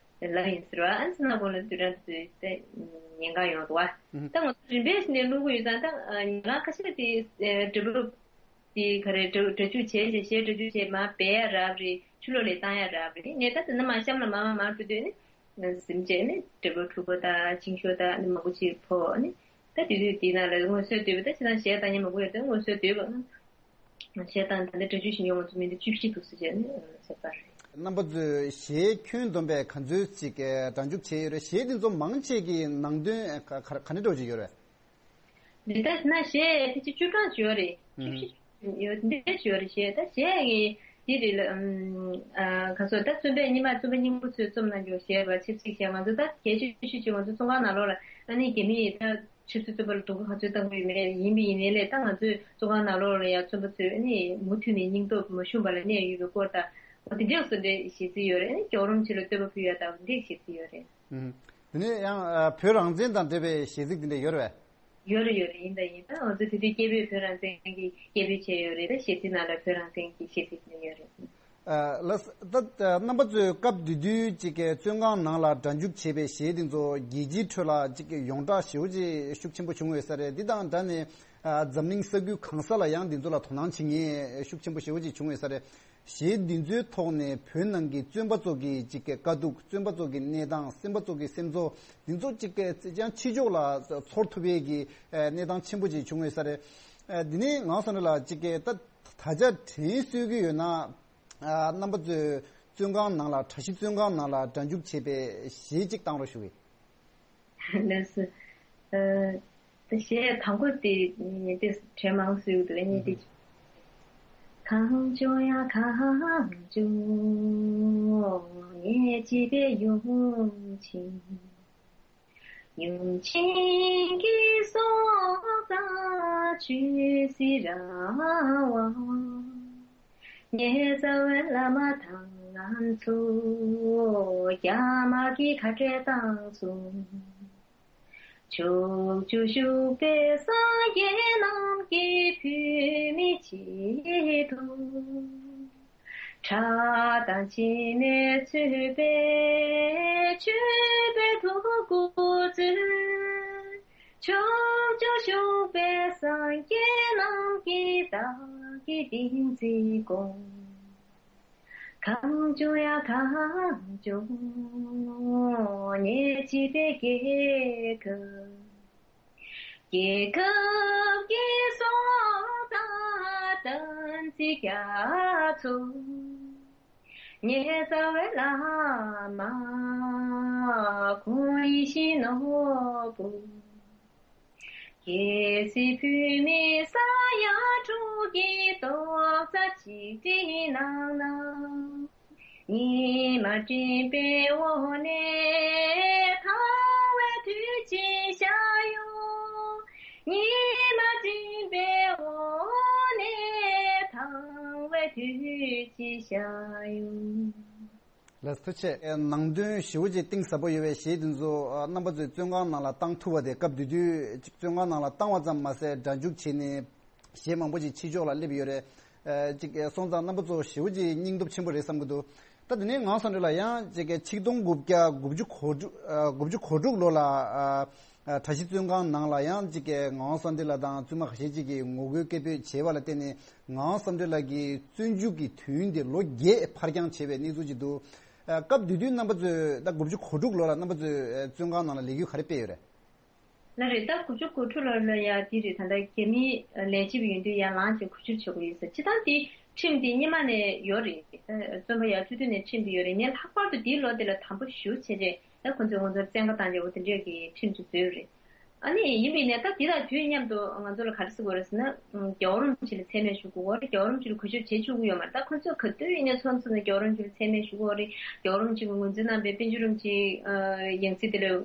ལབ་ཡིན་ཟེར་བ་ཨ་ནི་སྣ་དགོང་ལ་དུས་རང་དེ་ཚོས་ད་ཉལ་ཁང་ཡོང་འདུག་བ། ད་ང་ཚོ་རིམ་པས་བཞིན་ནས་བླུགས་གི་ཡོད་ཙང་ད་ཉལ་ཁང་ཁ་ཤས་དེ་སྒྲ་ཕབ་དེ་ག་རེ་སྒྲ་སྒྲ་སྒྱུར་བྱས་བྱས་གཞས་སྒྲ་སྒྱུར་བྱས་མར་སྦས་ཡ་རག་རེད། ཕྱི་ལོགས་ལ་བཏང་ཡ་རག་རེད། ངས་ད་དེ་ནས་མར་གཤམ་ལ་མར་མར་མར་འགྲོ་དུས་ནི་ཟིན་བྱས་ནི་སྒྲ་ཕབ་འཕྲུལ་འཁོར་དང་ཅིང་ཤོས་དང་ནི་མང་པོ་ཅིག་ཕོག་ནི་ད་དེ་དུས་དེའི་ནང་ལ་དངོས་སུ་སྡོད་པ་ད་ཁྱེད་རང་གཞས་བཏང་མཁན་མང་པོ་ཡོད་དུས་དངོས་སུ་སྡོད་པ་གཞས་བཏང་ད་ལྟ་སྒྲ་སྒྱུར་ཞིག་ཡོང་བ་ཚོ་མི་འདི་བཅུ་བཞི་འདུག་ཟེར་བྱས་ནི་ཟེར་པ་རེད། རྣམ་པ་ཚོས་གཞས་ཁྱོན་བསྡོམས་པས་ག་ཚོད་ཅིག་སྒྲ་འཇུག་བྱས་ཡོད་རེད། གཞས་འདི་ཚོ་མང་ཆེ་གི་ནང་དོན་ག་ག་ག་འདྲ་འདྲ་བོ་ཅིག་ཡོད་རེད། འདི་ལྟར་ན་གཞས་ཕལ་ཆེར་བཅུ་གྲངས་ཅིག་ཡོད་རེད། བཅུ་ཨུམ། བཞི་ཅིག་ཡོད་འདི་འདྲ་ཅིག་ཡོད་རེད། གཞས་ད་གཞས་ཀྱི་འདི་རེད་ལ་ཨུམ། ཨ་ག་སོ་ད་བཙོན་པས་སྔོན་མ་བཙོན་པ་རྙིང་པ་ཚོས་རྩོམ་གནང་རྒྱུ་གཞས་པ་ཆབ་སྲིད་གཞས་ང་ཚོ་ད་གལ་ཆེ་ཤོས་ཅིག་ང་ཚོ་བཙོན་ཁང་ནང་ལོགས་ལ་ཨ་ནི་རྒྱ་མིས་ད་ཆབ་སྲིད་བཙོན་པ་ལ་སྡུག་པོ་ག་ཚོད་བཏང་གི་ཡོད་མེད་ཡིན་པ་ཡིན་ནའི་ལས་ད་ང་ཚོའི་བཙོན་ཁང་ནང་ལོགས་ལ་ཡང་བཙོན་པ་ཚོས་ཨ་ནི་མུ་མཐུད་ནས་སྙིང་སྟོབས་མ་ཞུམ་པ་ལ་གནས་ཡོད་པའི་སྐོར་དང་འོ་དེ་འདྲ་སོགས་འདྲའི་གཞས་ཚིག་ཡོད་རེད། ཨ་ནི་མགྱོགས་རིམ་ཅིག་ལ་བསྟོད་པ་ཕུལ་ཡ་ད་འདི་གཞས་ཚིག་ཡོད་རེད། ཨུམ། དེ་ནས་ཡང་ཨ་བོད་རང་བཙན་དང་འབྲེལ་བའི་གཞས་ཚིག་དེ་འདྲ་ཡོད་རེད་པས། ཡོད་རེད་ཡོད་རེད། ཡིན་ད་ཡིན་ད་ང་ཚོ་དེ་དུས་སྐད་འབོད་བོད་རང་བཙན་གྱི་སྐད་འབོད་བྱས་ཡོད་རེད། ད་གཞས་ཚིག་ནང་ལ་བོད་རང་བཙན་གྱི་གཞས་ཚིག་དེ་འདྲ་ཡོད་རེད། ཨ་ལགས་ད་རྣམ་པ་ཚོས་སྐབས་དེ་དུས་ཅིག་གི་བཙོན་ཁང་ནང་ལ་སྒྲ་འཇུག་བྱས་པའི་གཞས་དེ་ཚོ་རྒྱལ་སྤྱིའི་ཁྲོད་ལ་ཅིག་གི་ཡོངས་གྲགས་ཞེ་པོ་ཅིག་ཤུགས་ཆེན་པོ་བྱུང་ཡོད་ས་རེད། འདི་དང་འདྲ་ནས་ཨ་འཛམ་གླིང་ས་ཁུལ་གང་ས་ལ་ཡང་འདི་ཚོ་ལ་དོ་སྣང་བྱེད་མཁན་ཤུགས་ཆེན་པོ་ཞེ་པོ་ཅིག་བྱུང་ཡོད་ས་རེད། གཞས་འདི་ཚོའི་ཐོག་ནས་བོད་ནང་གི་བཙོན་པ་ཚོ་གི་ཅིག་གི་དཀའ་སྡུག་བཙོན་པ་ཚོ་གི་གནས་སྟངས་སེམས་པ་ཚོ་གི་སེམས་ཚོར་འདི་ཚོ་ཅིག་གི་ཅིག་ཡང་ཕྱི་ཕྱོགས་ལ་ཚོར་ཐུབ་པའི་གི་གནས་སྟངས་ཆེན་པོ་ཅིག་བྱུང་ཡོད་ས་རེད། འདི་ནས་ངག་བཟང་ལགས་ཅིག་གི་ད་ད་ཆ་དྲན་གསོས་ཀྱི་ཡོད་ན་རྣམ་པ་ཚོས་བཙོན་ཁང་ནང་ལ་གྲྭ་བཞི་བཙོན་ཁང་ནང་ལ་སྒྲ་འཇུག་བྱས་པའི་གཞས་ཅིག་བཏང་རོགས་ཞུ་གི། ལགས་སོ། ཨ། ད་གཞས་དང་པོ་དེ་ནི་དེ་དྲན་མ་སོས་འདུག་ཨ་ནི་དེ། གང་བྱུང་ཡང་གང་བྱུང་ངས་བྱིས་པའི་ཡུམ་ཆེན། ཡུམ་ཆེན་གྱི་སྲོག་རྩ་ཆུད་ཟོས་ར་བ། ངའི་རྩ་བའི་བླ་མ་དང་ང་ཚོ་རྒྱ་དམར་གྱི་ཁ་བྲལ་བཏང་སོང་། ཕྱོགས་བཅུ་བཞུགས་པའི་སངས་རྒྱས་རྣམས་ཀྱིས་བོད་མིའི་ཆེད་དུ། ཁྲག་དང་མཆིལ་མས་མཚོན་པའི་མཆོད་པའི་ཐུགས་འཁུར་མཛོད། ཕྱོགས་བཅུར་བཞུགས་པའི་སངས་རྒྱས་རྣམས་ཀྱིས་བདག་གི་ཏིང་འཛིན་སྐོང་། གང་བྱུང་ཡང་གང་བྱུང་ངས་བྱིས་པའི་རྒྱལ་ཁབ། རྒྱལ་ཁབ་ཀྱི་སྲོག་དང་བསྟན་འཛིན་རྒྱ་མཚོ། ངེད་རྩ་བའི་བླ་མ་ཁོང་ཡིད་བཞིན་ནོར་བུ། གལ་སྲིད་བོད་མི་ས་ཡ་དྲུག་གི་རྡོག་རྩ་གཅིག་སྒྲིལ་གནང་ན། ཉི་མ་སྤྲིན་པའི་འོག་ནས་ཐང་བའི་དུས་ཀྱི་ཤར་ཡོང་། ཉི་མ་སྤྲིན་པའི་འོག་ནས་ཐང་བའི་དུས་ཀྱི་ཤར་ཡོང་། ལགས་སོ། ཐུགས་རྗེ་ཆེ། ནང་དོན་ཞེ་པོ་ཅིག་གཏིང་ཟབ་པོ་ཡོད་པའི་གཞས་འདི་ཚོ་རྣམ་པ་ཚོས་བཙོན་ཁང་ནང་ལ་བཏང་ཐུབ་པ་དེ། སྐབས་དེ་དུས་ཅིག་བཙོན་ཁང་ནང་ལ་བཏང་བ་ཙམ་མ་ཟད་སྒྲ་འཇུག་བྱས་ནས་གཞས་མང་པོ་ཅིག་ཕྱི་ཕྱོགས་ལ་སླེབས་ཡོད་རེད། ཨ་ཅིག་སོང་ཙང་རྣམ་པ་ཚོ་ཞེ་པོ་ཅིག་སྙིང་སྟོབས་ཆེན་པོ་རེད་བསམ་གྱི་འདུག་ད་དེ་ནས་ངག་དབང་བསམ་གྲུབ་ལགས་ཡང་ཅིག་ཆིག་སྟོང་དགུ་བརྒྱ་དགུ་བཅུ་གོ་དྲུག་ཨ་དགུ་བཅུ་གོ་དྲུག་ལོ་ལ་ཨ་ཨ་གྲྭ་བཞི་བཙོན་ཁང་ནང་ལ་ཡང་ཅིག་ངག་དབང་བསམ་གྲུབ་ལགས་དང་བཙུན་མ་ཁ་ཤས་ཅིག་གིས་ངོ་རྒོལ་སྐད་འབོད་བྱས་པ་ལ་བརྟེན་ནས་ངག་དབང་བསམ་གྲུབ་ལགས་ཀྱི་བཙོན་འཇུག་གི་དུས་ཡུན་དེ་ལོ་བརྒྱད་ཕར་འགྱངས་བྱས་པའི་གནས་ཚུལ་ཅིག་འདུག་ཨ་སྐབས་དེ་དུས་རྣམ་པ་ཚོས་ད་དགུ་བཅུ་གོ་དྲུག་ལོ་ལ་རྣམ་པ་ཚོས་ཨ་བཙོན་ཁང་ནང་ལ་ལས་འགུལ་ག་རེ་སྤེལ་ཡོད་རེད། ལགས་རེད། ད་དགུ་བཅུ་གོ་དྲུག་ལོ་ལ་ཡ་དེ་རེད། ད་ལྟ་རྒྱ་མི་ལས་བྱེད་པ་ཡིན་དུས་ཡར་ལངས་བྱས་གུས་ཕྱིར་བྱེད་དགོས་ཡོད་ས། སྤྱིར་བཏང་དེ་ཁྲིམས་དེ་སྔོན་མ་ནས་ཡོད་རེད། ད་བཙོན་པ་ཡར་བཅུག་དུས་ནས་ཁྲིམས་དེ་ཡོད་རེད། ངས་ལྷག་པར་དུ་དེའི་ལོ་དེ་ལ་དམ་པོ་ཞེ་པོ་བྱས་རྗེས་ད་ཁོ་ཚོས་ང་ཚོར་བཙན་བཀའ་བཏང་རྗེས་འོ་དེ་འདྲས་ཀྱི་ཁྲིམས་ཅིག་བཟོས་ཡོད་རེད། ཨ་ནི་ཡིན་པས་ནས་ད་དེ་དང་དུས་མཉམ་དུ་ང་ཚོ་ལ་ག་རེ་ཟེར་དགོས་རེད་ཟེར་ན། རྒྱལ་བ་རིན་པོ་ཆེ་ལ་མཚན་སྨད་ཞུ་དགོས་རེད། རྒྱལ་བ་རིན་པོ་ཆེ་ལ་གུས་ཞབས་བྱེད་བཅུག་གི་ཡོད་མ་རེད། ད་ཁོ་ཚོས་ག་དུས་ཡིན་ནའི་ཚོགས་འདུ་ནང་རྒྱལ་བ་རིན་པོ་ཆེ་ལ་མཚན་སྨད་ཞུ་དགོས་རེད། རྒྱལ་བ་རིན་པོ་ཆེ་གི་ངོས་འཛིན་གནང་པའི་པཎ་ཆེན་རིན་པོ་ཆེའི་ཡང་སྲིད་དེ་ལ་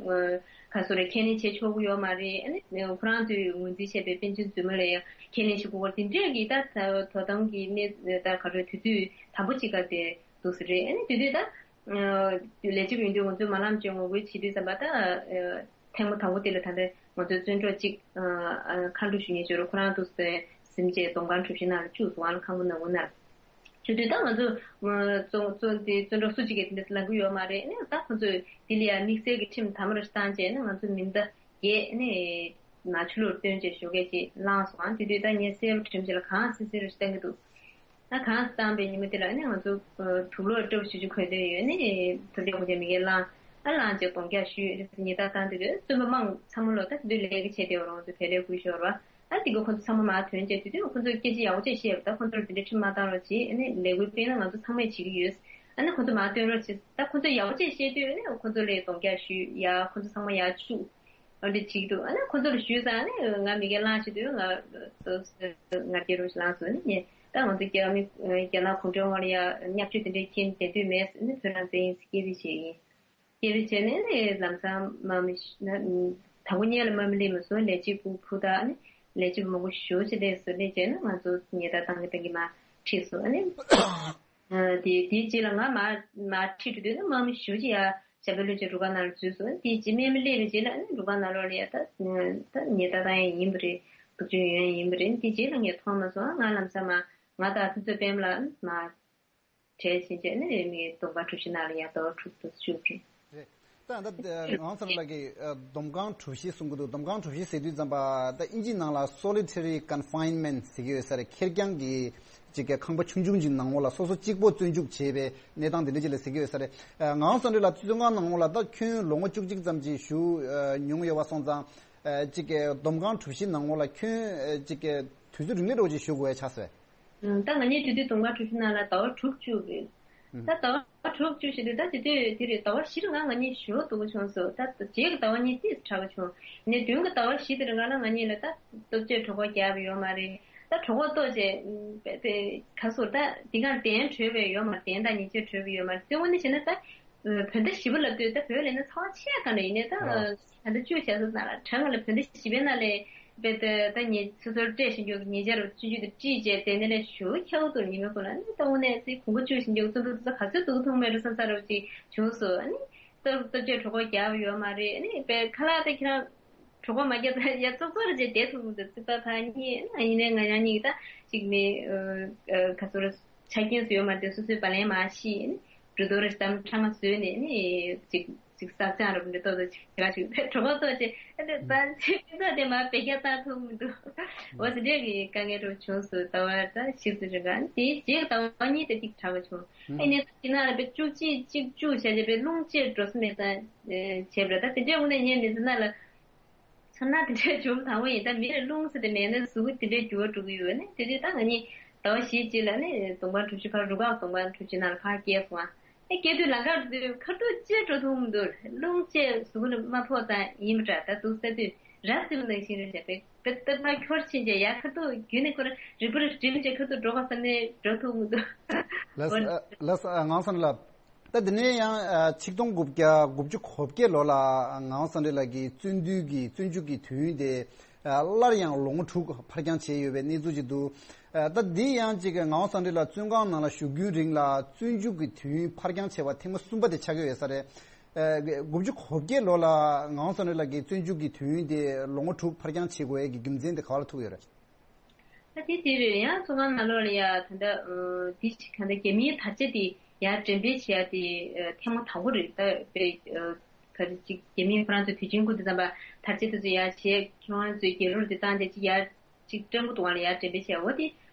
ག་སོ་རེད། ཁས་ལེན་བྱེད་ཆོག་གི་ཡོད་མ་རེད། ཨ་ནི་ཁོ་རང་ཚོས་ངོས་འཛིན་བྱས་པའི་པཎ་ཆེན་རྫུན་མ་ལ་ཡང་ཁས་ལེན་ཞུ་དགོས་རེད། དེ་འདྲས་ཀྱི་ད་དོ་དམ་གྱི་གནས་ད་ག་རེ་དུས་ཚོད་དམ་པོ་ཅིག་ག་དེ་འདུག་ས་རེད། ཨ་ནི་དེ་དུས་ད། ལས་བྱེད་པ་ཡིན་དུས་ང་ཚོས་མ་ལམ་ཅིག་ངོ་རྒོལ་བྱེད་དུས་ཙམ་པ་ད། ཐེངས་མ་དང་པོ་དེ་ལ་ད་ལྟ་ང་ཚོའི་བཙོན་གྲོགས་གཅིག་མཁའ་འགྲོ་ཞུ་མཁན་ཅིག་ཡོད་རེད། ཁོ་རང་འདུག་སེ་གཟིམ་བྱས་སྡོམ་ཁང་གྲུ་བཞི་ནང་ལ་བཅུག་སོང་། ཨ་ལ་ཁང་པ་ནང་ངུ་ན། བཅུག་དུས་ད་ང་ཚོ་བཙོན་བཙོན་དེ་བཙོན་གྲོགས་སུ་གཅིག་གིས་དེ་འདྲ་ལབ་ཀྱི་ཡོད་མ་རེད། ཨ་ནི་ད་ཁོ་ཚོས་དེ་ལ་ཡང་དམིགས་བསལ་གྱི་ཁྲིམས་དམ་རུ་བཏང་བྱས་ནས་ང་ཚོ་མི་ཟླ་བརྒྱད་ནས་ནང་ཆོས་ལུགས་སྟོན་བྱས་ཞོགས་ཀས་ཅིག་བླངས་སོང་། ཨ་དེ་དུས་ད་ངས་གསལ་པོ་དྲན་བྱས་ལ་གང་སི་སི་རུ་བཏང་གི་འདུག་ད་གང་བཏང་པའི་ཉིན་མོ་དེ་ལ་ནི་ང་ཚོ་དུག་ལོག་སྤྲོ་པོ་ཞེ་ཅིག་གོན་དོན་ཡོད་ནི་དུ་ལེགས་པོ་ཅན་མི་གེ་ལང་ཨ་ལང་ཅེ་གདོང་རྒྱག་ཞུས་ཉི་ཟླ་བཏང་དུས་དེ་བཙུན་པ་མང་ཚང་མ་ལོ་ད་དེ་དུས་ལས་ཀ་བྱས་ཏེ་ཡོད་རང་ཚོ་དེ་ལས་ཀུ་ཤོར་བ་ཨ་དེ་གི་ཁོ་ཚོ་ཚང་མ་མ་ཐོན་ཅེ་དེ་དུས་ཁོ་ཚོར་སྐད་ཆ་ཡག་པོ་ཅེ་བཤད་ད་ཁོ་ཚོར་དེ་འདྲའི་ཁྲིམས་མ་བཏང་རོགས་བྱེད་ཨ་ནི་ལས་ཀུ་སྤེལ་ན་ང་ཚོ་ཚང་མས་བྱེད་ཀྱི་ཡོད་ཨ་ནི་ཁོ་ཚོ་མ་ཐོན་རོགས་བྱེད་ད་ཁོ་ཚོ་ཡག་པོ་ཅེ་བཤད་དུས་ཨ་ནི་ཁོ་ཚོ་ལས་གདོང་རྒྱག་ཞུས་ཡ་ཁོ་ཚོ་ཚང་མ་ཡར་བཅུག་ཨ་འདྲ་བྱེད་ཀྱི་འདུག་ཨ་ནི་ཁོ་ཚོ་ལ་ཞུས་ཙང་ཨ་ནི་ང་མི་སྒེར་གླེང་བྱེད་དུས་ང་ང་རྒྱལ་རུ་ལངས་སོང་ནི་ངས་ད་ང་ཚོ་རྒྱ་མི་རྒྱ་ནག་གུང་ཁྲན་དབང་ལ་ཡ་བརྙས་བཅོས་དེ་འདྲའི་རྐྱེན་བསྡད་དུས་མེད་ནི་བོད་ནང་བཙན་ཡིན་ཟེར་སྐད་འབོད་བྱས་ཡིན། སྐད་འབོད་བྱས་ནས་ནི་ལམ་སང་མ་མི་ཤི་ན་དང་པོ་ཉལ་ལ་མ་མི་ལེན་མ་སོང་ལས་བྱེད་ཕྲུ་གུ་ཕུ་ད་ནི་ལས་བྱེད་མང་པོ་ཞུ་བྱེད་དེ་སུ་ལས་བྱས་ན་ང་ཚོ་ཉལ་ད་བཏང་གི་བཏང་གི་མ་ཁྲིད་སོང་ཨ་ནི། དེ་དེའི་རྗེས་ལ་ང་མ་མ་ཁྲིད་འགྲོ་དུས་ནི་མ་མི་ཞུ་ཅི་ཡ་ཞབས་པད་བློན་ཆེན་རུ་ཁག་ནང་ལ་འཛུལ་སོང་། དེའི་རྗེས་སྨན་མི་སླེབས་པའི་རྗེས་ལ་ཨ་ནི་རུ་ཁག་ནང་ལོགས་ལ་ཡ་ད་ད་ཉེས་རྡུང་བཏང་ཡ་ཡིན་པ་རེད། སྡུག་སྦྱོང་ཡོང་ཡ་ཡིན་པ་རེད། དེའི་རྗེས་ལ་ངས་མཐོང་མ་སོང་ང་ལམ་སང་མ་ང་དང་དུས་ཚོད་སྤེལ་མ་ལ་ཨ་ནི་མ་བྲལ་ཕྱིན་རྗེས་ཨ་ནི་མི་སྡོམ་པ་གྲུ་བཞི་ནང་ལ་ཡ་ཟླ་བ་དྲུག་ཏུ་བཅུག་རེད། རེད། ད་ད་ངང་ཚང་ལགས་ཀྱིས་ཨ་སྡོམ་ཁང་གྲུ་བཞི་གསུང་གི་འདུག་སྡོམ་ཁང་གྲུ་བཞི་ཟེར་དུས་ཙམ་པ་ད་ཨིན་ཇི་ནང་ལ་solitary confinement ཟེར་གྱི་ཡོད་ས་རེད། ཁེར་རྐྱང་གི་ཅིག་གི་ཁང་པ་ཆུང་ཆུང་ཅིག་ནང་ལོགས་ལ་སོ་སོ་གཅིག་པོ་བཙོན་འཇུག་བྱས་པའི་གནས་སྟངས་དེ་འདྲ་ཅིག་ལ་ཟེར་གྱི་ཡོད་ས་རེད། ཨ་ངང་ཚང་ལགས་ལ་བཙོན་ཁང་ནང་ལོགས་ལ་ད་ཁྱོན་ལོ་ངོ་བཅུ་གཅིག་ཙམ་ཅིག་བཞུགས་ཨ་མྱོང་ཡོད་པ་སོང་ཙང་ཨ་ཅིག་གི་སྡོམ་ཁང་གྲུ་བཞི་ནང་ལོགས་ལ་ཁྱོན་ཨ་ཅིག་གི་དུས་ཚོད་རིང་པོ་འདྲ་བོ་ཅིག་བཞུགས་དགོས་ཡ་ཆགས་སོང་། ད་ང་གཉིས་དེ་དུས་སྡོམ་ཁང་གྲུ་བཞི་ནང་ལ་ཟླ་བ་དྲུག་བཅུག་རེད། ད་ཟླ་བ་དྲུག་བཅུ་བཞི་དུས་ད་དེ་དུས་དེ་རེད་ཟླ་བ་བཞི་རུ་ང་ང་གཉིས་ཞུ་འདུག་བྱུང་སོང་། ད་རྗེས་ཀྱི་ཟླ་བ་གཉིས་ཏིས་དྲག་པོ་བྱུང་། ནས་མདུན་གྱི་ཟླ་བ་བཞི་དེ་རུ་ང་ལ་ང་གཉིས་ལ་ད་སྟོབས་ཆེ་གྲོད་ཁོག་རྒྱག་པ་ཡོད་མ་རེད། ད་གྲོད་ཁོག་ལྟོགས་བྱས་པས་ག་སོར་ད་དེ་གང་གདན་གྲོལ་བའི་ཡོད་མ་རེད། གདན་དང་ཉལ་ཆས་གྲོལ་བའི་ཡོད་མ་རེད། དེ་དངོས་གནས་བྱས་ན་ད་བོད་ཟླ་བཞི་པ་ལ་ལྟོས་ད་བོད་ལས་ན་ཚ་བ་ཆེ་ག་འདྲ་ཡིན་ནས་ད་ད་ལྟ་བཅུ་བྱས་སོང་ན་ལ་གྲང་ངེ་ལ་བོད་ཟླ་བཞི་པའི་ནང་ལས། དཔེ་ད་ད་ཉེ་སོ་སོར་སྤྲད་བཞིན་འཇོག་གི་ཉེ་ཆར་ཆུང་ཆུང་དུ་བཀྲིས་བྱས་དེ་ནས་ལས་ཞུ་ཁྱེའུ་དུ་ཉི་མའི་ཁོ་ན་ནི་ལྟ་བུ་ནས་ཚེ་གོང་གོ་བཅུ་བཞིན་འཇོག་ཙམ་དུ་ཚོ་ག་ཚོད་སྡུག་ཐུག་མེད་རུ་བསམ་ས་རུ་ཅིག་བྱུང་སོང་། ཨ་ནི་སྟོབས་སྟོབས་ཆེ་གྲོད་ཁོག་རྒྱབ་ཡོད་མ་རེད། ཨ་ནི་དཔེ་ཁ་ལག་དེ་ཁྱེད་རང་གྲོད་ཁོག་མ་རྒྱབ་ད་ཡ་ཙོག་ཙོག་རེ་བྱས་བསྡད་ཐུབ་མི་འདུག་ཙིག་པ་ཕ་གཉིས་ཨ་ནི་ཡིན་ནའི་ང་རང་གཉིས་ད་ཅིག་ནི་ག་ཚོད་རེ་ཆ་རྐྱེན་སུ་ཡོད་མ་རེད། སོ་སོའི་བ་ལན་མ་ཤེས་ཨ་ནི་འགྲོ་དོ་རེ་གཏམ་ཕྲ་མ་བཟོས་ནས་ཨ་ནི་ཅིག་ཅིག་བསགས་སྦྱང་རབ་འདི་ཏོག་ཏོ་བྱེད་ག་ཞུ་གྲོད་ཁོག་ཏོག་ཅེ་ཨ་ཏེ་ད་ཚེ་ཕན་ཚོགས་དེ་མ་བེད་སྤྱད་བཏང་ཐུབ་མི་འདུག་འོ་ཟེར་འདྲས་ཀྱི་དཀའ་ངལ་རུ་བྱུང་སོང་། ད་བར་ད་ཤི་སུ་རེ་ག་དེའི་རྗེས་ཀྱི་ཟླ་བ་གཉིས་དེ་ཏིག་དྲག་པ་བྱུང་། ཨ་ནི་ད་ཅི་ན་ལ་བེ་བཅུ་གཅིག་གཅིག་བཅུ་བྱ་བྱེད་པའི་རླུང་ཅེས་འགྲོ་སུ་མེད་ཙང་བྱས་པ་རེད། ད་དེ་འདྲས་འོ་ན་ངས་མི་ཚེ་ན་ལ་ ཚོར་སྣང་དེ་འདྲ་བྱུང་དང་པོ་ཡིན། ད་མི་ལ་རླུང་ཟེར་དེ་མེད་ན་གཟུགས་པོ་དེ་འདྲའི་འགྱུར་བ་འགྲོ་གི་ཡོད་ནི། དེ་དུས་ད་ང་གཉིས་ཟླ་བ་བཞི་རྗེས་ལ་ནི་དུང་དཀར་གྲུ་བཞི་ཕར་རུ་ཁག་དུང་དཀར་གྲུ་བཞི་ནང་ལ་ཕར་བསྐྱལ་སོང་ཨ། ཨེ་སྐྱེལ་དུས་ལམ་ཁར་དུས་ཁ་ཐུག་ཅེས་འགྲོ་ཐུབ་མི་འདུག་རླུང་ཅེས་གཟུགས་ལ་མ་ཕོག་ཙང་ཡིན་པ་འདྲ། ད་འདུག་ས་དུས་ར་བཟི་བ་ནང་བཞིན་རེད་བྱས་པས་པེ་ཏི་ཕར་འཁྱོར་ཕྱིན་བྱས་ཡར་ཁ་ཐུག་རྒྱུན་ནས་ཁོ་ར་རིག་པ་ར་སྒྲིམ་བྱས་ཁ་ཐུག་འགྲོ་ག་ས་ནས་འགྲོ་ཐུབ་མི་འདུག་ལགས་སོ། ཨ། ལགས་སོ། ཨ། ངག་དབང་བསམ་འགྲུབ་ལགས། ད་དེ་ནས་ཡང་ཨ་ཆིག་སྟོང་དགུ་བརྒྱ་དགུ་བཅུ་གོ་བརྒྱད་ལོ་ལ་ངག་དབང་བསམ་འགྲུབ་ལགས་ཀྱིས་བཙོན་འདུལ་གྱི་བཙོན་འཇུག་གི་དུས་ཡུན་དེ་ཨ་སླར་ཡང་ལོ་ངོ་དྲུག་ཕར་འགྱངས་བྱས་ཡོད་པའི་གནས་ཚུལ་ཅིག་འདུག་ཨ་ད་འདི་ཡང་ཅིག་ངག་དབང་བསམ་འགྲུབ་ལགས་བཙོན་ཁང་ནང་ལ་བཞུགས་རྒྱུའི་རིང་ལ་བཙོན་འཇུག་གི་དུས་ཡུན་ཕར་འགྱངས་བྱས་པ་ཐེངས་མ་གསུམ་པ་དེ་ཆགས་ཀྱི་ཡོད་ས་རེད། ཨ་དགུ་བཅུ་གོ་བརྒྱད་ལོ་ལ་ངག་དབང་བསམ་འགྲུབ་ལགས་ཀྱིས་བཙོན་འཇུག་གི་དུས་ཡུན་དེ་ལོ་ངོ་དྲུག་ཕར་འགྱངས་བྱེད་དགོས་ཡས་ཀྱི་རྒྱུ་མཚན་དེ་ག་བ་ལ་ཐུག་ཡོད་རེད། ད་དེ་དེ་རེད། ཡང་བཙོན་ཁང་ནང་ལོགས་ལ་ཡ་ད་ལྟ་ཨ་དེ་ཞིག་ག་འདྲ་རྒྱ་མིའི་དར་ཆ་དེ་ཡར་འགྲེམས་སྤེལ་བྱེད་ཡ་དེ་ཨ་ཐེངས་མ་དང་པོ་རེད། ད་དཔེ་ཨ་ག་རེ་ཅིག་རྒྱ་མིས་ཁོ་རང་ཚོའི་དུས་ཆེན་སྐུ་དེ་ཙམ་པ་དར་ཆ་དེ་ཚོ་ཡར་བྱས་ཁྱེད་རང་ཚོའི་རྒྱལ་རོར་དེ་བཏང་སྟེ་ཅིག་ཡར་ཅིག་སྤྲང་པོ་འདུག་ལ་ཡར་འགྲེམས་སྤེལ་བྱས། འོ་དེ་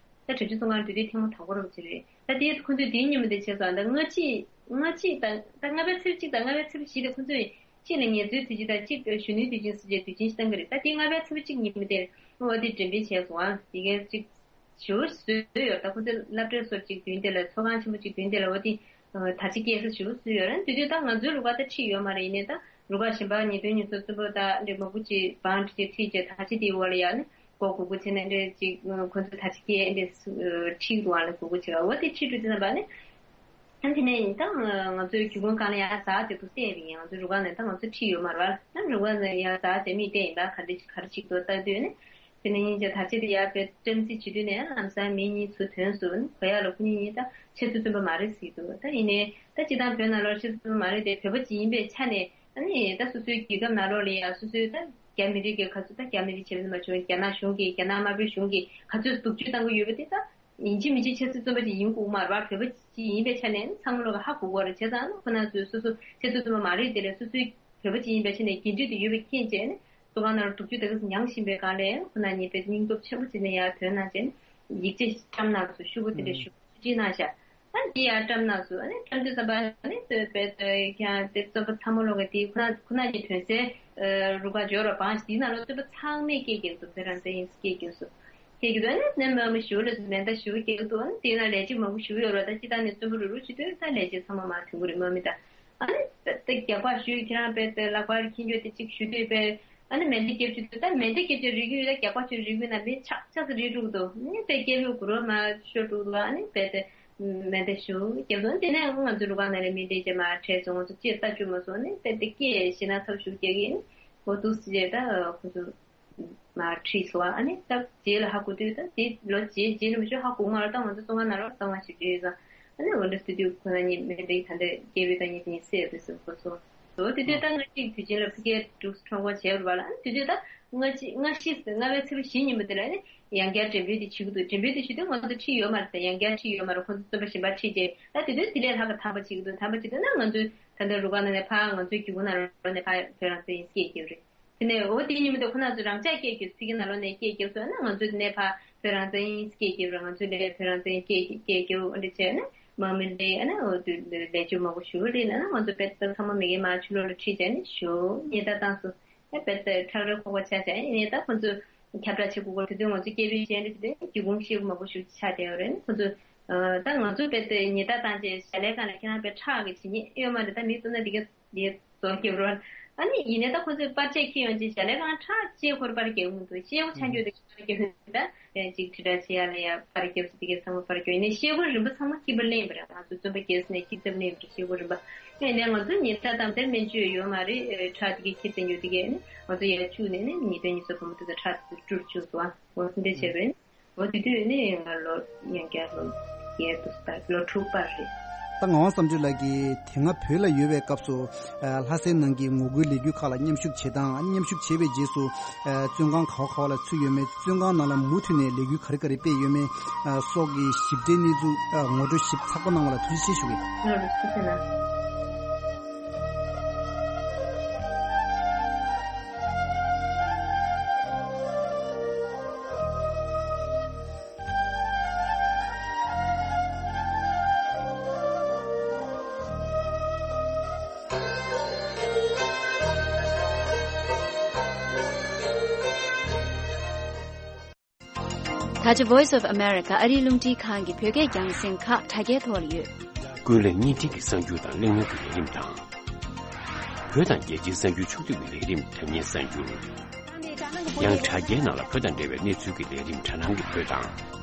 ད་བྲོས་བྱོལ་བཙོན་ཁང་དུས་དེ་ཐེངས་མ་དང་པོ་རེད་པ་ཅིག་རེད། ད་དེ་ཁོ་ཚོས་དེའི་ཉིན་མོ་དེ་བྱས་སོང་། ད་སྔ་ཕྱི་སྔ་ཕྱི་དང་ད་ལྔ་པའི་ཚེས་གཅིག་དང་ལྔ་པའི་ཚེས་བཞི་དེ་ཁོ་ཚོས་གཅིག་ལ་ངལ་རྩོལ་དུས་ཆེན་དང་གཅིག་གཞོན་ནུའི་དུས་ཆེན་ཟེར་བྱས་དུས་ཆེན་ཞིག་བཏང་གི་རེད། ད་དེ་ལྔ་པའི་ཚེས་པ་གཅིག་ཉིན་མོ་དེར་འོ་དེ་འགྲེམས་སྤེལ་བྱས་སོང་ཨ། དེ་གའི་གཅིག་ཞེ་པོ་བཟོས་ཡོད། ད་ཁོ་ཚོས་སློབ་གྲྭའི་སོར་གཅིག་མདུན་དེ་ལ་ཚོགས་ཁང་ཆེན་པོ་གཅིག་མདུན་དེ་ལ་འོ་དེ་དར་ཆ་བཀལ་ས་ཞེ་པོ་བཟོས་ཡོད་རེད། དེ་དུས་ད་ང་ཚོའི་རུ་ཁག་ད་ཁྲིད་ཡོད་མ་རེད། ཡིན་ནའི་ད་རུ་ཁག་གཞན་པ་ཉེས་དོན་ཉེས་སེལ་བཙོན་པ་ད་འདྲ་མང་པོ་ཅིག་བང་སྒྲིག་ཅིག་ཁྲིད་བྱས་དར་ཆ་དེའི་འོག་ལ་ཡ་ནི་མགོ་སྒུར་སྒུར་བྱས་ནས་འདྲ་ཅིག་ཁོ་ཚོས་དར་ཆ་བཀལ་འདྲ་ཁྲིད་འདུག་ཨ་ལ་སྒུར་སྒུར་བྱེད་ག་འོ་དེ་ཁྲིད་འགྲོ་དུས་ཙམ་པ་ནི། ཨ་དེ་ནས་ཡིན་ད་ང་ཚོའི་རྒྱུ་ཁུངས་སྒང་ལ་ཡར་ཟག་བྱེད་དུ་བལྟས་པ་ཡིན། ང་ཚོའི་རུ་ཁག་ནས་ད་ང་ཚོ་ཁྲིད་ཡོད་མ་རེད་བ། ཨ་རུ་ཁག་ནས་ཡར་ཟག་བྱེད་མི་བལྟས་ཡིན་ད་ག་འདྲ་ག་རེ་བྱེད་དུ་ལྟ་དུས་ནི། དེ་ནས་ཡིན་ཀྱང་དར་ཆ་དེ་ཡར་དཔེ་བཀྲམ་རྩིས་བྱེད་དུས་ནས་ལམ་སང་མི་གཉིས་ཚུར་ཐོན་སོང་། གོ་ཡག་ལ་ཁོ་གཉིས་གཉིས་ད་ཆེད་དུ་བཙོན་པ་མ་རེད་ཟེར་གྱི་འདུག་ད་ཡིན་ནའི་ད་སྤྱིར་བཏང་བོད་ནང་ལོགས་ཆེད་དུ་བཙོན་པ་མ་རེད་དེ་བོད་པ་ཅིག་ཡིན་པའི་ཆ་ནས་ཨ་ནི་ད་སོ་སོའི་རྒྱལ་ཁབ་ནང་ལོགས་ལ་ཡང་སོ་སོའི་ད་རྒྱ་མི་རིགས་ཀྱི་ག་ཚོད་ད་རྒྱ་མི་རིགས་བྱེད་མ་བྱུང་རྒྱ་ནག་གཞུང་གིས་རྒྱ་ནག་དམར་པོའི་གཞུང་གིས་ག་ཚོད་སྡུག་སྤྱོད་བཏང་གི་ཡོད་པ་དེ་ད། ཡིན་གཅིག་མིན་གཅིག་ཆབ་སྲིད་བཙོན་པ་ཅིག་ཡིན་དགོས་མ་རེད་པ། བོད་པ་ཅིག་ཡིན་པའི་ཆ་ནས་ཚང་མ་ལོག་གི་ཧ་གོ་གི་རེད། བྱས་ཙང་ནི་ཁོ་རང་ཚོས་སོ་སོ་ཆབ་སྲིད་བཙོན་པ་མ་རེད་དེ་ལས་སོ་སོའི་བོད་པ་ཅིག་ཡིན་པའི་ཆ་ནས་འགན་འཁྲི་དེ་ཡོད་པ་མཁྱེན་བྱས་ནས་བཙོན་ཁང་ནང་ལ་སྡུག་སྤྱོད་དེ་ག་ཚོད་མྱངས་བཞིན་པའི་སྒང་ལ་ཁོ་རང་ཉིད་དཔེ་སྙིང་སྟོབས་ཆེན་པོ་བྱས་ནས་ཡར་ཐོན་གནང་བྱས་ནས་ཡིག་ཆ་བཀྲམ་གནང་སོང་། ཤོག་བུ་དེ་འདྲ་ཞུ་བྲིས་གནང་ཤག་ཨ་ནི་དེ་ཡར་བཀྲམ་གནང་སོང་། ཨ་ནི་བཀྲམ་དུས་ཙམ་པ་ཨ་ནི་བོད་པའི་ཀྱང་དེ་བཙོན་པ་ཚང་མ་ལོག་གི་དེ་ཁོ་རང་ཁོ་རང་གཉིས་ཐོན་སའི་རུ་ཁག་འབྱོར་བ་བང་ཞིག་དེའི་ནང་ལོགས་བཙོན་པ་ཚང་མས་སྐད་རྒྱག་འདུག་བོད་རང་བཙན་ཡིན་ཟེར་སྐད་རྒྱག་སོང་། དེ་གི་དོན་ནི་ནས་མ་མི་ཞུ་ལ་མེ་མདའ་ཞུ་རྒྱག་འདུག་ཨ་ནི་དེ་ན་ལས་བྱེད་མང་པོ་ཞུ་ཡོད་ར། ད་སྤྱི་བཏང་ནས་བཙོན་པ་རུ་རུ་བྱེད་དུས་ད་ལས་བྱེད་ཚང་མ་མ་ཐོན་གི་རེད། མ་མི་ད་ཨ་ནི་ད་རྒྱག་པ་ཞུས་ཁྱེད་རང་དཔེ་ད་ལག་པར་འཁྱེར་རྒྱུ་དེ་གཅིག་ཞུ་དུས་དཔེ་ཨ་ནི་མེ་མདའ་རྒྱབ་བྱེད་དུས་ད་མེ་མདའ་རྒྱབ་བྱེད་རིག་གི་ཡོད། ད་རྒྱག་པ་ཞུ་རིག་གི་ན་མི་ཆག་ཆག་ས་རིག་རུག་འདུག་ཨ་ནི་དཔེ་སྐད་ཡོད་གུ་རོ་མ་ཤོར་འདུག་ཨ་ནི་དཔེ་ད་མེ་མདའ་ཞུ་རྒྱབ་འདུག་དེ་ནས་ང་ཚོ་རུ་ཁག་ནང་ལ་མི་འདྲེ་རྒྱབ་མ་ཁྲལ་སོང་། ང་ཚོ་ཅེས་ལྟ་བཅུག་མ་སོང་ཨ་ནི་དཔེ་ད་སྐད་ཞེ་ན་ཚབ་ཞུ་རྒྱག་གི་ཨ་ནི་འོ་འདུག་སེ་ད་ཁོ་ཚོ། མར་ཁྲིད་སོང་བ། ཨ་ནི་སྐབས་རྗེས་ལ་ཧ་གོ་དུས་ད་དེ་ལོ་རྗེས་རྗེས་ལ་མི་ཆོག་ཧ་གོ་མ་རེད། ད་ང་ཚོ་བཙོན་ཁང་ནང་ལ་གསང་བ་ཞིག་བྲིས་ཡོད་ཙང་། ཨ་ནི་འོ་འདྲ་སི་དུས་ཁོ་ན་གཉིས་མེ་འདི་ད་འདྲ་སྐྱེས་བུ་ད་གཉིས་དེ་གཉིས་སེ་ཡོད་དུས་སུ་ཁོ་ཚོ་ད་དེ་དུས་ད་ང་གཅིག་དུས་ཆེན་ལ་ཕ་གིར་འདུག་ཁྲོམ་སྐོར་བྱས་རུ་བ་ལ། ཨ་ནི་དེ་དུས་ད་ང་གཅིག་ང་ཤི་ཟེར་ལྔ་པའི་ཚེས་པ་བཞི་ཉིན་མོ་དེ་ལ་ཨ་ནི་ཡང་བསྐྱར་འགྲེམས་སྤེལ་དེ་བྱེད་ཀྱི་འདུག་འགྲེམས་སྤེལ་དེ་བྱེད་དུས་ང་ཚོ་ཁྲིད་ཡོད་མ་རེད། ད་ཡང་བསྐྱར་ཁྲིད་ཡོད་མ་རེད། ཁོ་ཚོ་བཙོན་པ་གཞན་པ་ཁྲིད་རྗེས་ད་དེ་དུས་དེ་ལས་ལྷག་གི་དམ་པ་བྱེད་ཀྱི་འདུག་དམ་པ་བྱེད་དུས་ན་ང་ཚོའི་ད་ལྟ་རུ་ཁག་ནང་ནས་ཕར་ང་ཚོའི་རྒྱུ་གུ་ནང་ལོགས་ནས་ཕར་བོད་རང་བཙན་ཡིན་སྐད་རྒྱབ་རེད། དེ་ནས་འོ་དེའི་ཉིན་མོ་དེ་ཁོ་རང་ཚོས་རང་འཇགས་སྐད་རྒྱབ། ཕ་གི་ནང་ལོགས་ནས་སྐད་རྒྱབ་སོང་ན་ང་ཚོས་དེ་ནས་ཕར་བོད་རང་བཙན་ཡིན་སྐད་རྒྱབ་རེད། ང་ཚོས་ལས་བོད་རང་བཙན་སྐད་སྐད་རྒྱབ་འོ་འདྲ་བྱས་ནས་མ་མི་ལས་ཨ་ནི་འོ་དུས་ལས་བཅོས་མང་པོ་ཞུ་རེད་ན་ང་ཚོ་དཔེ་ཚང་མ་མི་གེ་མ་ཆུ་ལོག་ལ་ཁྲིད་བྱས་ནས་ཞོ་ཉེས་ད་བཏང་སོང་། ཨ་དཔེ་ཁྲག་རེ་ཁོག་པ་ཆགས་བྱས་ཨ་ནི་ད་ཁོ་ཚོས་ཁྱབ་བསྒྲགས་བྱེད་དགོས་སྐོར་དེ་དུས་ང་ཚོ་སྐད་འབོད་བྱས་འདྲ་བྱས་ཏེ་རྒྱུ་གུང་ཤེས་དགོས་མང་པོ་ཞུ་ཆགས་བསྡད་ཡོད་རེད། ཁོ་ཚོས་ད་ང་ཚོ་དཔེ་ཉེས་ད་བཏང་བྱས་ཞལ་ལས་ཁང་ལ་ཁྱེད་རང་དཔེ་ཁྲག་གི་བྱེད་ཉེས་ཡོད་མ་རེད། ད་མི་ཚོ་ན་འདི་ག་དེ་ཚོ་སྐྱེ་བོ། ཨ་ནི་ཡིན་ནའི་ད་ཁོ་ཚོས་པར་ཆས་འཁྱེར་ཡོང་ཅིག་ཞལ་ལས་ཁང་ཁྲག་ཅེས་ཁོར་པར་རྒྱག་མི་འདུག་ཤེལ་སྒོ་ཆ་འགྱོད་དེ་ཁྱེད་རང་སྐྱེ་ཧུན་ད་ཅིག་དྲིལ་བསྒྲགས་བྱེད་ཡ་ལ་ཡ་པར་རྒྱབ་ཅིག་དེ་གའི་ཚང་མ་པར་རྒྱབ་ཡིན་ནའི་ཤེལ་སྒོ་རིམ་པ་ཚང་མ་ཁྱི་པར་ལེན་པ་རེད། ང་ཚོ་བཙོན་པ་རྒྱལ་ས་ནས་ཁྱི་ཚབ་ལེན་པ་རེད། ཤེལ་སྒོ་རིམ་པ་ཡིན་ནའི་ང་ཚོ་ཉེས་ཁྲག་དང་དེར་སྨན་བཅོས་ཡོད་མ་རེད། ཁྲག་དེ་གའི་ཁྱི་བཙན་འགྱོད་དེ་གའི་ནི་ང་ཚོ་ཡར་བཅུག་ནས་ནི་ཉིས་སྟོང་ཉི་ཤུ་རྩ་བདུན་དུ་ཁྲག་དེ་བཀྲུར་བཅུག་སོང་ཨ། འོ་དེ་འདྲ་བྱས་པས་ནི། འོ་དེ་དུས་ནི་ང་ལོ་ཡང་བསྐྱར་ལོ་བརྒྱད་དུ་ལྟ་ལོ་དྲུག་པར་རེད། ད་ངག་དབང་བསམ་གྲུབ་ལགས་ཀྱིས་དེ་སྔ་བོད་ལ་ཡོད་པའི་སྐབས་སུ་ལྷ་སའི་ནང་གི་ངོ་རྒོལ་ལས་འགུལ་ཁག་ལ་མཉམ་ཞུགས་བྱེད་སྟངས། མཉམ་ཞུགས་བྱས་པའི་རྗེས་སུ་བཙོན་ཁང་ག་བ་ག་བ་ལ་ཚུད་ཡོད་མེད། བཙོན་ཁང་ནང་ལ་མུ་མཐུད་ནས་ལས་འགུལ་ག་རེ་ག་རེ་སྤེལ་ཡོད་མེད་སོགས་ཀྱི་ཞིབ་ཕྲའི་གནས་ཚུལ་ངོ་སྤྲོད་ཞིབ་ཚགས་པོ་གནང་བ་ལ་ཐུགས་རྗེ་ཆེ་ཞུ་གི། ལགས་སོ། ཐུགས་རྗེ་གནང་། ད་ཆ་Voice of America ཨ་རིའི་རླུང་འཕྲིན་ཁང་གི་བོད་སྐད་རྒྱང་སྲིང་ཁག་དྲ་རྒྱའི་ཐོག་ལ་ཡོད། ཀུན་གླེང་བརྙན་འཕྲིན་གྱི་གསར་འགྱུར་དང་གླེང་མོལ་གྱི་ལས་རིམ་དང་། བོད་དང་རྒྱལ་སྤྱིའི་གསར་འགྱུར་ཕྱོགས་བསྡུས་ཀྱི་ལས་རིམ་དྲ་བརྙན་གསར་འགྱུར། ཡང་དྲ་རྒྱའི་ནང་ལ་བོད་དང་འབྲེལ་བའི་གནས་ཚུལ་གྱི་ལས་རིམ་དྲ་སྣང་གི་བོད་དང་།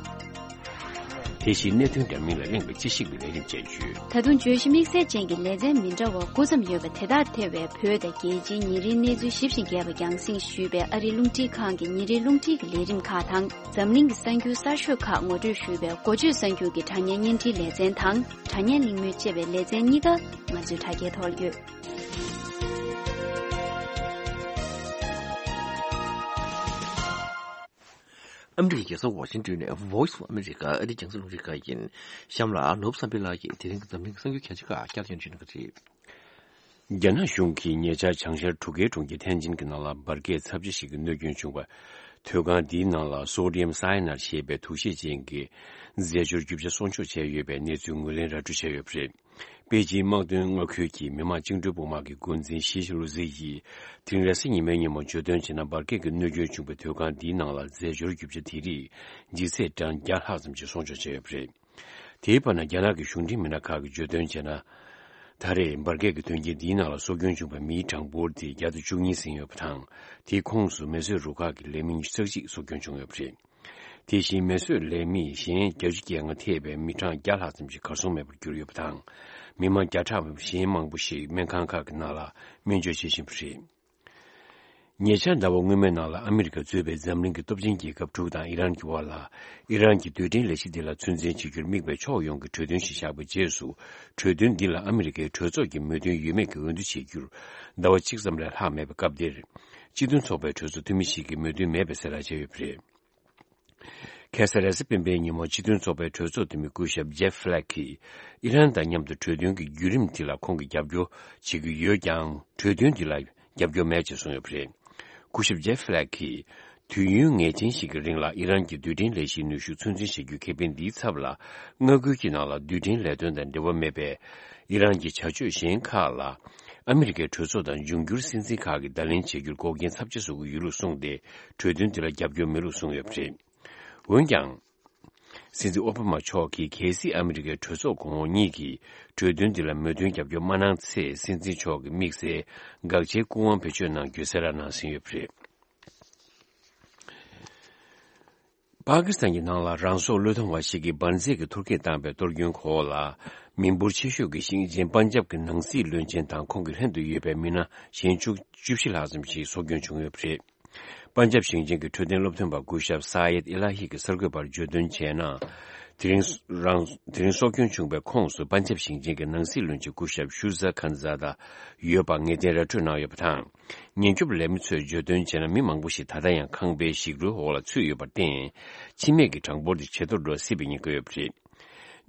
དེ་བཞིན་གནད་དོན་འདྲ་མིན་ལ་གླེང་བའི་དཔྱད་ཞིབ་ཀྱི་ལས་རིམ་བཅས་ཡོད། ད་དུང་བརྗོད་གཞི་དམིགས་བསལ་ཅན་གྱི་ལེ་ཚན་མི་འདྲ་བ་དགུ་ཙམ་ཡོད་པ་དེ་དག་ཐེ་བའི་བོད་དང་རྒྱལ་སྤྱིའི་ཉིན་རེའི་གནས་ཚུལ་ཞིབ་ཅིང་རྒྱས་པ་རྒྱང་སྲིང་ཞུས་པའི་ཨ་རིའི་རླུང་འཕྲིན་ཁང་གི་ཉིན་རེའི་རླུང་འཕྲིན་གྱི་ལས་རིམ་ཁག་དང་། འཛམ་གླིང་གི་གསར་འགྱུར་གསར་ཤོས་ཁག་ངོ་སྤྲོད་ཞུས་པའི་འགོ་བརྗོད་གསར་འགྱུར་གྱི་དྲ་བརྙན་བརྙན་འཕྲིན་ལེ་ཚན་དང་། དྲ་བརྙན་གླེང་མོལ་ཅེས་པའི་ལེ་ཚན་གཉིས་ཀ་ང་ཚོའི་དྲ་རྒྱའི་ཐོག་ལ་ཡོད། ཨ་མི་རི་ཀའི་རྒྱལ་ས་ཝ་ཤིང་ཏོན་ནས་Voice of America ཨ་རིའི་རྒྱང་སྲིང་རླུང་འཕྲིན་ཁང་ཡིན། གཤམ་ལ་ནོར་བུ་བསམ་འཕེལ་ལགས་ཀྱིས་དེ་རིང་གི་འཛམ་གླིང་གི་གསར་འགྱུར་གལ་ཆེ་ཁག་བསྐྱར་ཞིབ་བྱེད་གནང་གི་རེད། རྒྱ་ནག་གཞུང་གིས་ཉེ་ཆར་བྱང་ཤར་གྲུ་ཁའི་གྲོང་ཁྱེར་ཐན་ཅིན་གྱི་ནང་ལ་འབར་གས་ཚབས་ཆེ་ཞིག་གི་གནོད་སྐྱོན་བྱུང་བ། ཐོད་ཁང་འདིའི་ནང་ལ་སོ་ཌི་ཡམ་སའི་ནར་ཞེས་པའི་དུག་ཤེད་ཅན་གྱི་རྫས་སྦྱོར་རྒྱུ་ཆ་གསོག་འཇོག་བྱས་ཡོད་པའི་གནས་ཚུལ་ངོས་ལེན་ར་སྤྲོད་བྱས་ཡོད་པ་རེད། པེ་ཅིན་དམག་དོན་མངའ་ཁུལ་གྱི་མི་དམངས་བཅིངས་འགྲོལ་དཔུང་དམག་གི་འགོ་འཛིན་ཞི་ལུ་ཟི་ཡིས་དེ་རིང་རེས་གཟའ་ཉི་མའི་ཉིན་མོ་བརྗོད་དོན་བྱས་ན། འབར་གས་ཀྱི་གནོད་སྐྱོན་བྱུང་བའི་ཐོད་ཁང་འདིའི་ནང་ལ་རྫས་སྦྱོར་རྒྱུ་ཆ་དེ་རིགས་ལྗིད་ཚད་གྲངས་བརྒྱ་ལྷག་ཙམ་ཞིག་གསོག་འཇོག་བྱས་ཡོད་པ་རེད། དེའི་བར་ན། རྒྱ་ནག་གི་གཞུང་འབྲེལ་མི་སྣ་ཁག་གིས་བརྗོད་དོན་བྱས་ན། ད་རེས་འབར་གས་ཀྱི་དོན་རྐྱེན་འདིའི་ནང་ལ་སྲོག་སྐྱོན་བྱུང་བའི་མིའི་གྲངས་འབོར་དེ་བརྒྱ་དང་བཅུ་གཉིས་ཟིན་ཡོད་པ་དང་། དེའི་ཁོངས་སུ་མེ་གསོད་རུ་ཁག་གི་ལས་མི་ཉི་ཤུ་རྩ་གཅིག་སྲོག་སྐྱོན་བྱུང་ཡོད་པ་རེད། དེ་བཞིན་མེ་གསོད་ལས་མི་གཞན་བརྒྱད་ཅུ་གྱ་ལྔ་ཐེ་བའི་མི་གྲངས་བརྒྱ་ལྷག་ཙམ་ཞིག་གར་སོང་མེད་པར་གྱུར་ཡོད་པ་དང་། མི་མང་བརྒྱ་ཕྲག་གཞན་མང་པོ་ཞིག་སྨན་ཁང་ཁག་གི་ནང་ལ་སྨན་བཅོས་བྱེད་བཞིན་པ་རེད། ཉེ་ཆར་ཟླ་བ་སྔོན་མའི་ནང་ལ་ཨ་མི་རི་ཀ་གཙོས་པའི་འཛམ་གླིང་གི་སྟོབས་ཆེན་རྒྱལ་ཁབ་དྲུག་དང་ཨི་རན་གྱི་དབར་ལ། ཨི་རན་གྱི་རྡུལ་ཕྲན་ལས་གཞི་དེ་ལ་ཚོད་འཛིན་བྱེད་རྒྱུར་དམིགས་པའི་ཕྱོགས་ཡོངས་ཀྱི་གྲོས་མཐུན་ཞིག་བཞག་པའི་རྗེས་སུ། གྲོས་མཐུན་འདི་ལ་ཨ་མི་རི་ཀའི་གྲོས་ཚོགས་ཀྱི་མོས་མཐུན་ཡོད་མེད་ཀྱི་འོས་བསྡུ་བྱེད་རྒྱུར་ཟླ་བ་གཅིག་ཙམ་ལས་ལྷག་མེད་པའི་སྐབས་འདིར། སྤྱི་མཐུན་ཚོགས་པའི་གྲོས་ཚོགས་འཐུས་མི་ཞིག་གིས་མོས་མཐུན་མེད་པའི་གསལ་བསྒྲགས་བྱས་ཡོད་པ་རེད། ཁ་སང་རེས་གཟའ་སྤེན་པའི་ཉིན་མོ་སྤྱི་མཐུན་ཚོགས་པའི་གྲོས་ཚོགས་འཐུས་མི་སྐུ་ཞབས་ཇེབ་ཧྥི་ལེག་གིས་ཨི་རན་དང་མཉམ་དུ་གྲོས་མཐུན་གྱི་བརྒྱུད་རིམ་དེ་ལ་ཁོང་གིས་རྒྱབ་སྐྱོར་བྱེད་ཀྱི་ཡོད་ཀྱང་། གྲོས་མཐུན་དེ་ལ་རྒྱབ་སྐྱོར་མེད་ཅེས་གསུངས་ཡོད་པ་རེད། སྐུ་ཞབས་ཇེབ་ཧྥི་ལེག་གིས། དུས་ཡུན་ངེས་ཅན་ཞིག་གི་རིང་ལ་ཨི་རན་གྱི་རྡུལ་ཕྲན་ལས་གཞིའི་ནུས་ཤུགས་ཚོད་འཛིན་བྱེད་རྒྱུའི་ཁེ་ཕན་འདིའི་ཚབ་ལ། མངའ་ཁུལ་གྱི་ནང་ལ་རྡུལ་ཕྲན་ལས་དོན་དང་འབྲེལ་བ་མེད་པའི་ཨི་རན་གྱི་བྱ་སྤྱོད་གཞན་ཁག་ལ། ཨ་མི་རི་ཀའི་གྲོས་ཚོགས་དང་འབྱུང་འགྱུར་སྲིད་འཛིན་ཁག་གིས་བརྡ་ལན་བྱེད་རྒྱུར་འགོག་རྐྱེན་ཚབས་ཆེ་བཟོ་གི་ཡོད་ལུགས་གསུངས་ཏེ། གྲོས་མཐུན་དེ་ལ་རྒྱབ་སྐྱོར་མེད་ལུགས་གསུངས་ཡོད་པ་རེད། འོན་ཀྱང་། སྲིད་འཛིན་ཨོ་བྷ་མ་མཆོག་གིས་གལ་སྲིད་ཨ་མི་རི་ཀའི་གྲོས་ཚོགས་གོང་འོག་གཉིས་ཀྱིས་གྲོས་མཐུན་འདི་ལ་མོས་མཐུན་རྒྱབ་སྐྱོར་མ་གནང་ཚེ། སྲིད་འཛིན་མཆོག་གི་དམིགས་བསལ་དགག་བྱའི་སྐུ་དབང་བེད་སྤྱོད་གནང་རྒྱུའི་གསལ་བསྒྲགས་གནང་ཟིན་ཡོད་པ་རེད། པ་ཀི་སི་ཐན་གྱི་ནང་ལ་རང་སྲོག་བློས་གཏོང་བ་ཞིག་གིས་འབར་རྫས་ཀྱི་ཐོར་སྐྱེད་བཏང་བའི་གཏོར་སྐྱོན་འོག་ལ། མི་འབོར་ཆེ་ཤོས་ཀྱི་ཞིང་ཆེན་པན་ཇབ་ཀྱི་ནང་སྲིད་བློན་ཆེན་དང་ཁོང་གི་ལྷན་དུ་ཡོད་པའི་མི་སྣ་གཞན་བཅུ་བཅུ་བཞི་ལྷག་ཙམ་ཞིག་སྲོག་སྐྱོན་བྱུང་ཡོད་པ་རེད། པན་ཇབ་ཞིང་ཆེན་གྱི་འཕྲོད་བསྟེན་སློབ་སྟོན་པ་སྐུ་ཞབས་ས་ཡེད་ཨི་ལ་ཧི་གིས་གསར་འགོད་པར་བརྗོད་དོན་བྱས་ན། དེ་རིང་རང་། དེ་རིང་སྲོག་སྐྱོན་བྱུང་བའི་ཁོངས་སུ་པན་ཇབ་ཞིང་ཆེན་གྱི་ནང་སྲིད་བློན་ཆེན་སྐུ་ཞབས་ཤུ་ཛ་ཁན་ཛ་ད་ཡོད་པ་ངེས་གཏན་ར་སྤྲོད་གནང་ཡོད་པ་དང་། ཉེན་སྐྱོབ་ལས་མི་ཚོས་བརྗོད་དོན་བྱས་ན། མི་མང་པོ་ཞིག་ད་ལྟ་ཡང་ཁང་པའི་ཞིག་རོའི་འོག་ལ་ཚུད་ཡོད་པར་བརྟེན། འཆི་རྨས་ཀྱི་གྲངས་འབོར་དེ་ཇེ་མཐོར་འགྲོ་སྲིད་པའི་ཉེན་ཁ་ཡོད་པ་རེད།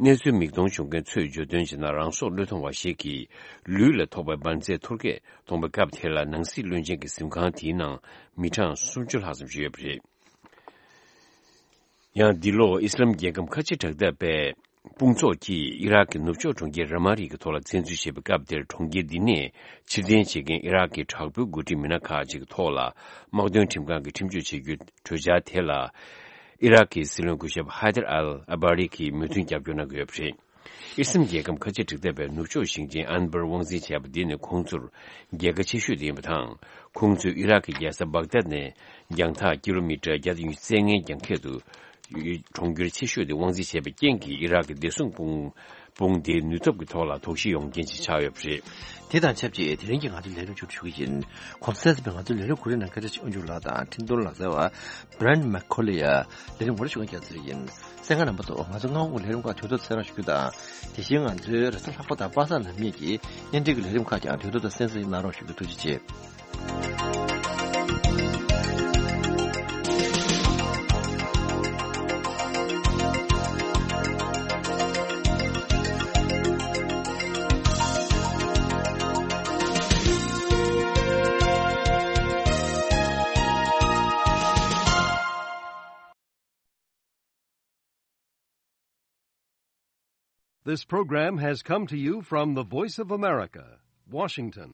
གནས་ཚུལ་མིག་མཐོང་བྱུང་མཁན་ཚོས་བརྗོད་དོན་བྱས་ན། རང་སྲོག་བློས་གཏོང་བ་ཞིག་གིས་ལུས་ལ་ཐོགས་པའི་འབར་རྫས་ཐོར་སྐྱེད་གཏོང་བའི་སྐབས་དེ་ལ། ནང་སྲིད་བློན་ཆེན་གྱི་གཟིམ་ཁང་དེའི་ནང་མི་གྲངས་སུམ་ཅུ་ལྷག་ཙམ་ཞིག་ཡོད་པ་རེད། ཡང་འདི་ལོ་ཨི་སི་ལམ་རྒྱལ་ཁམས་ཁ་ཆེ་དྲག་འཐབ་པའི་དཔུང་ཚོགས་ཀྱིས་ཨི་རག་གི་ནུབ་ཕྱོགས་གྲོང་ཁྱེར་ར་མ་རི་གི་ཐོག་ལ་བཙན་འཛུལ་བྱས་པའི་སྐབས་དེར། གྲོང་ཁྱེར་འདི་ནས་ཕྱིར་འཐེན་བྱེད་མཁན་ཨི་རག་གི་དྲག་པོའི་འགོ་ཁྲིད་མི་སྣ་ཁག་ཅིག་གི་ཐོག་ལ་དམག་དོན་ཁྲིམས་ཁང་གིས་ཁྲིམས་གཅོད་བྱེད་རྒྱུའི་གྲོས་འཆར་དེ་ལ། ཨི་རག་གི་སྲིད་བློན་སྐུ་ཞབས་ཧའི་དར་ཨལ་ཨ་བྷ་རི་གིས་མོས་མཐུན་རྒྱབ་སྐྱོར་གནང་གི་ཡོད་པ་རེད། ཨི་སི་རམ་རྒྱལ་ཁམས་ཁ་ཆེ་དྲག་འཐབ་པའི་ནུབ་ཕྱོགས་ཞིང་ཆེན་ཨན་བར་དབང་འཛིན་བྱས་པ་འདི་ནི་ཁོང་ཚོར་རྒྱལ་ཁ་ཆེ་ཤོས་དེ་ཡིན་པ་དང་། ཁོང་ཚོས་ཨི་རག་གི་རྒྱལ་ས་བག་དད་ནས་རྒྱང་ཐག་ཀི་ལོ་མི་ཊར་བརྒྱ་དང་ཉི་ཤུ་རྩ་ལྔའི་རྒྱང་ཁྱད་དུ་གྲོང་ཁྱེར་ཆེ་ཤོས་དེ་དབང་འཛིན་བྱས་པའི་རྐྱེན་གྱིས། ཨི་རག་གི་བདེ་སྲུང་དཔུང་དཔུང་སྡེའི་ནུས་སྟོབས་ཀྱི་ཐོག་ལ་དོགས་གཞི་ཡོང་རྐྱེན་ཞིག་ཆགས་ཡོད་པ་རེད། དེ་དང་ཆབས་ཅིག་དེ་རིང་གི་ང་ཚོའི་ལས་རིམ་མཇུག་སྒྲིལ་ཞུ་གི་ཡིན། གོང་གསལ་ཚོགས་པའི་ང་ཚོའི་ལས་རིམ་གོ་རིམ་ནང་སྐད་ཆ་ཆེ་དབང་ཕྱུག་ལགས་དང་འཕྲིན་གཏོང་ལག་རྩལ་བ་Brent McCauley་ཡ་ལས་རིམ་ངོ་སྤྲོད་ཞུ་མཁན་རྒྱལ་ཚེ་རིང་ཡིན། གསན་མཁན་རྣམ་པ་ཚོ། ང་ཚོ་སྔ་དགོང་གི་ལས་རིམ་ཁག་དུས་ཐོག་གསན་རོགས་ཞུ་རྒྱུ་དང་། དེ་བཞིན་ང་ཚོའི་རེས་གཟའ་ལྷག་པ་དང་ནམ་གཉིས་ཀྱི་བརྙན་འཕྲིན་གྱི་ལས་རིམ་ཁག་ཀྱང་དུས་ཐོག་ཏུ་གསན་གཟིགས་གནང་རོགས་ཞུ་རྒྱུ། ཐུགས་རྗེ་ཆེ། This program has come to you from the Voice of America, Washington.